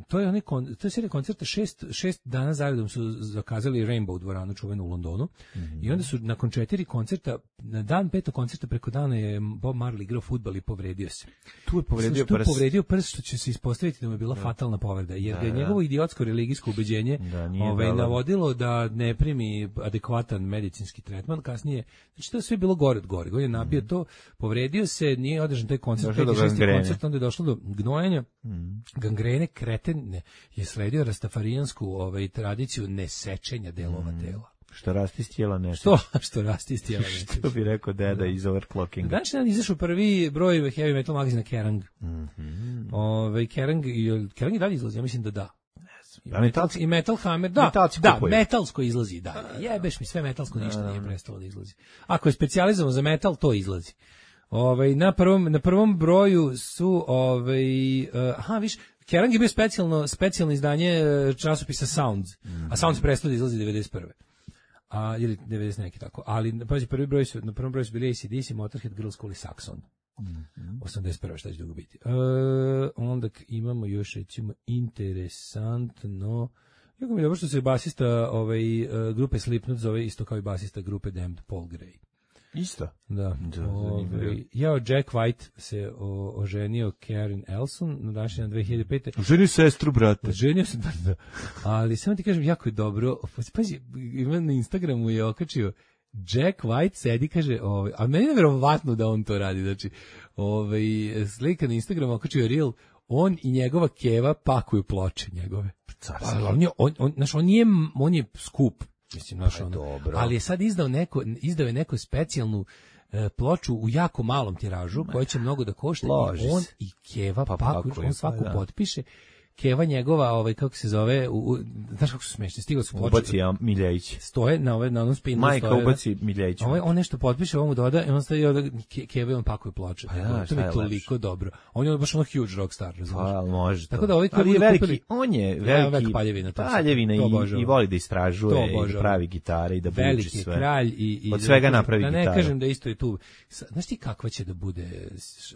to je onaj kon, to je serija koncerta šest, šest dana zaredom su zakazali Rainbow dvoranu čuvenu u Londonu. Mm-hmm. I onda su nakon četiri koncerta, na dan petog koncerta preko dana je Bob Marley igrao fudbal i povredio se. Tu je povredio tu prst. povredio prst, što će se ispostaviti da mu je bila da. fatalna povreda, jer da, ga je njegovo idiotsko religijsko ubeđenje da, ovaj, navodilo da ne primi adekvatan medicinski tretman. Kasnije, znači to je sve bilo gore od gore. On je nabio mm-hmm. to, povredio se, nije održan taj koncert, koncert, onda je došlo do gnojenja, mm. gangrene, kreten je sledio rastafarijansku ovaj, tradiciju nesečenja delova mm. tela. Što rasti iz tijela ne Što, što rasti iz tijela ne Što bi rekao deda iz overclockinga. Danas dan izašao prvi broj heavy metal magazina Kerrang. Mm-hmm. Ove, Kerrang, Kerrang i dalje izlazi, ja mislim da da. I, da, metal, i Metal Hammer, da, da, metalsko izlazi, da. Jebeš mi sve metalsko, ništa nije prestalo da izlazi. Ako je specijalizovano za metal, to izlazi. Ovaj na prvom na prvom broju su ovaj uh, aha viš Kerrang je bio specijalno specijalno izdanje časopisa Sounds, mm-hmm. a Sounds prestao da izlazi devedeset prve A ili devedeset neki tako. Ali pazi, prvi broj su na prvom broju su bili A C D C, Motorhead, Girls School i Saxon. Mm-hmm. osamdeset prve šta će dugo biti. Uh, onda imamo još recimo interesantno. Jako mi je dobro što se basista ovaj uh, grupe Slipknot zove isto kao i basista grupe Damned, Paul Gray. Isto? Da. da Ove, jao, Jack White se o, oženio Karen Elson na današnji dan dve hiljade pete Oženio sestru, brate. Oženio se, da, da. Ali samo ti kažem, jako je dobro. Pazi, ima na Instagramu je okačio Jack White sedi, kaže, ovaj, a meni je verovatno da on to radi. Znači, ovaj, slika na Instagramu okačio reel, on i njegova keva pakuju ploče njegove. Pa, on je, on, on, znaš, on je, on je skup. mislim, naš ono. Dobro. Ali je sad izdao neko, izdao je neku specijalnu e, ploču u jako malom tiražu, koja će mnogo da košta, i on i Keva pa, Pakuć, on svaku da. potpiše. Keva njegova, ovaj kako se zove, u, u, znaš kako su smešni, stigao su ploče. Ubaci ja Miljević. Stoje na ove na onom spinu. Majka stoje, ubaci Miljević. Ovaj on nešto potpiše, on mu doda i on staje od Keva on pakuje ploče. Pa ja, to je toliko dobro. On je baš ono huge rock star, razumiješ? Pa, može. Tako da ovaj koji je veliki, kupili, on je veliki ja, paljevina, to paljevina i, i voli da istražuje i pravi gitare i da buči sve. Veliki kralj i, i od svega napravi gitaru. Da ne kažem da isto je tu. Znaš ti kakva će da bude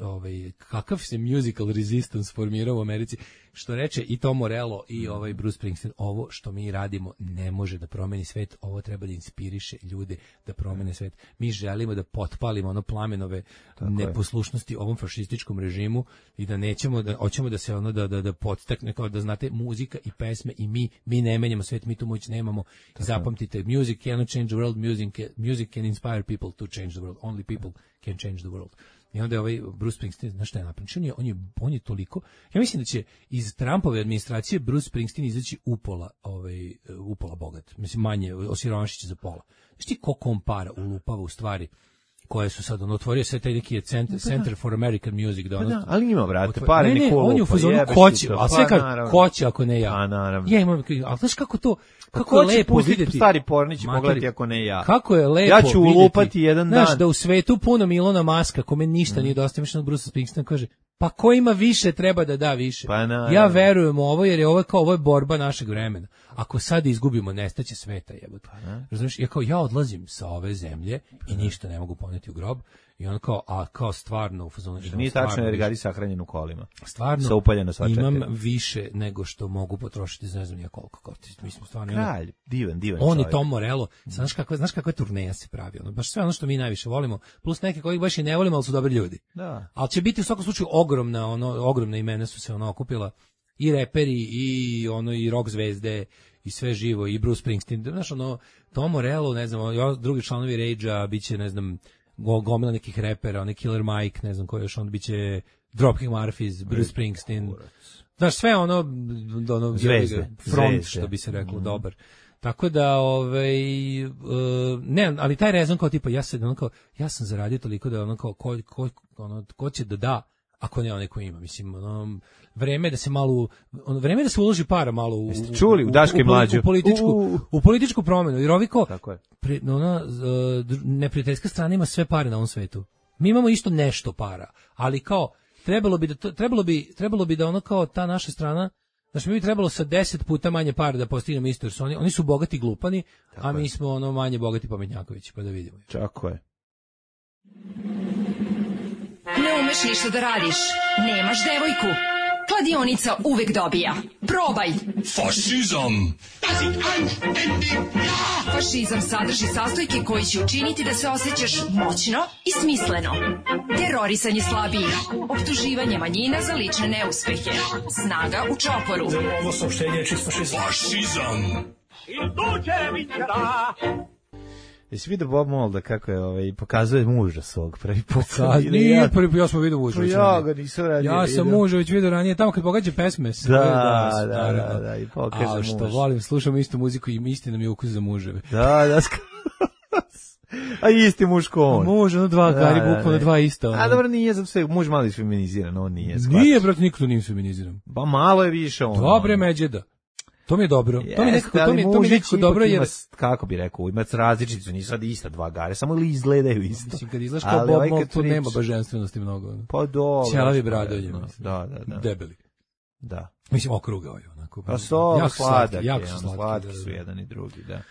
ovaj kakav se musical resistance formirao u Americi, što reče i Tom Morello i ovaj Bruce Springsteen, ovo što mi radimo ne može da promeni svet, ovo treba da inspiriše ljude da promene svet. Mi želimo da potpalimo ono plamenove tako neposlušnosti je. ovom fašističkom režimu i da nećemo da hoćemo da se ono da da da podstakne, kao da znate, muzika i pesme i mi mi ne menjamo svet, mi tu moć nemamo. Tako. Zapamtite, music cannot change the world, music music can inspire people to change the world. Only people can change the world. I onda je ovaj Bruce Springsteen, znaš šta je napravio? On je, on, je, on je toliko... Ja mislim da će iz Trumpove administracije Bruce Springsteen izaći upola, ovaj, upola bogat. Mislim, manje, osiromašit će za pola. Znaš ti koliko on para ulupava u stvari koje su sad, on otvorio sve taj neki center, Center for American Music. Da, ono, da, ali ima, brate, pare ne, ne, Nikolu, on je u fazonu koće, a sve kad koće ako ne ja. A, naravno. Ja imam, ali znaš kako to, kako je lepo vidjeti. Stari pornić pogledati ako ne ja. Kako je lepo ja ću ulupati jedan dan. Znaš, da u svetu puno Milona Maska, kome ništa mm. nije dosta, mišljeno od Bruce Springsteen kaže, pa ko ima više treba da da više. Pa na, ja verujem u ovo jer je ovo kao ovo je borba našeg vremena. Ako sad izgubimo, nestaće sveta, jebote. Pa razumiješ, ja kao ja odlazim sa ove zemlje i ništa ne mogu poneti u grob. I on kao, a kao stvarno u fazonu... Nije tačno jer Gari sahranjen u kolima. Stvarno, sa upaljeno sva četiri. Imam više nego što mogu potrošiti, ne znam ja koliko. Kao, mi smo stvarno... Kralj, divan, divan on čovjek. I Tom Morello, znaš kakva, znaš kakva turneja se pravi, ono, baš sve ono što mi najviše volimo, plus neke kojih baš i ne volimo, ali su dobri ljudi. Da. Ali će biti u svakom slučaju ogromna, ono, ogromna imena su se ono okupila, i reperi, i ono, i rock zvezde, i sve živo, i Bruce Springsteen, znaš, ono, Tom Morello, ne znam, drugi članovi Rage-a, bit će, ne znam, gomila nekih repera, onaj Killer Mike, ne znam ko još, onda biće Dropkick Murphys, Bruce Springsteen. Znaš, sve ono, ono zvezde, front, zvezde. što bi se reklo, mm. dobar. Tako da, ovaj, uh, ne, ali taj rezon kao tipa, ja, se, ono kao, ja sam zaradio toliko da ono kao, ko, ko, ono, ko će da da, ako ne onaj ko ima, mislim, ono, vreme da se malo, ono, vreme da se uloži para malo u, Jeste čuli, u, u Daške mlađe, u političku, u, u političku promjenu, jer ovi kao, tako je. Pre, ona, neprijateljska strana ima sve pare na ovom svetu. Mi imamo isto nešto para, ali kao, trebalo bi da, to, trebalo bi, trebalo bi da ono kao ta naša strana, znači mi bi trebalo sa deset puta manje para da postignemo isto, jer su oni, oni su bogati glupani, tako a mi je. Smo ono manje bogati pametnjakovići, pa da vidimo. Tako je. Ne umeš ništa da radiš, nemaš devojku. Kladionica uvek dobija. Probaj. Fašizam. Fašizam sadrži sastojke koji će učiniti da se osjećaš moćno i smisleno. Terorisanje slabijih, optuživanje manjina za lične neuspehe, snaga u čoporu. Ovo saopštenje je čist fašizam. Fašizam. Jesi vidio Bob Molda kako je ovaj, pokazuje muža svog prvi put? Nije prvi put, ja sam vidio muža. Ja ga nisam radio. Ja sam muža već vidio ranije, tamo kad pogađa pesme. Da, da, da, da, da, i pokaže muž. A što volim, slušam istu muziku i istina mi je ukus za muževe. Da, da, a isti muž ko on. Muž, ono dva, da, Gari, bukvalno dva isto. A dobro, nije, zato sve, muž malo je feminiziran, on nije. Shvatiš. Nije, brat, nikto nije feminiziran. Ba malo je više on. Dobre međeda. To mi je dobro. To mi nekako, to mi, to mi nekako dobro jer... Kako bi rekao, ima različicu, nisu sad ista dva Gare, samo ili izgledaju isto. Mislim, kad izgledaš kao Bob Mold, tu nema božanstvenosti mnogo. Pa dobro. Ćelavi bradolje, mislim. Da, da, da. Debeli. Da. Mislim, okruga ovaj, onako. Pa so, jako sladak jako je, slatki, slatki su jedan i drugi, da.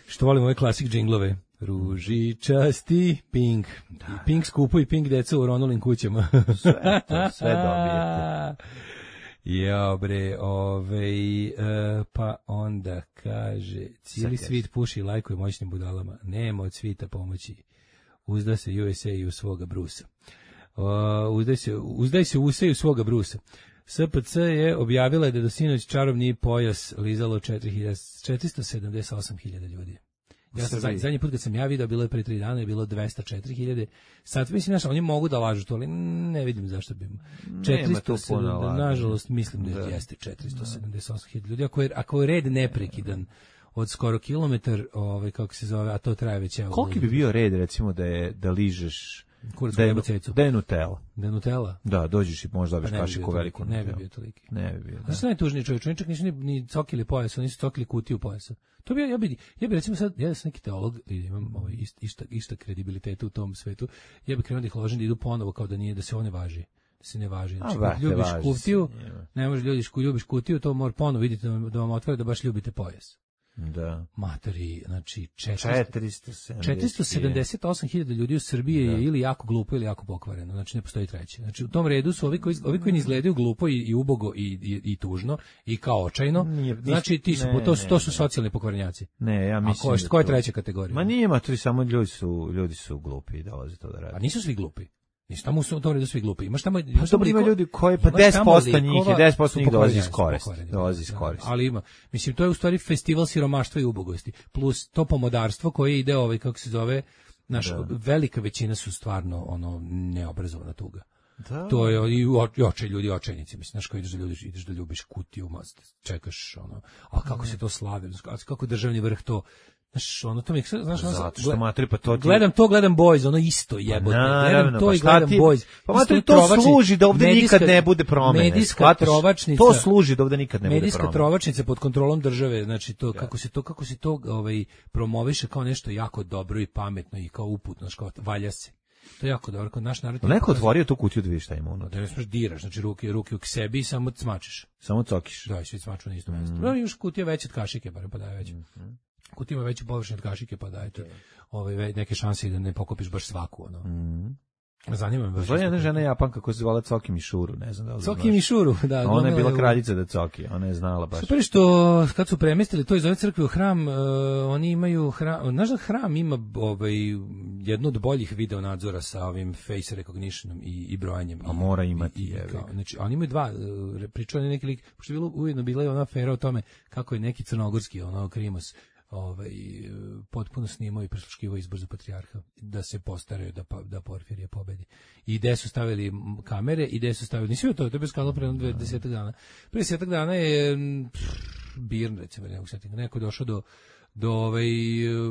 Što volim ove klasik džinglove. Ružičasti Pink. Da, I Pink skupu i Pink deca u Ronulim kućama. Sve to, sve dobijete. Ja bre, ovej, uh, pa onda kaže, cijeli svit puši i lajkuje moćnim budalama, nema od svita pomoći, uzda se U S A i u svoga Brusa. Uh, uzdaj se, uzdaj se u se i u svoga Brusa. S P C je objavila da je do sinoć čarobni pojas lizalo četiristo sedamdeset osam hiljada ljudi. Ja sam zadnji, zadnji put kad sam ja vidio, bilo je pre tri dana, je bilo dvesta četiri hiljade. Sad mislim, znaš, oni mogu da lažu to, ali ne vidim zašto bi. četiristo sedamdeset, nažalost, mislim da, da. jeste četiristo sedamdeset osam hiljada ljudi. Ako je, ako je red neprekidan od skoro kilometar, ovaj, kako se zove, a to traje već... Evo, koliki bi bio red, recimo, da je da ližeš... Kurac da je, da je Nutella. Da je Nutella? Da, dođeš i možda dobiš pa kašiku veliku Nutella. Ne bi bio toliki. Ne bi bio, da. Znaš, najtužniji čovjek, čovjek čak nisu ni, ni cokili pojasa, nisu cokili kutiju pojasa. To bi ja, ja bi, ja bi recimo sad, ja sam neki teolog, i imam ovaj, išta, išta kredibiliteta u tom svetu, ja bi krenuo da ih ložim da idu ponovo kao da nije, da se one važi. Da se ne važi. Znači, A, ljubiš važi kutiju, se, ne možeš ljubiš, ljubiš kutiju, to mora ponovo vidite da vam, da vam otvore da baš ljubite pojas. Da. Matori, znači četiristo sedamdeset osam hiljada ljudi u Srbiji da. je ili jako glupo ili jako pokvareno, znači ne postoji treće. Znači u tom redu su ovi koji, ovi koji ne izgledaju glupo i, i ubogo i, i, i tužno i kao očajno, nije, znači ti su, ne, to, ne, to su socijalni pokvarenjaci. Ne, ja mislim. A ko je, ko je treća kategorija? Ma nije matori, samo ljudi su, ljudi su glupi i dolaze to da rade. A nisu svi glupi. Nisu tamo u tom redu svi glupi. Imaš tamo... Pa dobro ima ljudi koji, pa deset posto njih je, deset posto njih dolazi iz koristi. Dolazi iz koristi. Ali ima, mislim, to je u stvari festival siromaštva i ubogosti. Plus to pomodarstvo koje ide, ovaj, kako se zove, naš, velika većina su stvarno, ono, neobrazovana tuga. Da. To je i, i očaj ljudi, očajnici, mislim, znaš, kao ideš da, ljubiš, ideš da ljubiš kutiju, čekaš, ono, a kako se to slavi, kako državni vrh to... Znaš, ono to mi, znaš, ono, zato što matri, pa to ti... gledam to, gledam Boys, ono isto jebote, gledam to pa i gledam ti... Boys. Pa matri, to trovačni, služi da ovde medijska, nikad ne bude promene. Medijska trovačnica. To služi da ovde nikad ne bude promene. Medijska trovačnica pod kontrolom države, znači to, ja. kako se to, kako se to ovaj, promoviše kao nešto jako dobro i pametno i kao uputno, znači kao valja se. To je jako dobro, kod naš narod... Neko otvorio tu kutiju da vidiš šta ima unutra. Da ne smiješ diraš, znači ruke, ruke u sebi i samo cmačeš. Samo cokiš. Da, i svi cmaču na isto mesto. Mm. No, još kutija veća od kašike, barem pa da je veća. Mm. Kutija ima veću površinu od kašike, pa dajte ove neke šanse da ne pokopiš baš svaku, ono. Mm. Zanima me. Zvala jedna žena Japanka koja se zvala Coki Mišuru, ne znam da li Coki Mišuru, da. Ona je bila kraljica da Coki, ona je znala baš. Super što kad su premestili to iz ove crkve u hram, uh, oni imaju hram, znaš da hram ima ovaj, jednu od boljih video nadzora sa ovim face recognitionom i, i brojanjem. A mora imati, i, i, kao, znači, oni imaju dva, uh, pričao neki lik, pošto je bilo, ujedno bila je ona afera o tome kako je neki crnogorski, ono, Krimos, ovaj, potpuno snimao i prisluškivao izbor za patrijarha, da se postaraju da, da Porfirije pobedi. I gde su stavili kamere, i gde su stavili, nisi vidio to, to je bez skala pre desetak dana. Pre desetak dana je pff, Birn, recimo, neko došao do do ovaj,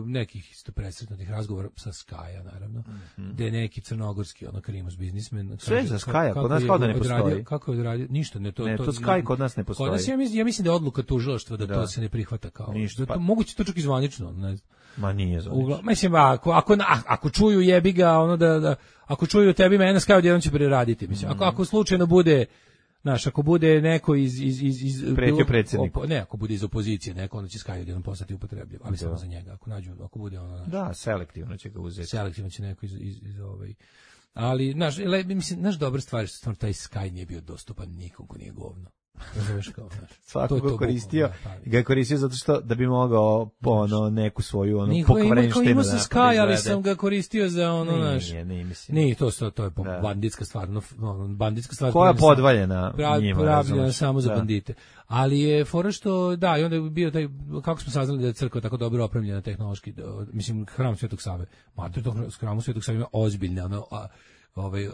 nekih isto presretnutih razgovora sa Skaja, naravno, mm-hmm. gde je neki crnogorski, ono, Krimos biznismen. Sve za Skaja, kod nas kao da ne postoji. Odradio, kako je odradio? Ništa, ne, to... Ne, to, to Skaj kod nas ne postoji. Kod nas, ja mislim, ja mislim da je odluka tužilaštva da, da to se ne prihvata kao... Ništa. Da to, pa... Moguće to čak i zvanično, ne znam. Ma nije zvanično. Mislim, ako, ako, ako čuju jebi ga, ono da, da ako čuju tebi mene, Skaj odjednom će preraditi, mislim. Ako, ako slučajno bude... Znaš, ako bude neko iz... iz, iz, iz Pretio predsjednik. Ne, ako bude iz opozicije, neko, onda će Skaj odjednom postati upotrebljiv, ali da. Samo za njega. Ako nađu, ako bude ono... Znaš, da, selektivno će ga uzeti. Selektivno će neko iz, iz, iz ovaj... Ali, znaš, le, mislim, znaš, dobra stvar je što stvarno taj Skaj nije bio dostupan nikom ko nije govno. Razumeš kao, znaš. Svako ga koristio, ga je koristio zato što da bi mogao ono neku svoju ono pokvarenštinu. Imao sam Sky, ali sam ga koristio za ono, znaš. Nije, nije, mislim. Nije, to, to, to je da. banditska stvar, no, banditska stvar. Koja je podvaljena prav, njima, pravljena samo za da. bandite. Ali je fora što, da, i onda je bio taj, kako smo saznali da je crkva tako dobro opremljena tehnološki, mislim, hram Svetog Save. Mater, to hram Svetog Save ima ozbiljne, ono, a, ovaj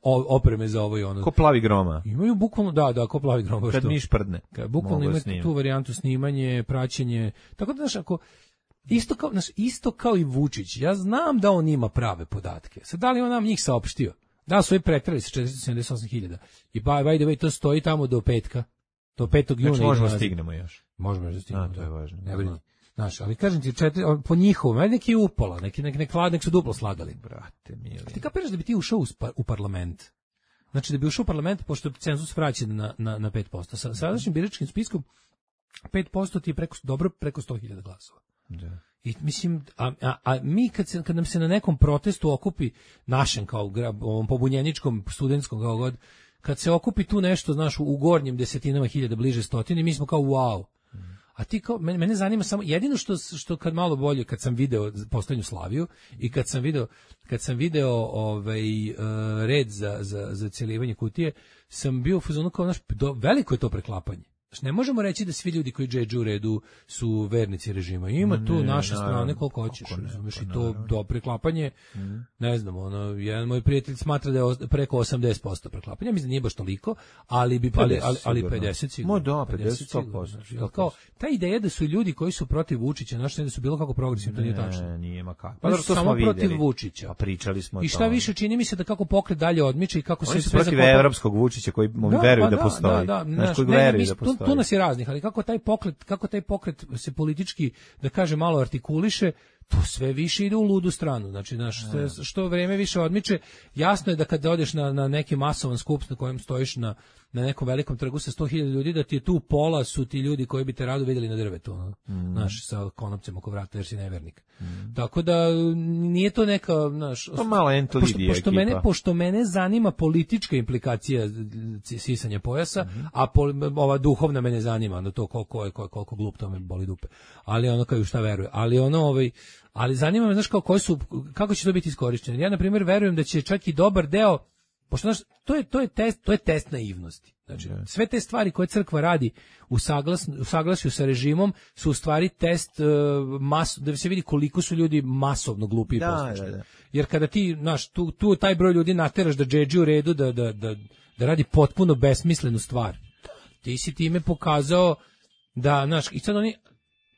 opreme za ovo i ono. Ko plavi groma. Imaju bukvalno, da, da, ko plavi groma. Kad miš prdne. Kad bukvalno imaju tu varijantu snimanje, praćenje. Tako da, znaš, ako isto kao, znaš, isto kao i Vučić, ja znam da on ima prave podatke. Sad, da li on nam njih saopštio? Da su je pretrali sa četiristo sedamdeset osam hiljada. I by, by the way, to stoji tamo do petka. Do petog juna. Znači možemo stignemo još. Možemo da stignemo. A, to je važno. Ne brini. Znaš, ali kažem ti, četiri, po njihovom, ajde neki upola, neki, neki, neki, neki su duplo slagali. Brate, mili. Ti kapiraš da bi ti ušao u, u parlament? Znači da bi ušao u parlament, pošto je cenzus vraćen na, na, na pet posto. Sa sadašnjim biračkim spiskom, pet posto ti je preko, dobro preko sto hiljada glasova. Da. I mislim, a, a, a mi kad, se, kad nam se na nekom protestu okupi, našem kao ovom pobunjeničkom, studentskom, kao god, kad se okupi tu nešto, znaš, u gornjim desetinama hiljada, bliže stotini, mi smo kao wow. A ti kao, mene, mene zanima samo, jedino što, što kad malo bolje, kad sam video poslednju Slaviju i kad sam video, kad sam video ovaj, uh, red za, za, za cjelivanje kutije, sam bio u fazonu kao, znaš, do, veliko je to preklapanje. Ne možemo reći da svi ljudi koji džedžu u redu su vernici režima. Ima tu ne, naše naravno, strane koliko hoćeš, razumiješ, i to do preklapanje, mm. ne znam, ono, jedan moj prijatelj smatra da je preko osamdeset posto preklapanja, mislim da nije baš toliko, ali bi ali ali, ali pedeset sigurno. Mo da, pedeset posto. Kao ta ideja da su ljudi koji su protiv Vučića, znači da su bilo kako progresivni, to nije tačno. Ne, nije ma kako. Pa to smo samo vidjeli. Protiv Vučića. Pa pričali smo o tome. I šta više čini mi se da kako pokret dalje odmiče i kako oni se sve protiv evropskog Vučića koji da, veruju pa da postoji. Da, da, znači, ne, ne, da postoji. Tu, tu nas je raznih, ali kako taj pokret, kako taj pokret se politički, da kaže, malo artikuliše, to sve više ide u ludu stranu. Znači, naš, što vreme više odmiče, jasno je da kad odeš na, na neki masovan skup na kojem stojiš na, na nekom velikom trgu sa sto hiljada ljudi, da ti je tu pola su ti ljudi koji bi te rado vidjeli na drvetu, no? mm. Naš, sa konopcem oko vrata jer si nevernik. Mm. Tako da nije to neka, naš, to malo pošto, pošto mene pošto mene zanima politička implikacija sisanja pojasa, mm. a pol, ova duhovna mene zanima, no to koliko je koliko glup, to me boli dupe. Ali ono kao šta veruje. Ali ono ovaj ali zanima me, znaš, kao koji su, kako će to biti iskorišćeno. Ja na primjer verujem da će čak i dobar deo, pošto znaš, to je to je test, to je test naivnosti. Znači, sve te stvari koje crkva radi u, saglas, u saglasju sa režimom su u stvari test uh, mas, da se vidi koliko su ljudi masovno glupi i poslušni. Da, da. Jer kada ti, znaš, tu, tu taj broj ljudi nateraš da džedži u redu, da, da, da, da radi potpuno besmislenu stvar, ti si time pokazao da, znaš, i sad oni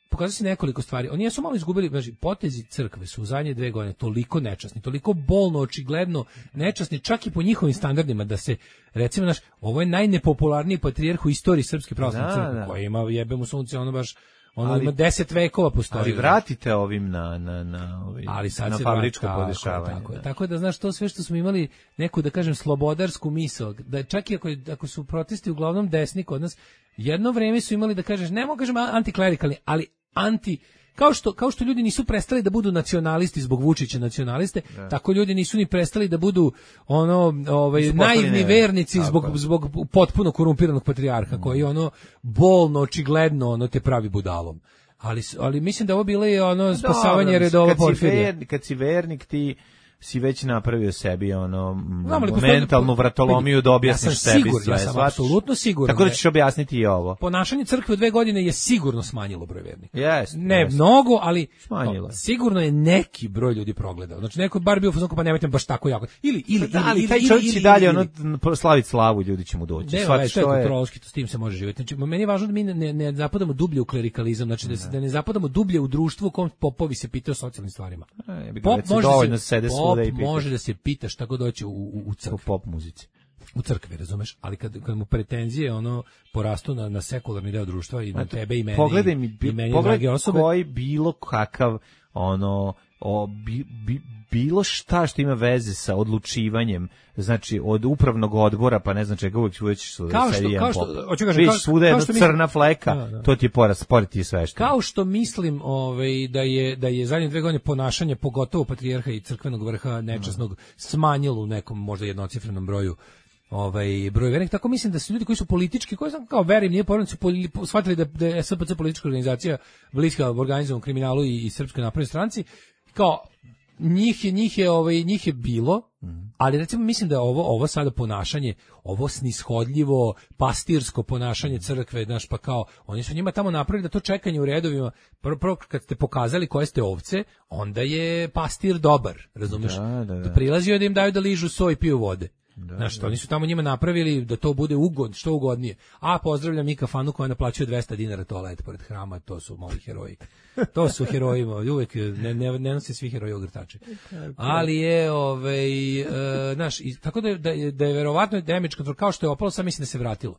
pokazao se nekoliko stvari. Oni jesu malo izgubili, znači potezi crkve su u zadnje dve godine toliko nečasni, toliko bolno, očigledno nečasni, čak i po njihovim standardima, da se, recimo, naš, ovo je najnepopularniji patrijarh u istoriji Srpske pravoslavne crkve, koja ima, jebe mu sunce, ono baš, ono ali, ima deset vekova postoji. Ali vratite ovim na, na, na, ovim, ali sad na fabričko podešavanje. Tako, da. tako da, znaš, to sve što smo imali neku, da kažem, slobodarsku misao, da čak i ako, ako su protesti uglavnom desni kod nas, jedno vreme su imali, da kažeš, ne mogu kažem antiklerikalni, ali anti, kao što, kao što ljudi nisu prestali da budu nacionalisti zbog Vučića nacionaliste, ne. Tako ljudi nisu ni prestali da budu ono, ovaj, naivni vernici zbog, zbog potpuno korumpiranog patrijarha, mm. koji ono bolno, očigledno ono te pravi budalom. Ali, ali mislim da ovo bilo je ono spasavanje Dobro, redova Porfirija. Kad, kad si vernik, ti si već napravio sebi ono no, mentalnu vratolomiju da objasniš sebi sigur, sve. Ja sam apsolutno siguran. Tako da ćeš objasniti i ovo. Ponašanje crkve u dve godine je sigurno smanjilo broj vernika. Yes, ne yes. mnogo, ali smanjilo. No, sigurno je neki broj ljudi progledao. Znači neko bar bio fazon, pa nemojte baš tako jako. Ili ili da, ali ili, taj čovjek će dalje ono slaviti slavu, ljudi će mu doći. Sva što je kontrolski, to s tim se može živjeti. Znači meni je važno da mi ne, ne zapadamo dublje u klerikalizam, znači da se da ne zapadamo dublje u društvu u kom popovi se pitaju o socijalnim stvarima. Pop može se može da se pita šta god doći u, u, u crkvi. U pop muzici. U crkvi, razumeš? Ali kad, kad mu pretenzije ono porastu na, na sekularni deo društva i na Eto, tebe i meni, pogledaj mi, i meni pogledaj osobe, koji bilo kakav ono o, bi, bi, bilo šta što ima veze sa odlučivanjem, znači od upravnog odbora, pa ne znam čega, uvijek uvijek su kao što, kao što, hoću kažem, kao, svuda jedna crna fleka, da, da. To ti je porast, pored ti sve što. Kao što mislim ovaj, da je da je zadnje dve godine ponašanje, pogotovo patrijarha i crkvenog vrha nečasnog, mm. smanjilo u nekom možda jednocifrenom broju ovaj broj vernika, tako mislim da su ljudi koji su politički, koji sam kao verim, nije porodice su shvatili da, da je S P C politička organizacija bliska organizovanom kriminalu i, i Srpskoj naprednoj stranci, kao njih je njih je ovaj njih je bilo, mm. ali recimo mislim da ovo ovo sada ponašanje, ovo snishodljivo pastirsko ponašanje crkve, znaš, pa kao oni su njima tamo napravili da to čekanje u redovima, prvo, prvo kad ste pokazali koje ste ovce, onda je pastir dobar, razumeš? Da, da, da. Da prilazio da im daju da ližu soj i piju vode. Da, znaš, da. Oni su tamo njima napravili da to bude ugod, što ugodnije. A pozdravljam i kafanu koja naplaćuje dvesta dinara toalet pored hrama, to su moji heroji. To su heroji, uvek ne, ne, ne nose svi heroji ogrtače. Ali je, ovaj, e, znaš, i, tako da je, da je, da je verovatno damage control, kao što je opalo, sad mislim da se vratilo.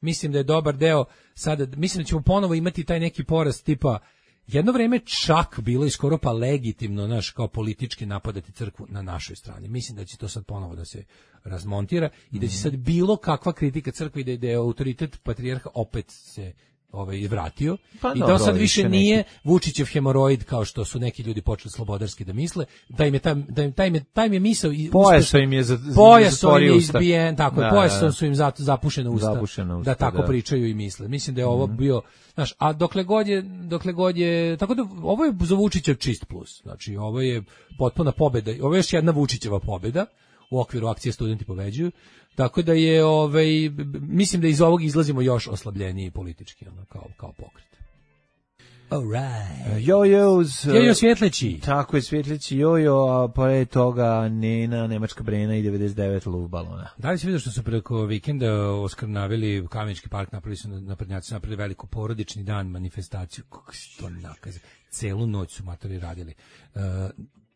Mislim da je dobar deo, sada, mislim da ćemo ponovo imati taj neki porast tipa, jedno vreme čak bilo i skoro pa legitimno, naš, kao politički napadati crkvu na našoj strani. Mislim da će to sad ponovo da se razmontira i da će sad bilo kakva kritika crkvi da, da je autoritet patrijarha opet se ovaj vratio pa i da sad više neki. Nije Vučićev hemoroid kao što su neki ljudi počeli slobodarski da misle, da im je taj da im taj im je taj im je misao i pojasom im je za pojasom je izbijen, tako je, pojasom su im zato zapušena usta, zapušena usta da tako da. Pričaju i misle. Mislim da je ovo mm-hmm. bio, znaš, a dokle god je dokle god je tako da ovo je za Vučića čist plus. Znači ovo je potpuna pobeda. Ovo je još jedna Vučićeva pobeda u okviru akcije Studenti pobeđuju. Tako da je, ovaj, mislim da iz ovog izlazimo još oslabljeniji politički, ono, kao, kao pokret. Alright. Jojos. Jojo Svjetleći. Tako je, Svjetleći Jojo, a pored toga Nena, Nemačka Brena i devedeset devet luftbalona. Da li si vidio što su preko vikenda oskrnavili Kamenički park, napravili su naprednjaci, napravili veliku porodični dan, manifestaciju, kako si to nakaze. Celu noć su matori radili. Uh,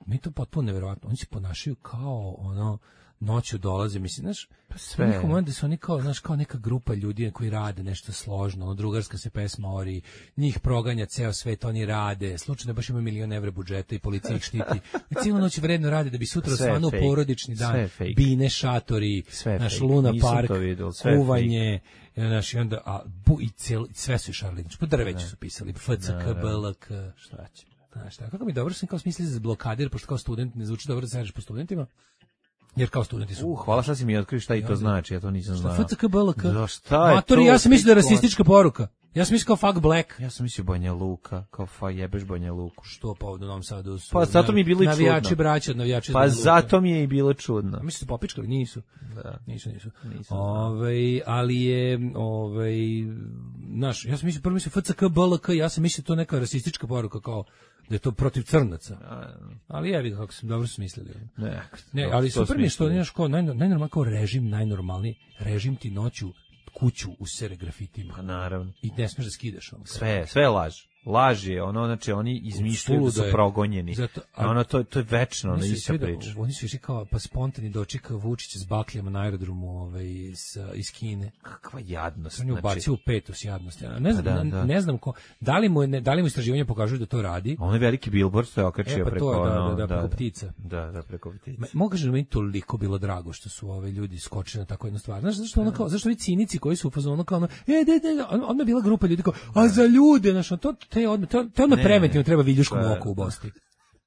mi to potpuno neverovatno. Oni se ponašaju kao ono, noću dolaze, mislim, znaš, pa sve. Njihov moment da su oni kao, znaš, kao neka grupa ljudi koji rade nešto složno, ono, drugarska se pesma ori, njih proganja ceo svet, oni rade, slučajno baš imaju milion evra budžeta i policija ih štiti. I cijelu noć vredno rade da bi sutra stvarno porodični dan, bine, šatori, naš Luna Park, kuvanje, znaš, i onda, a, bu, i cijel, sve su šarli, po drveću su pisali, F C K, B L K, šta će, znaš, tako, kako mi dobro sam kao smislili za blokadir, pošto kao student ne zvuči dobro da se radiš po studentima. Jer kao studenti su... Uh, hvala šta si mi otkrio šta i to znači, ja to nisam znao. Šta F C K B L K? Da, šta je Matori, to? ja sam mislio da je rasistička poruka. Ja sam mislio kao fuck black. Ja sam mislio Banja Luka, kao fa jebeš Banja Luku. Što pa u Novom Sadu su... Pa zato mi je bilo i čudno. Navijači braća, navijači... Pa zato mi je i bilo čudno. A mislim su popičkali? Nisu. Da. Nisu, nisu. Nisam Ove, ali je, ovaj, naš, ja sam mislio, prvo mislio F C K B L K, ja sam mislio to neka rasistička poruka, kao da je to protiv crnaca. Ali ja vidim kako sam dobro smislili. Ne, ne ali super mi je što nemaš kao najnormalniji kao režim, najnormalniji režim ti noću kuću usere grafitima. Pa naravno. I ne smiješ da skidaš. Ono, sve, sve je laž. Laž je, ono, znači, oni izmišljaju da su progonjeni. Zato, a, ono, to, to je večno, ono, ista priča. Oni su išli kao, pa spontani doček Vučića s bakljama na aerodromu ovaj, iz, iz Kine. Kakva jadnost. On je ubacio znači, u petus jadnosti. Ne znam, da, da. ne znam ko, da li mu, ne, da li mu istraživanje pokažu da to radi. On je veliki billboard, što je okačio e, pa preko... To, da, ono, da, da, da, preko ptica. Da, da, preko ptica. Mogu da mi toliko bilo drago što su ove ljudi skočili na tako jednu stvar. Znaš, zašto, ono kao, zašto ovi cinici koji su u fazonu kao ono, e, de, de, odmah je bila grupa ljudi kao, a za ljude, znaš, to, te odmah, to, to odmah preventivno treba viljuškom u oko u Bosni.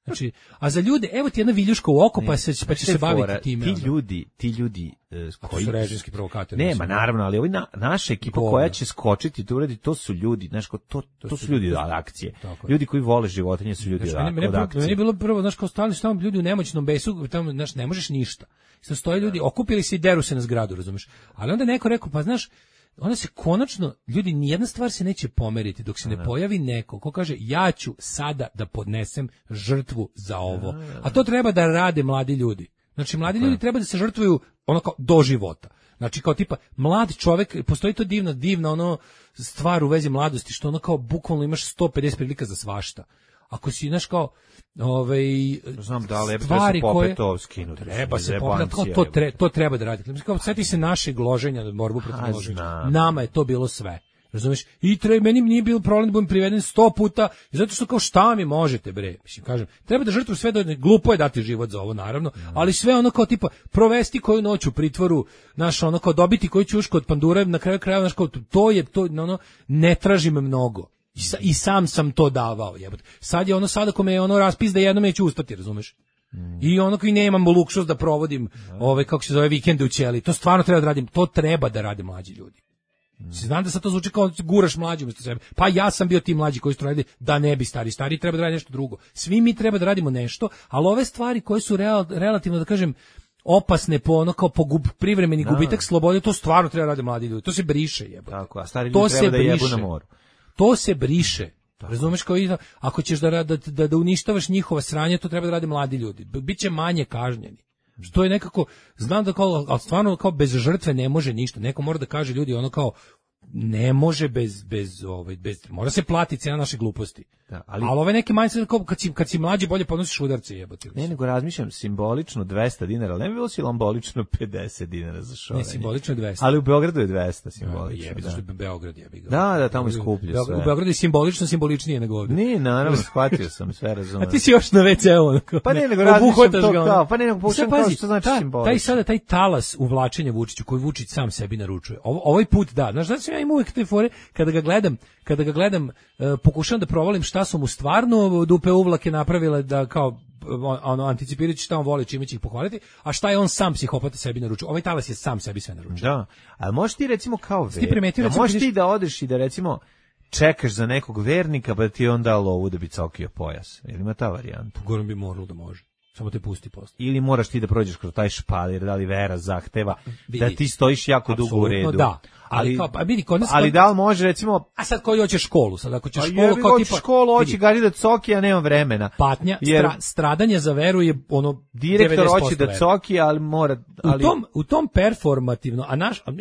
Znači, a za ljude, evo ti jedna viljuška u oko, pa, se, pa će se baviti time. Ti ljudi, ti ljudi uh, koji su režimski provokatori. Nema, naravno, ali ovi na, naša ekipa Govno. koja će skočiti tu uradi, to su ljudi, znaš, to, to, to su ljudi od akcije. Ljudi koji vole životinje su ljudi znači, od, mene, od akcije. Meni je bilo prvo, znaš, kao stalni tamo ljudi u nemoćnom besu, tamo, znaš, ne možeš ništa. Sad stoje ljudi, okupili se i deru se na zgradu, razumeš? Ali onda neko rekao, pa znaš, onda se konačno, ljudi, nijedna stvar se neće pomeriti dok se ne pojavi neko ko kaže ja ću sada da podnesem žrtvu za ovo. A to treba da rade mladi ljudi. Znači, mladi ljudi treba da se žrtvuju ono kao do života. Znači, kao tipa, mlad čovek, postoji to divna, divna ono stvar u vezi mladosti, što ono kao bukvalno imaš sto pedeset prilika za svašta. Ako si, znaš, kao, ovaj, znam da li stvari koje to skinuti. Treba se popet, to, to, tre, to treba da radite. Mislim, kao, sjeti se naše gloženja na borbu protiv gloženja. Nama je to bilo sve. Razumeš? I treba, meni nije bilo problem da budem priveden sto puta, zato što kao šta mi možete, bre? Mislim, kažem, treba da žrtvu sve, da glupo je dati život za ovo, naravno, ali sve ono kao tipa, provesti koju noć u pritvoru, naš ono kao dobiti koju ćušku od pandura, na kraju krajeva, naš kao, to je, to, ono, ne tražim mnogo. I, sa, I sam sam to davao, jebote. Sad je ono, sada ko me je ono raspis da jednom neću ustati, razumeš? Mm. I ono koji nemam luksus da provodim, mm. ove, kako se zove, vikende u ćeli, to stvarno treba da radim, to treba da rade mlađi ljudi. Mm. Znam da sad to zvuči kao guraš mlađi umjesto sebe. Pa ja sam bio ti mlađi koji su radili da ne bi stari. Stari treba da radi nešto drugo. Svi mi treba da radimo nešto, ali ove stvari koje su real, relativno, da kažem, opasne po ono kao po gub, privremeni da. gubitak slobode, to stvarno treba da rade mladi ljudi. To se briše, jebote. Tako, a stari ljudi treba da jebu na moru. To se briše. Tako. Razumeš, kao i ako ćeš da, da, da, da uništavaš njihova sranja, to treba da rade mladi ljudi. Biće manje kažnjeni. Što je nekako, znam da kao, ali stvarno kao bez žrtve ne može ništa. Neko mora da kaže ljudi ono kao, ne može bez, bez, ovaj, bez, mora se platiti cena naše gluposti. Da, ali, ali ove neke manje kao kad si, kad si mlađi bolje podnosiš udarce, jebote. Ne, nego razmišljam simbolično dvesta dinara, ali ne bi bilo simbolično pedeset dinara za šorenje. Ne, simbolično dvesta. Ali u Beogradu je dvesta simbolično. Ja, jebi, da. Zašto je Beograd jebi ga. Da, da, tamo je skuplje sve. U Beogradu je simbolično simboličnije nego ovdje. Ne, naravno, shvatio sam, sve razumem. A ti si još na ve ceu. Pa ne, nego razmišljam to kao, pa ne, nego pokušam kao što znači simbolično. Taj sada, taj talas uvlačenja Vučiću, koji Vučić sam sebi naručuje. Ovo, ovaj put da, znaš, znači ja imam uvijek te fore, kada ga gledam, kada ga gledam, uh, pokušavam da provalim šta su mu stvarno dupe uvlake napravile da kao ono anticipirajući šta on voli, čime će ih pohvaliti, a šta je on sam psihopata sebi naručio. Ovaj talas je sam sebi sve naručio. Da, ali možeš ti recimo kao ver, da možeš ti da odeš i da recimo čekaš za nekog vernika pa ti on da lovu da bi cokio pojas. Ili ima ta varijanta? Gorom bi moralo da može. samo te pusti posle. Ili moraš ti da prođeš kroz taj špalir, da li vera zahteva vidi, da ti stojiš jako dugo u redu. Da. Ali, ali, kao, pa vidi, kod nas, ali da li može, recimo... A sad koji hoće školu? Sad ako ćeš a školu, kao tipa... školu, hoće gari da coki, a nema vremena. Patnja, jer stra, stradanje za veru je ono... Direktor hoće da coki, ali mora... Ali... U, tom, u tom performativno, a naš... A,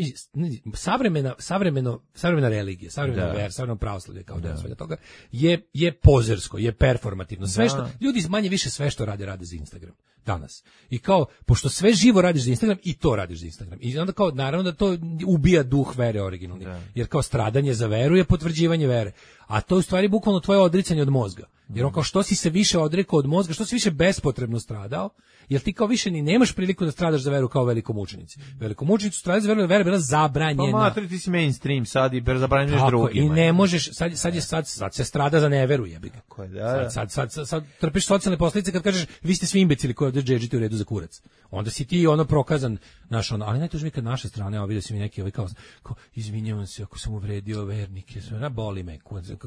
savremena, savremeno, savremena religija, savremena vera, savremeno pravoslavlje, kao deo svega toga, je, je pozersko, je performativno. Sve što... Ljudi manje više sve što rade, rade za Instagram. Danas. I kao, pošto sve živo radiš za Instagram, i to radiš za Instagram. I onda kao, naravno da to ubija duh vere originalni. Da. Jer kao stradanje za veru je potvrđivanje vere. A to je u stvari bukvalno tvoje odricanje od mozga. Jer on kao što si se više odrekao od mozga, što si više bespotrebno stradao, jer ti kao više ni nemaš priliku da stradaš za veru kao velikomučenici. Velikomučenici stradaju za veru, jer vera je bila zabranjena. Pa matri, ti si mainstream sad i zabranjuješ drugima. I ne možeš, sad, sad, je, sad, sad se strada za neveru, jebi ga. Ko je, da, da. Sad, sad, sad, sad trpiš socijalne posljedice kad kažeš vi ste svi imbecili koji ovdje džedžite u redu za kurac. Onda si ti ono prokazan, naš ono, ali najtužnije kad naše strane, evo vidio si mi neki ovaj kao, kao izvinjavam se ako sam uvredio vernike, na boli me,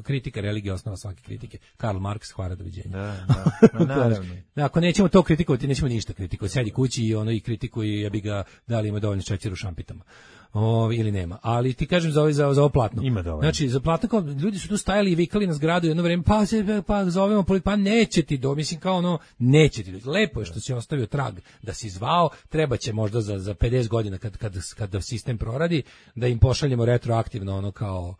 kritika religije osnova svake kritike. Karl Marx, hvala, doviđenja. Da, da, naravno. Ako nećemo to kritikovati, nećemo ništa kritikovati. Sedi kući i ono i kritikuju, ja bi ga dali ima dovoljno šećera u šampitama. O, ili nema. Ali ti kažem za ovo, za, za ovo platno. Ima dovoljno. Znači, za platno kao, ljudi su tu stajali i vikali na zgradu jedno vreme, pa, pa zovemo policiju, pa neće ti do, mislim kao ono, neće ti do. Lepo je što si ostavio trag da si zvao, treba će možda za, za pedeset godina kad, kad, kad sistem proradi, da im pošaljemo retroaktivno ono kao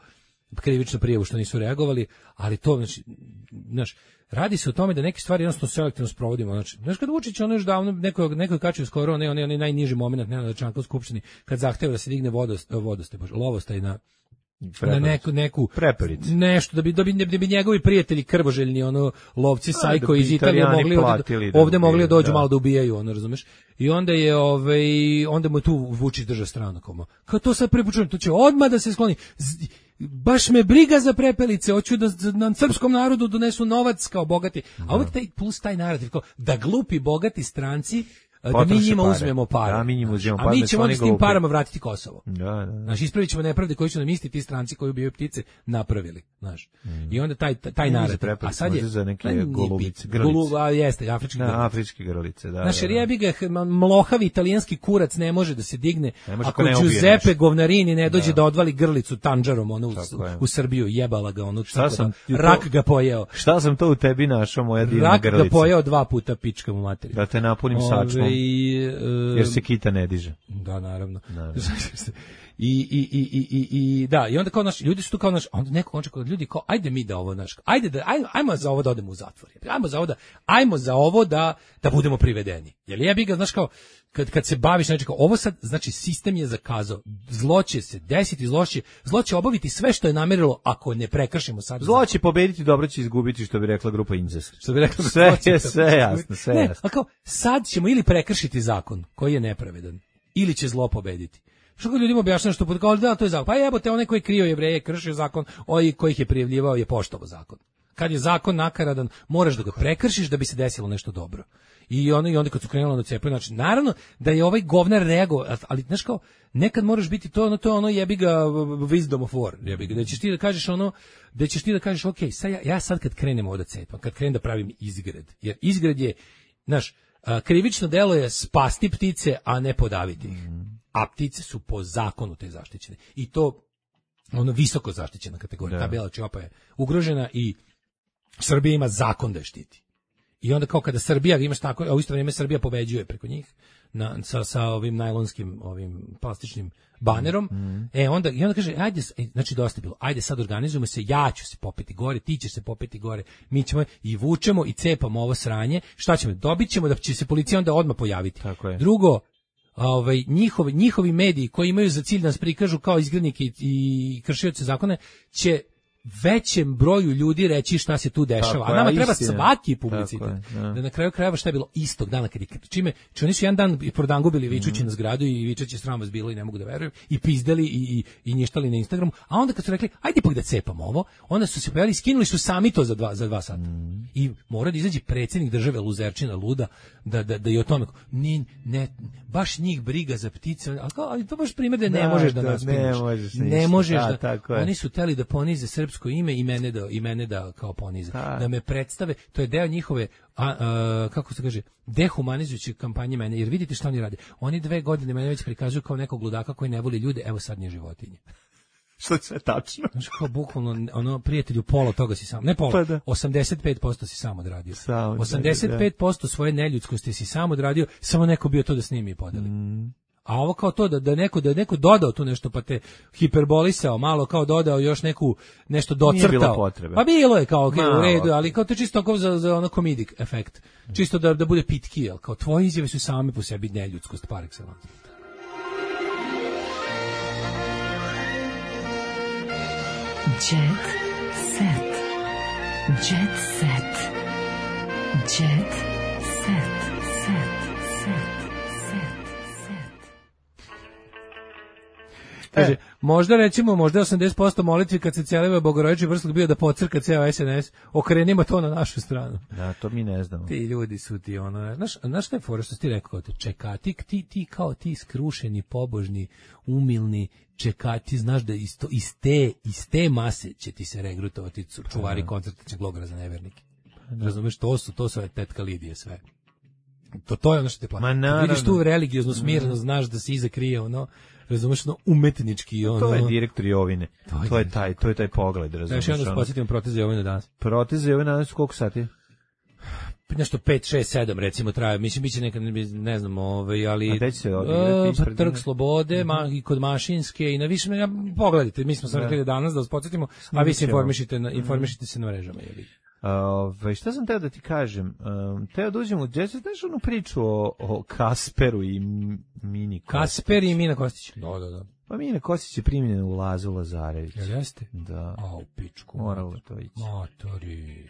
krivičnu prijavu što nisu reagovali, ali to, znači, znaš, radi se o tome da neke stvari jednostavno selektivno sprovodimo. Znači, znaš kad Vučić ono još davno neko neko kačio skoro onaj onaj najniži momenat Nenada Čanka u skupštini kad zahteva da se digne vodost vodoste bože lovostaj na Prepelic. Na neku neku Prepelic. Nešto da bi da bi, da bi njegovi prijatelji krvoželjni ono lovci sajko iz Italije mogli ovde, ovde mogli da dođu da. malo da ubijaju, ono razumeš. I onda je ovaj onda mu tu Vučić držao stranu kao kao to sad prepučujem, to će odmah da se skloni. Z, baš me briga za Prepelice, hoću da na srpskom narodu donesu novac kao bogati. A uvijek taj plus taj narativ kao da glupi bogati stranci da mi njima pare. uzmemo pare. Da, mi njima uzmemo pare. A mi ćemo s tim glupi. parama vratiti Kosovo. Da, da, da. Znaš, ispravit ćemo nepravde koji su nam isti ti stranci koji ubijaju ptice napravili. Znaš. Mm. I onda taj, taj narativ. A sad je... za neke golubice, grlice. Golu, a jeste, afrički da, grlice. afrički grlice, da. Znaš, da, da. jebi ga, mlohavi italijanski kurac ne može da se digne ako Giuseppe Govnarini ne dođe da. da odvali grlicu tanđarom ono u, u Srbiju, jebala ga ono. Šta sam da, rak ga pojeo. Šta sam to u tebi našao, moja divna rak grlica? Rak ga pojeo dva puta, pička mu materiju. Da te napunim sačmom. Jer se kita ne diže. Da, naravno. naravno. I, i, i, i, i, i, da, i onda kao naš, ljudi su tu kao naš, onda neko očekuje ljudi kao, ajde mi da ovo, naš, ajde da, ajmo, ajmo za ovo da odemo u zatvor, ajmo za ovo da, ajmo za ovo da, da budemo privedeni. Jer ja bih ga, znaš kao, kad, kad se baviš, znači kao, ovo sad, znači sistem je zakazao, zlo će se desiti, zlo će, zlo će obaviti sve što je namerilo ako ne prekršimo sad. Zlo će pobediti, dobro će izgubiti, što bi rekla grupa Incest. Što bi rekla, sve je, sve jasno, sve ne, jasno. A kao, sad ćemo ili prekršiti zakon koji je nepravedan, ili će zlo pobediti. Što kad ljudima objašnjava što kao da to je zakon. Pa jebote, onaj koji je krio Jevreje kršio zakon, ovaj koji ih je prijavljivao je poštovao zakon. Kad je zakon nakaradan, moraš da ga prekršiš da bi se desilo nešto dobro. I onda i onda kad su krenuli na cepanje, znači naravno da je ovaj govnar reagovao, ali znaš kao nekad moraš biti to ono to je ono jebi ga wisdom of war, jebi ga da ćeš ti da kažeš ono da ćeš ti da kažeš ok, sad ja, ja sad kad krenem ovde cepam, kad krenem da pravim izgred, jer izgred je znaš, krivično delo je spasti ptice, a ne podaviti ih. Mm. A ptice su po zakonu te zaštićene. I to ono visoko zaštićena kategorija. Da. Ta bela čiopa je ugrožena i Srbija ima zakon da je štiti. I onda kao kada Srbija, imaš tako, a u isto vrijeme Srbija pobeđuje preko njih na, sa, sa ovim najlonskim, ovim plastičnim banerom, mm. e onda, i onda kaže, ajde, znači dosta bilo, ajde sad organizujemo se, ja ću se popeti gore, ti ćeš se popeti gore, mi ćemo i vučemo i cepamo ovo sranje, šta ćemo, dobit ćemo da će se policija onda odmah pojaviti. Tako je. Drugo, ovaj njihovi njihovi mediji koji imaju za cilj da nas prikažu kao izgrednike i, i kršioce zakona će većem broju ljudi reći šta se tu dešava. Tako, a nama treba istina. Svaki publicitet. Da. da na kraju krajeva šta je bilo istog dana kad je čime, či oni su jedan dan prodangubili vičući mm. na zgradu i vičeći sram vas bilo i ne mogu da verujem i pizdeli i i i nještali na Instagramu, a onda kad su rekli ajde ipak da cepamo ovo, onda su se pojavili, skinuli su sami to za dva za dva sata. Mm. I mora da izađe predsjednik države luzerčina luda da da da i o tome ni ne baš njih briga za ptice, ali, ali to baš primjer da ne da, možeš da, da nas ne možeš ne možeš da, da oni su teli da ponize srpski srpsko ime i mene da, i mene da kao ponize. Da. da me predstave, to je deo njihove, a, a, kako se kaže, dehumanizujuće kampanje mene, jer vidite šta oni rade. Oni dve godine mene već prikazuju kao nekog ludaka koji ne voli ljude, evo sad nije životinje. Što je sve tačno. Znaš, kao bukvalno, ono, prijatelju, pola toga si sam, ne pola, pa da. osamdeset pet posto si sam odradio. Sam, osamdeset pet posto da. Svoje neljudskosti si sam odradio, samo neko bio to da snimi i podeli. Mm. A ovo kao to da da neko da neko dodao tu nešto pa te hiperbolisao, malo kao dodao još neku nešto docrtao. Pa bilo je kao okay, u redu, ali kao to čisto kao za za ono comedic efekt. Čisto da da bude pitki, al kao tvoje izjave su same po sebi neljudskost par excellence. Jet set. Jet set. Jet set. Set. Kaže, možda recimo, možda osamdeset posto molitvi kad se celiva Bogorodični vrslog bio da pocrka ceo S N S, okrenimo to na našu stranu. Da, to mi ne znamo. Ti ljudi su ti ono, znaš, znaš šta je fora što si ti rekao, čekati, ti, ti kao ti skrušeni, pobožni, umilni, čekati, znaš da isto, iz, te, iz te mase će ti se regrutovati čuvari koncertačnog logora za nevernike. Razumeš, to su, to su tetka Lidije sve. To, to je ono što te plaća. Vidiš tu religioznu smirnost, znaš da se iza krije ono, razumeš, ono umetnički ono. To je direktor Jovine. To je, to je taj, to je taj pogled, razumeš. Da, još jedno posjetimo proteze Jovine danas. Proteze Jovine danas koliko sati? Nešto pet, šest, sedam recimo traje. Mislim biće nekad ne znam, ovaj, ali a gde će se odigrati? Uh, Trg Slobode, ma, i kod Mašinske i na više, ja, pogledajte, mi smo sam rekli danas da vas podsjetimo, a vi se informišite na informišite se na mrežama, je li. Ove, šta sam teo da ti kažem? Um, teo da uđem u jazz, znaš onu priču o, o Kasperu i Mini Kostić? Kasper i Mina Kostić. Da, da, da. Pa Mina Kostić je primljena u Lazu Lazarević. Jel jeste? Da. A, u pičku. Moralo to ići. Matori.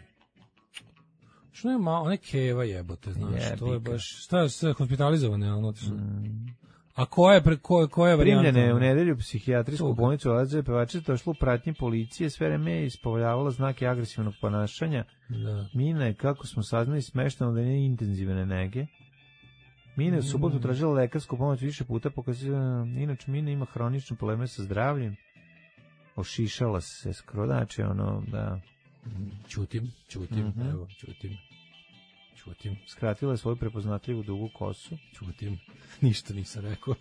Što je malo, one keva jebote, znaš, je, to je baš, šta je sve hospitalizovane, ono, mm. A koja je, ko, koja je varijanta? Primljene u nedelju psihijatrijsku bolnicu Lazarević, pevačica došla u pratnji policije, sve vreme je ispovoljavala znake agresivnog ponašanja. Da. Mina je, kako smo saznali, smešteno da nije intenzivne nege. Mina je u subotu tražila lekarsku pomoć više puta, pokazala, inače Mina ima hronične probleme sa zdravljem. Ošišala se skoro, znači ono, da... Čutim, čutim, mm-hmm. evo, čutim. Čutim. Skratila je svoju prepoznatljivu dugu kosu. Čutim. Ništa nisam rekao.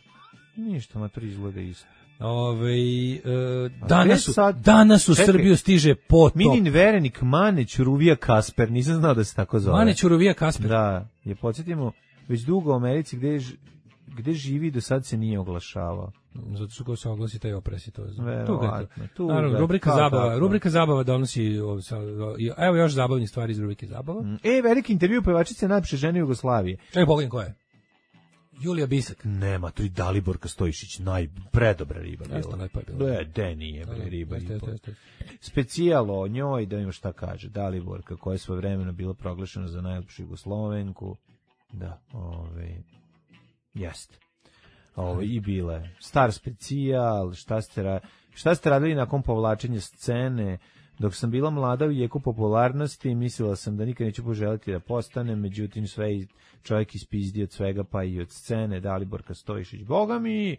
Ništa, ma to izgleda isto. Ove, e, danas, u, sad, danas u čekaj, Srbiju stiže potop. Minin verenik Mane Ćuruvija Kasper, nisam znao da se tako zove. Mane Ćuruvija Kasper. Da, je podsjetimo već dugo u Americi gde, gde živi do sad se nije oglašavao. Zato što ko se oglasi taj opresi to. Verovatno. Tu, naravno, rubrika zabava, tako. rubrika zabava donosi, evo još zabavnih stvari iz rubrike zabava. E, veliki intervju pevačice najlepše žene Jugoslavije. Čekaj, pogledam ko je. Julija Bisak. Nema, to i Daliborka Stojišić, najpredobra riba bila. Jeste, najpa je bila. E, de nije, bre, riba. Specijalo o njoj, da ima šta kaže. Daliborka, koja je svoje vremeno bila proglašena za najlepšu Jugoslovenku. Da, ove, jeste. Ovo i bile star specijal, šta ste ra, šta ste radili nakon povlačenja scene? Dok sam bila mlada u jeku popularnosti, mislila sam da nikad neću poželiti da postanem, međutim sve čovjek ispizdi od svega, pa i od scene. Daliborka Stojišić, boga mi,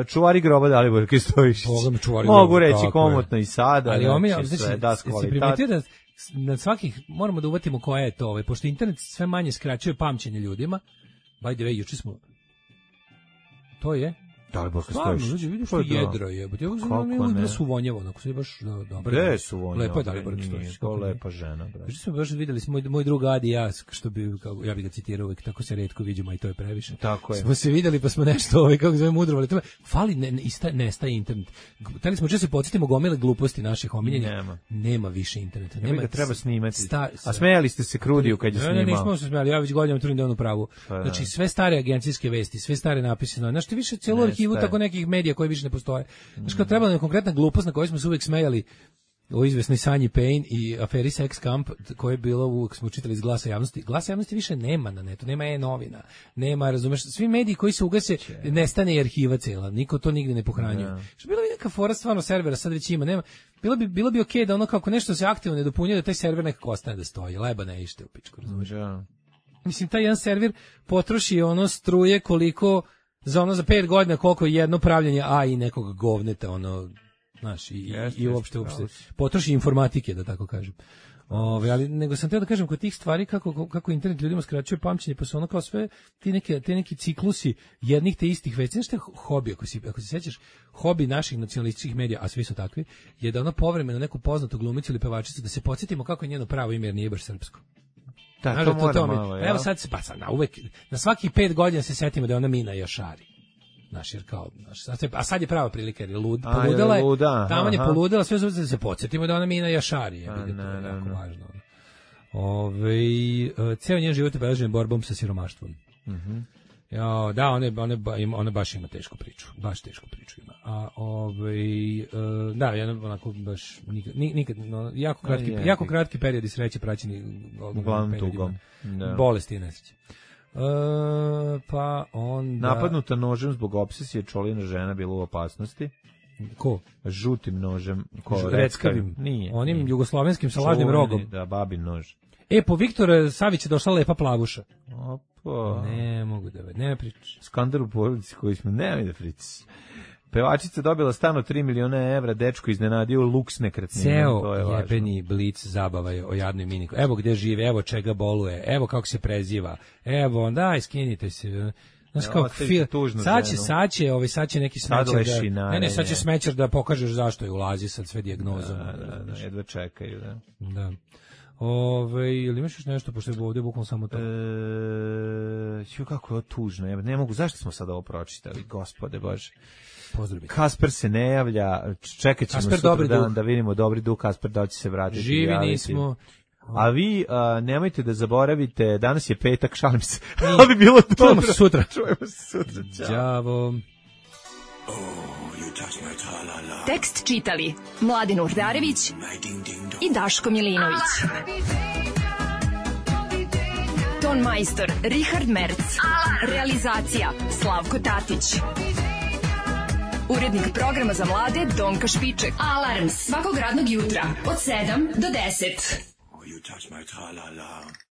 čuvari groba Daliborka Stojišić. Boga mi čuvari Mogu groba, reći komotno je. I sada. Ali znači, znači, sve da kvalitat. Da na svakih moramo da uvatimo koja je to, ovaj, pošto internet sve manje skraćuje pamćenje ljudima. By the way, juče smo to je Daliborka Stojišić. Vidiš što jedro je. Ja znam da su vonjavo, onako se baš dobro. Gde su vonjavo? Lepo je Daliborka Stojišić. To lepa žena, bre. Juče smo baš videli smo moj drug Adi i ja, što bi kako ja bih ga citirao uvek, tako se retko viđamo i to je previše. Tako je. Smo se videli pa smo nešto ovaj kako zove mudrovali. To fali ne ista nestaje internet. Teli smo često se podsjetimo gomile gluposti naših omiljenih. Nema. Nema više interneta. Nema ga treba snimati. Sta, A smejali ste se Krudiju kad je snimao. Ne, nismo se smejali. Ja već godinama trudim da on u pravu. Znači sve stare agencijske vesti, sve stare napise, znači više celu arhivu tako nekih medija koji više ne postoje. Znači kao trebala je konkretna glupost na kojoj smo se uvek smejali o izvesnoj Sanji Payne i aferi Sex Camp, koje je bilo, uvek smo čitali iz Glasa javnosti. Glasa javnosti više nema na netu, nema e-novina, nema, razumeš, svi mediji koji se ugase, nestane i arhiva cela, niko to nigde ne pohranjuje. Yeah. Što bilo bi neka fora stvarno servera, sad već ima, nema, bilo bi, bilo bi okej okay da ono kako nešto se aktivno ne dopunjuje, da taj server nekako ostane da stoji, leba ne ište u pičku, razumeš. Yeah. Mislim, taj jedan server potroši ono struje koliko za ono za pet godina koliko je jedno pravljenje A I nekog govneta, ono, Znaš, i, yes, i uopšte, uopšte potroši informatike, da tako kažem. Ove, ali nego sam teo da kažem kod tih stvari kako, kako internet ljudima skraćuje pamćenje, pa su ono kao sve ti neke, te neki ciklusi jednih te istih već. Znaš šta je hobi, ako, si, ako se sećaš, hobi naših nacionalističkih medija, a svi su takvi, je da ono povremeno neku poznatu glumicu ili pevačicu, da se podsjetimo kako je njeno pravo ime jer nije baš srpsko. Da, znaš, to, to mora malo, ja. Evo sad se, pa sad, na, uvek, na svaki pet godina se setimo da je ona Mina Jašari. Znaš, jer kao, znaš, a sad je prava prilika jer je lud, a, poludela je, taman je poludela, sve zove da se podsjetimo da ona Mina Jašari je, vidio, to je jako važno. Ove, ceo njen život je obeležen borbom sa siromaštvom. Mhm. Ja, da, ona, ona, ona baš ima tešku priču, baš tešku priču ima. A ovaj, da, ja onako baš nikad, nikad no, jako kratki, no, jako kratki periodi sreće praćeni uglavnom tugom. Da. Bolesti i nesreće. Uh, pa onda... Napadnuta nožem zbog opsesije, Čolina žena bila u opasnosti. Ko? Žutim nožem. Ko? Reckavim. Nije. Onim nije. Jugoslovenskim sa lažnim rogom. Da, babin nož. E, po Viktora Savića je došla lepa plavuša. Opa. Ne mogu da ne pričaš. Skandal u porodici koji smo, nemoj da pričaš. Pevačica dobila stan od tri miliona evra, dečko iznenadio luks nekretnina. Ceo jebeni blic zabava je o jadnoj miniku. Evo gde žive, evo čega boluje, evo kako se preziva, evo, daj, skinite se. Znaš kao, fil, sad će, sad će, ovaj, sad će neki smećar da, ne, ne, sad će smećar da pokažeš zašto je ulazi sad sve dijagnozom. Da, da, da, jedva čekaju, da. Da. Ove, ili imaš još nešto, pošto je ovdje bukvalno samo to? E, ju, kako je ovo tužno, ja ne mogu, zašto smo sad ovo pročitali, gospode Bože. Pozdrav. Kasper se ne javlja, čekat ćemo sutra dan da vidimo dobri duh, Kasper da će se vratiti. Živi nismo. A vi a, nemojte da zaboravite, danas je petak, šalim se, ali bi bilo dobro. Čujemo se sutra. Čujemo se sutra, čao. Đavo. Tekst čitali Mladin Urdarević i Daško Milinović. Ton majstor Richard Merc. Realizacija Slavko Tatić. Urednik programa za mlade Donka Špiček. Alarms svakog radnog jutra od sedam do deset. Oh, you touch my tra-la-la.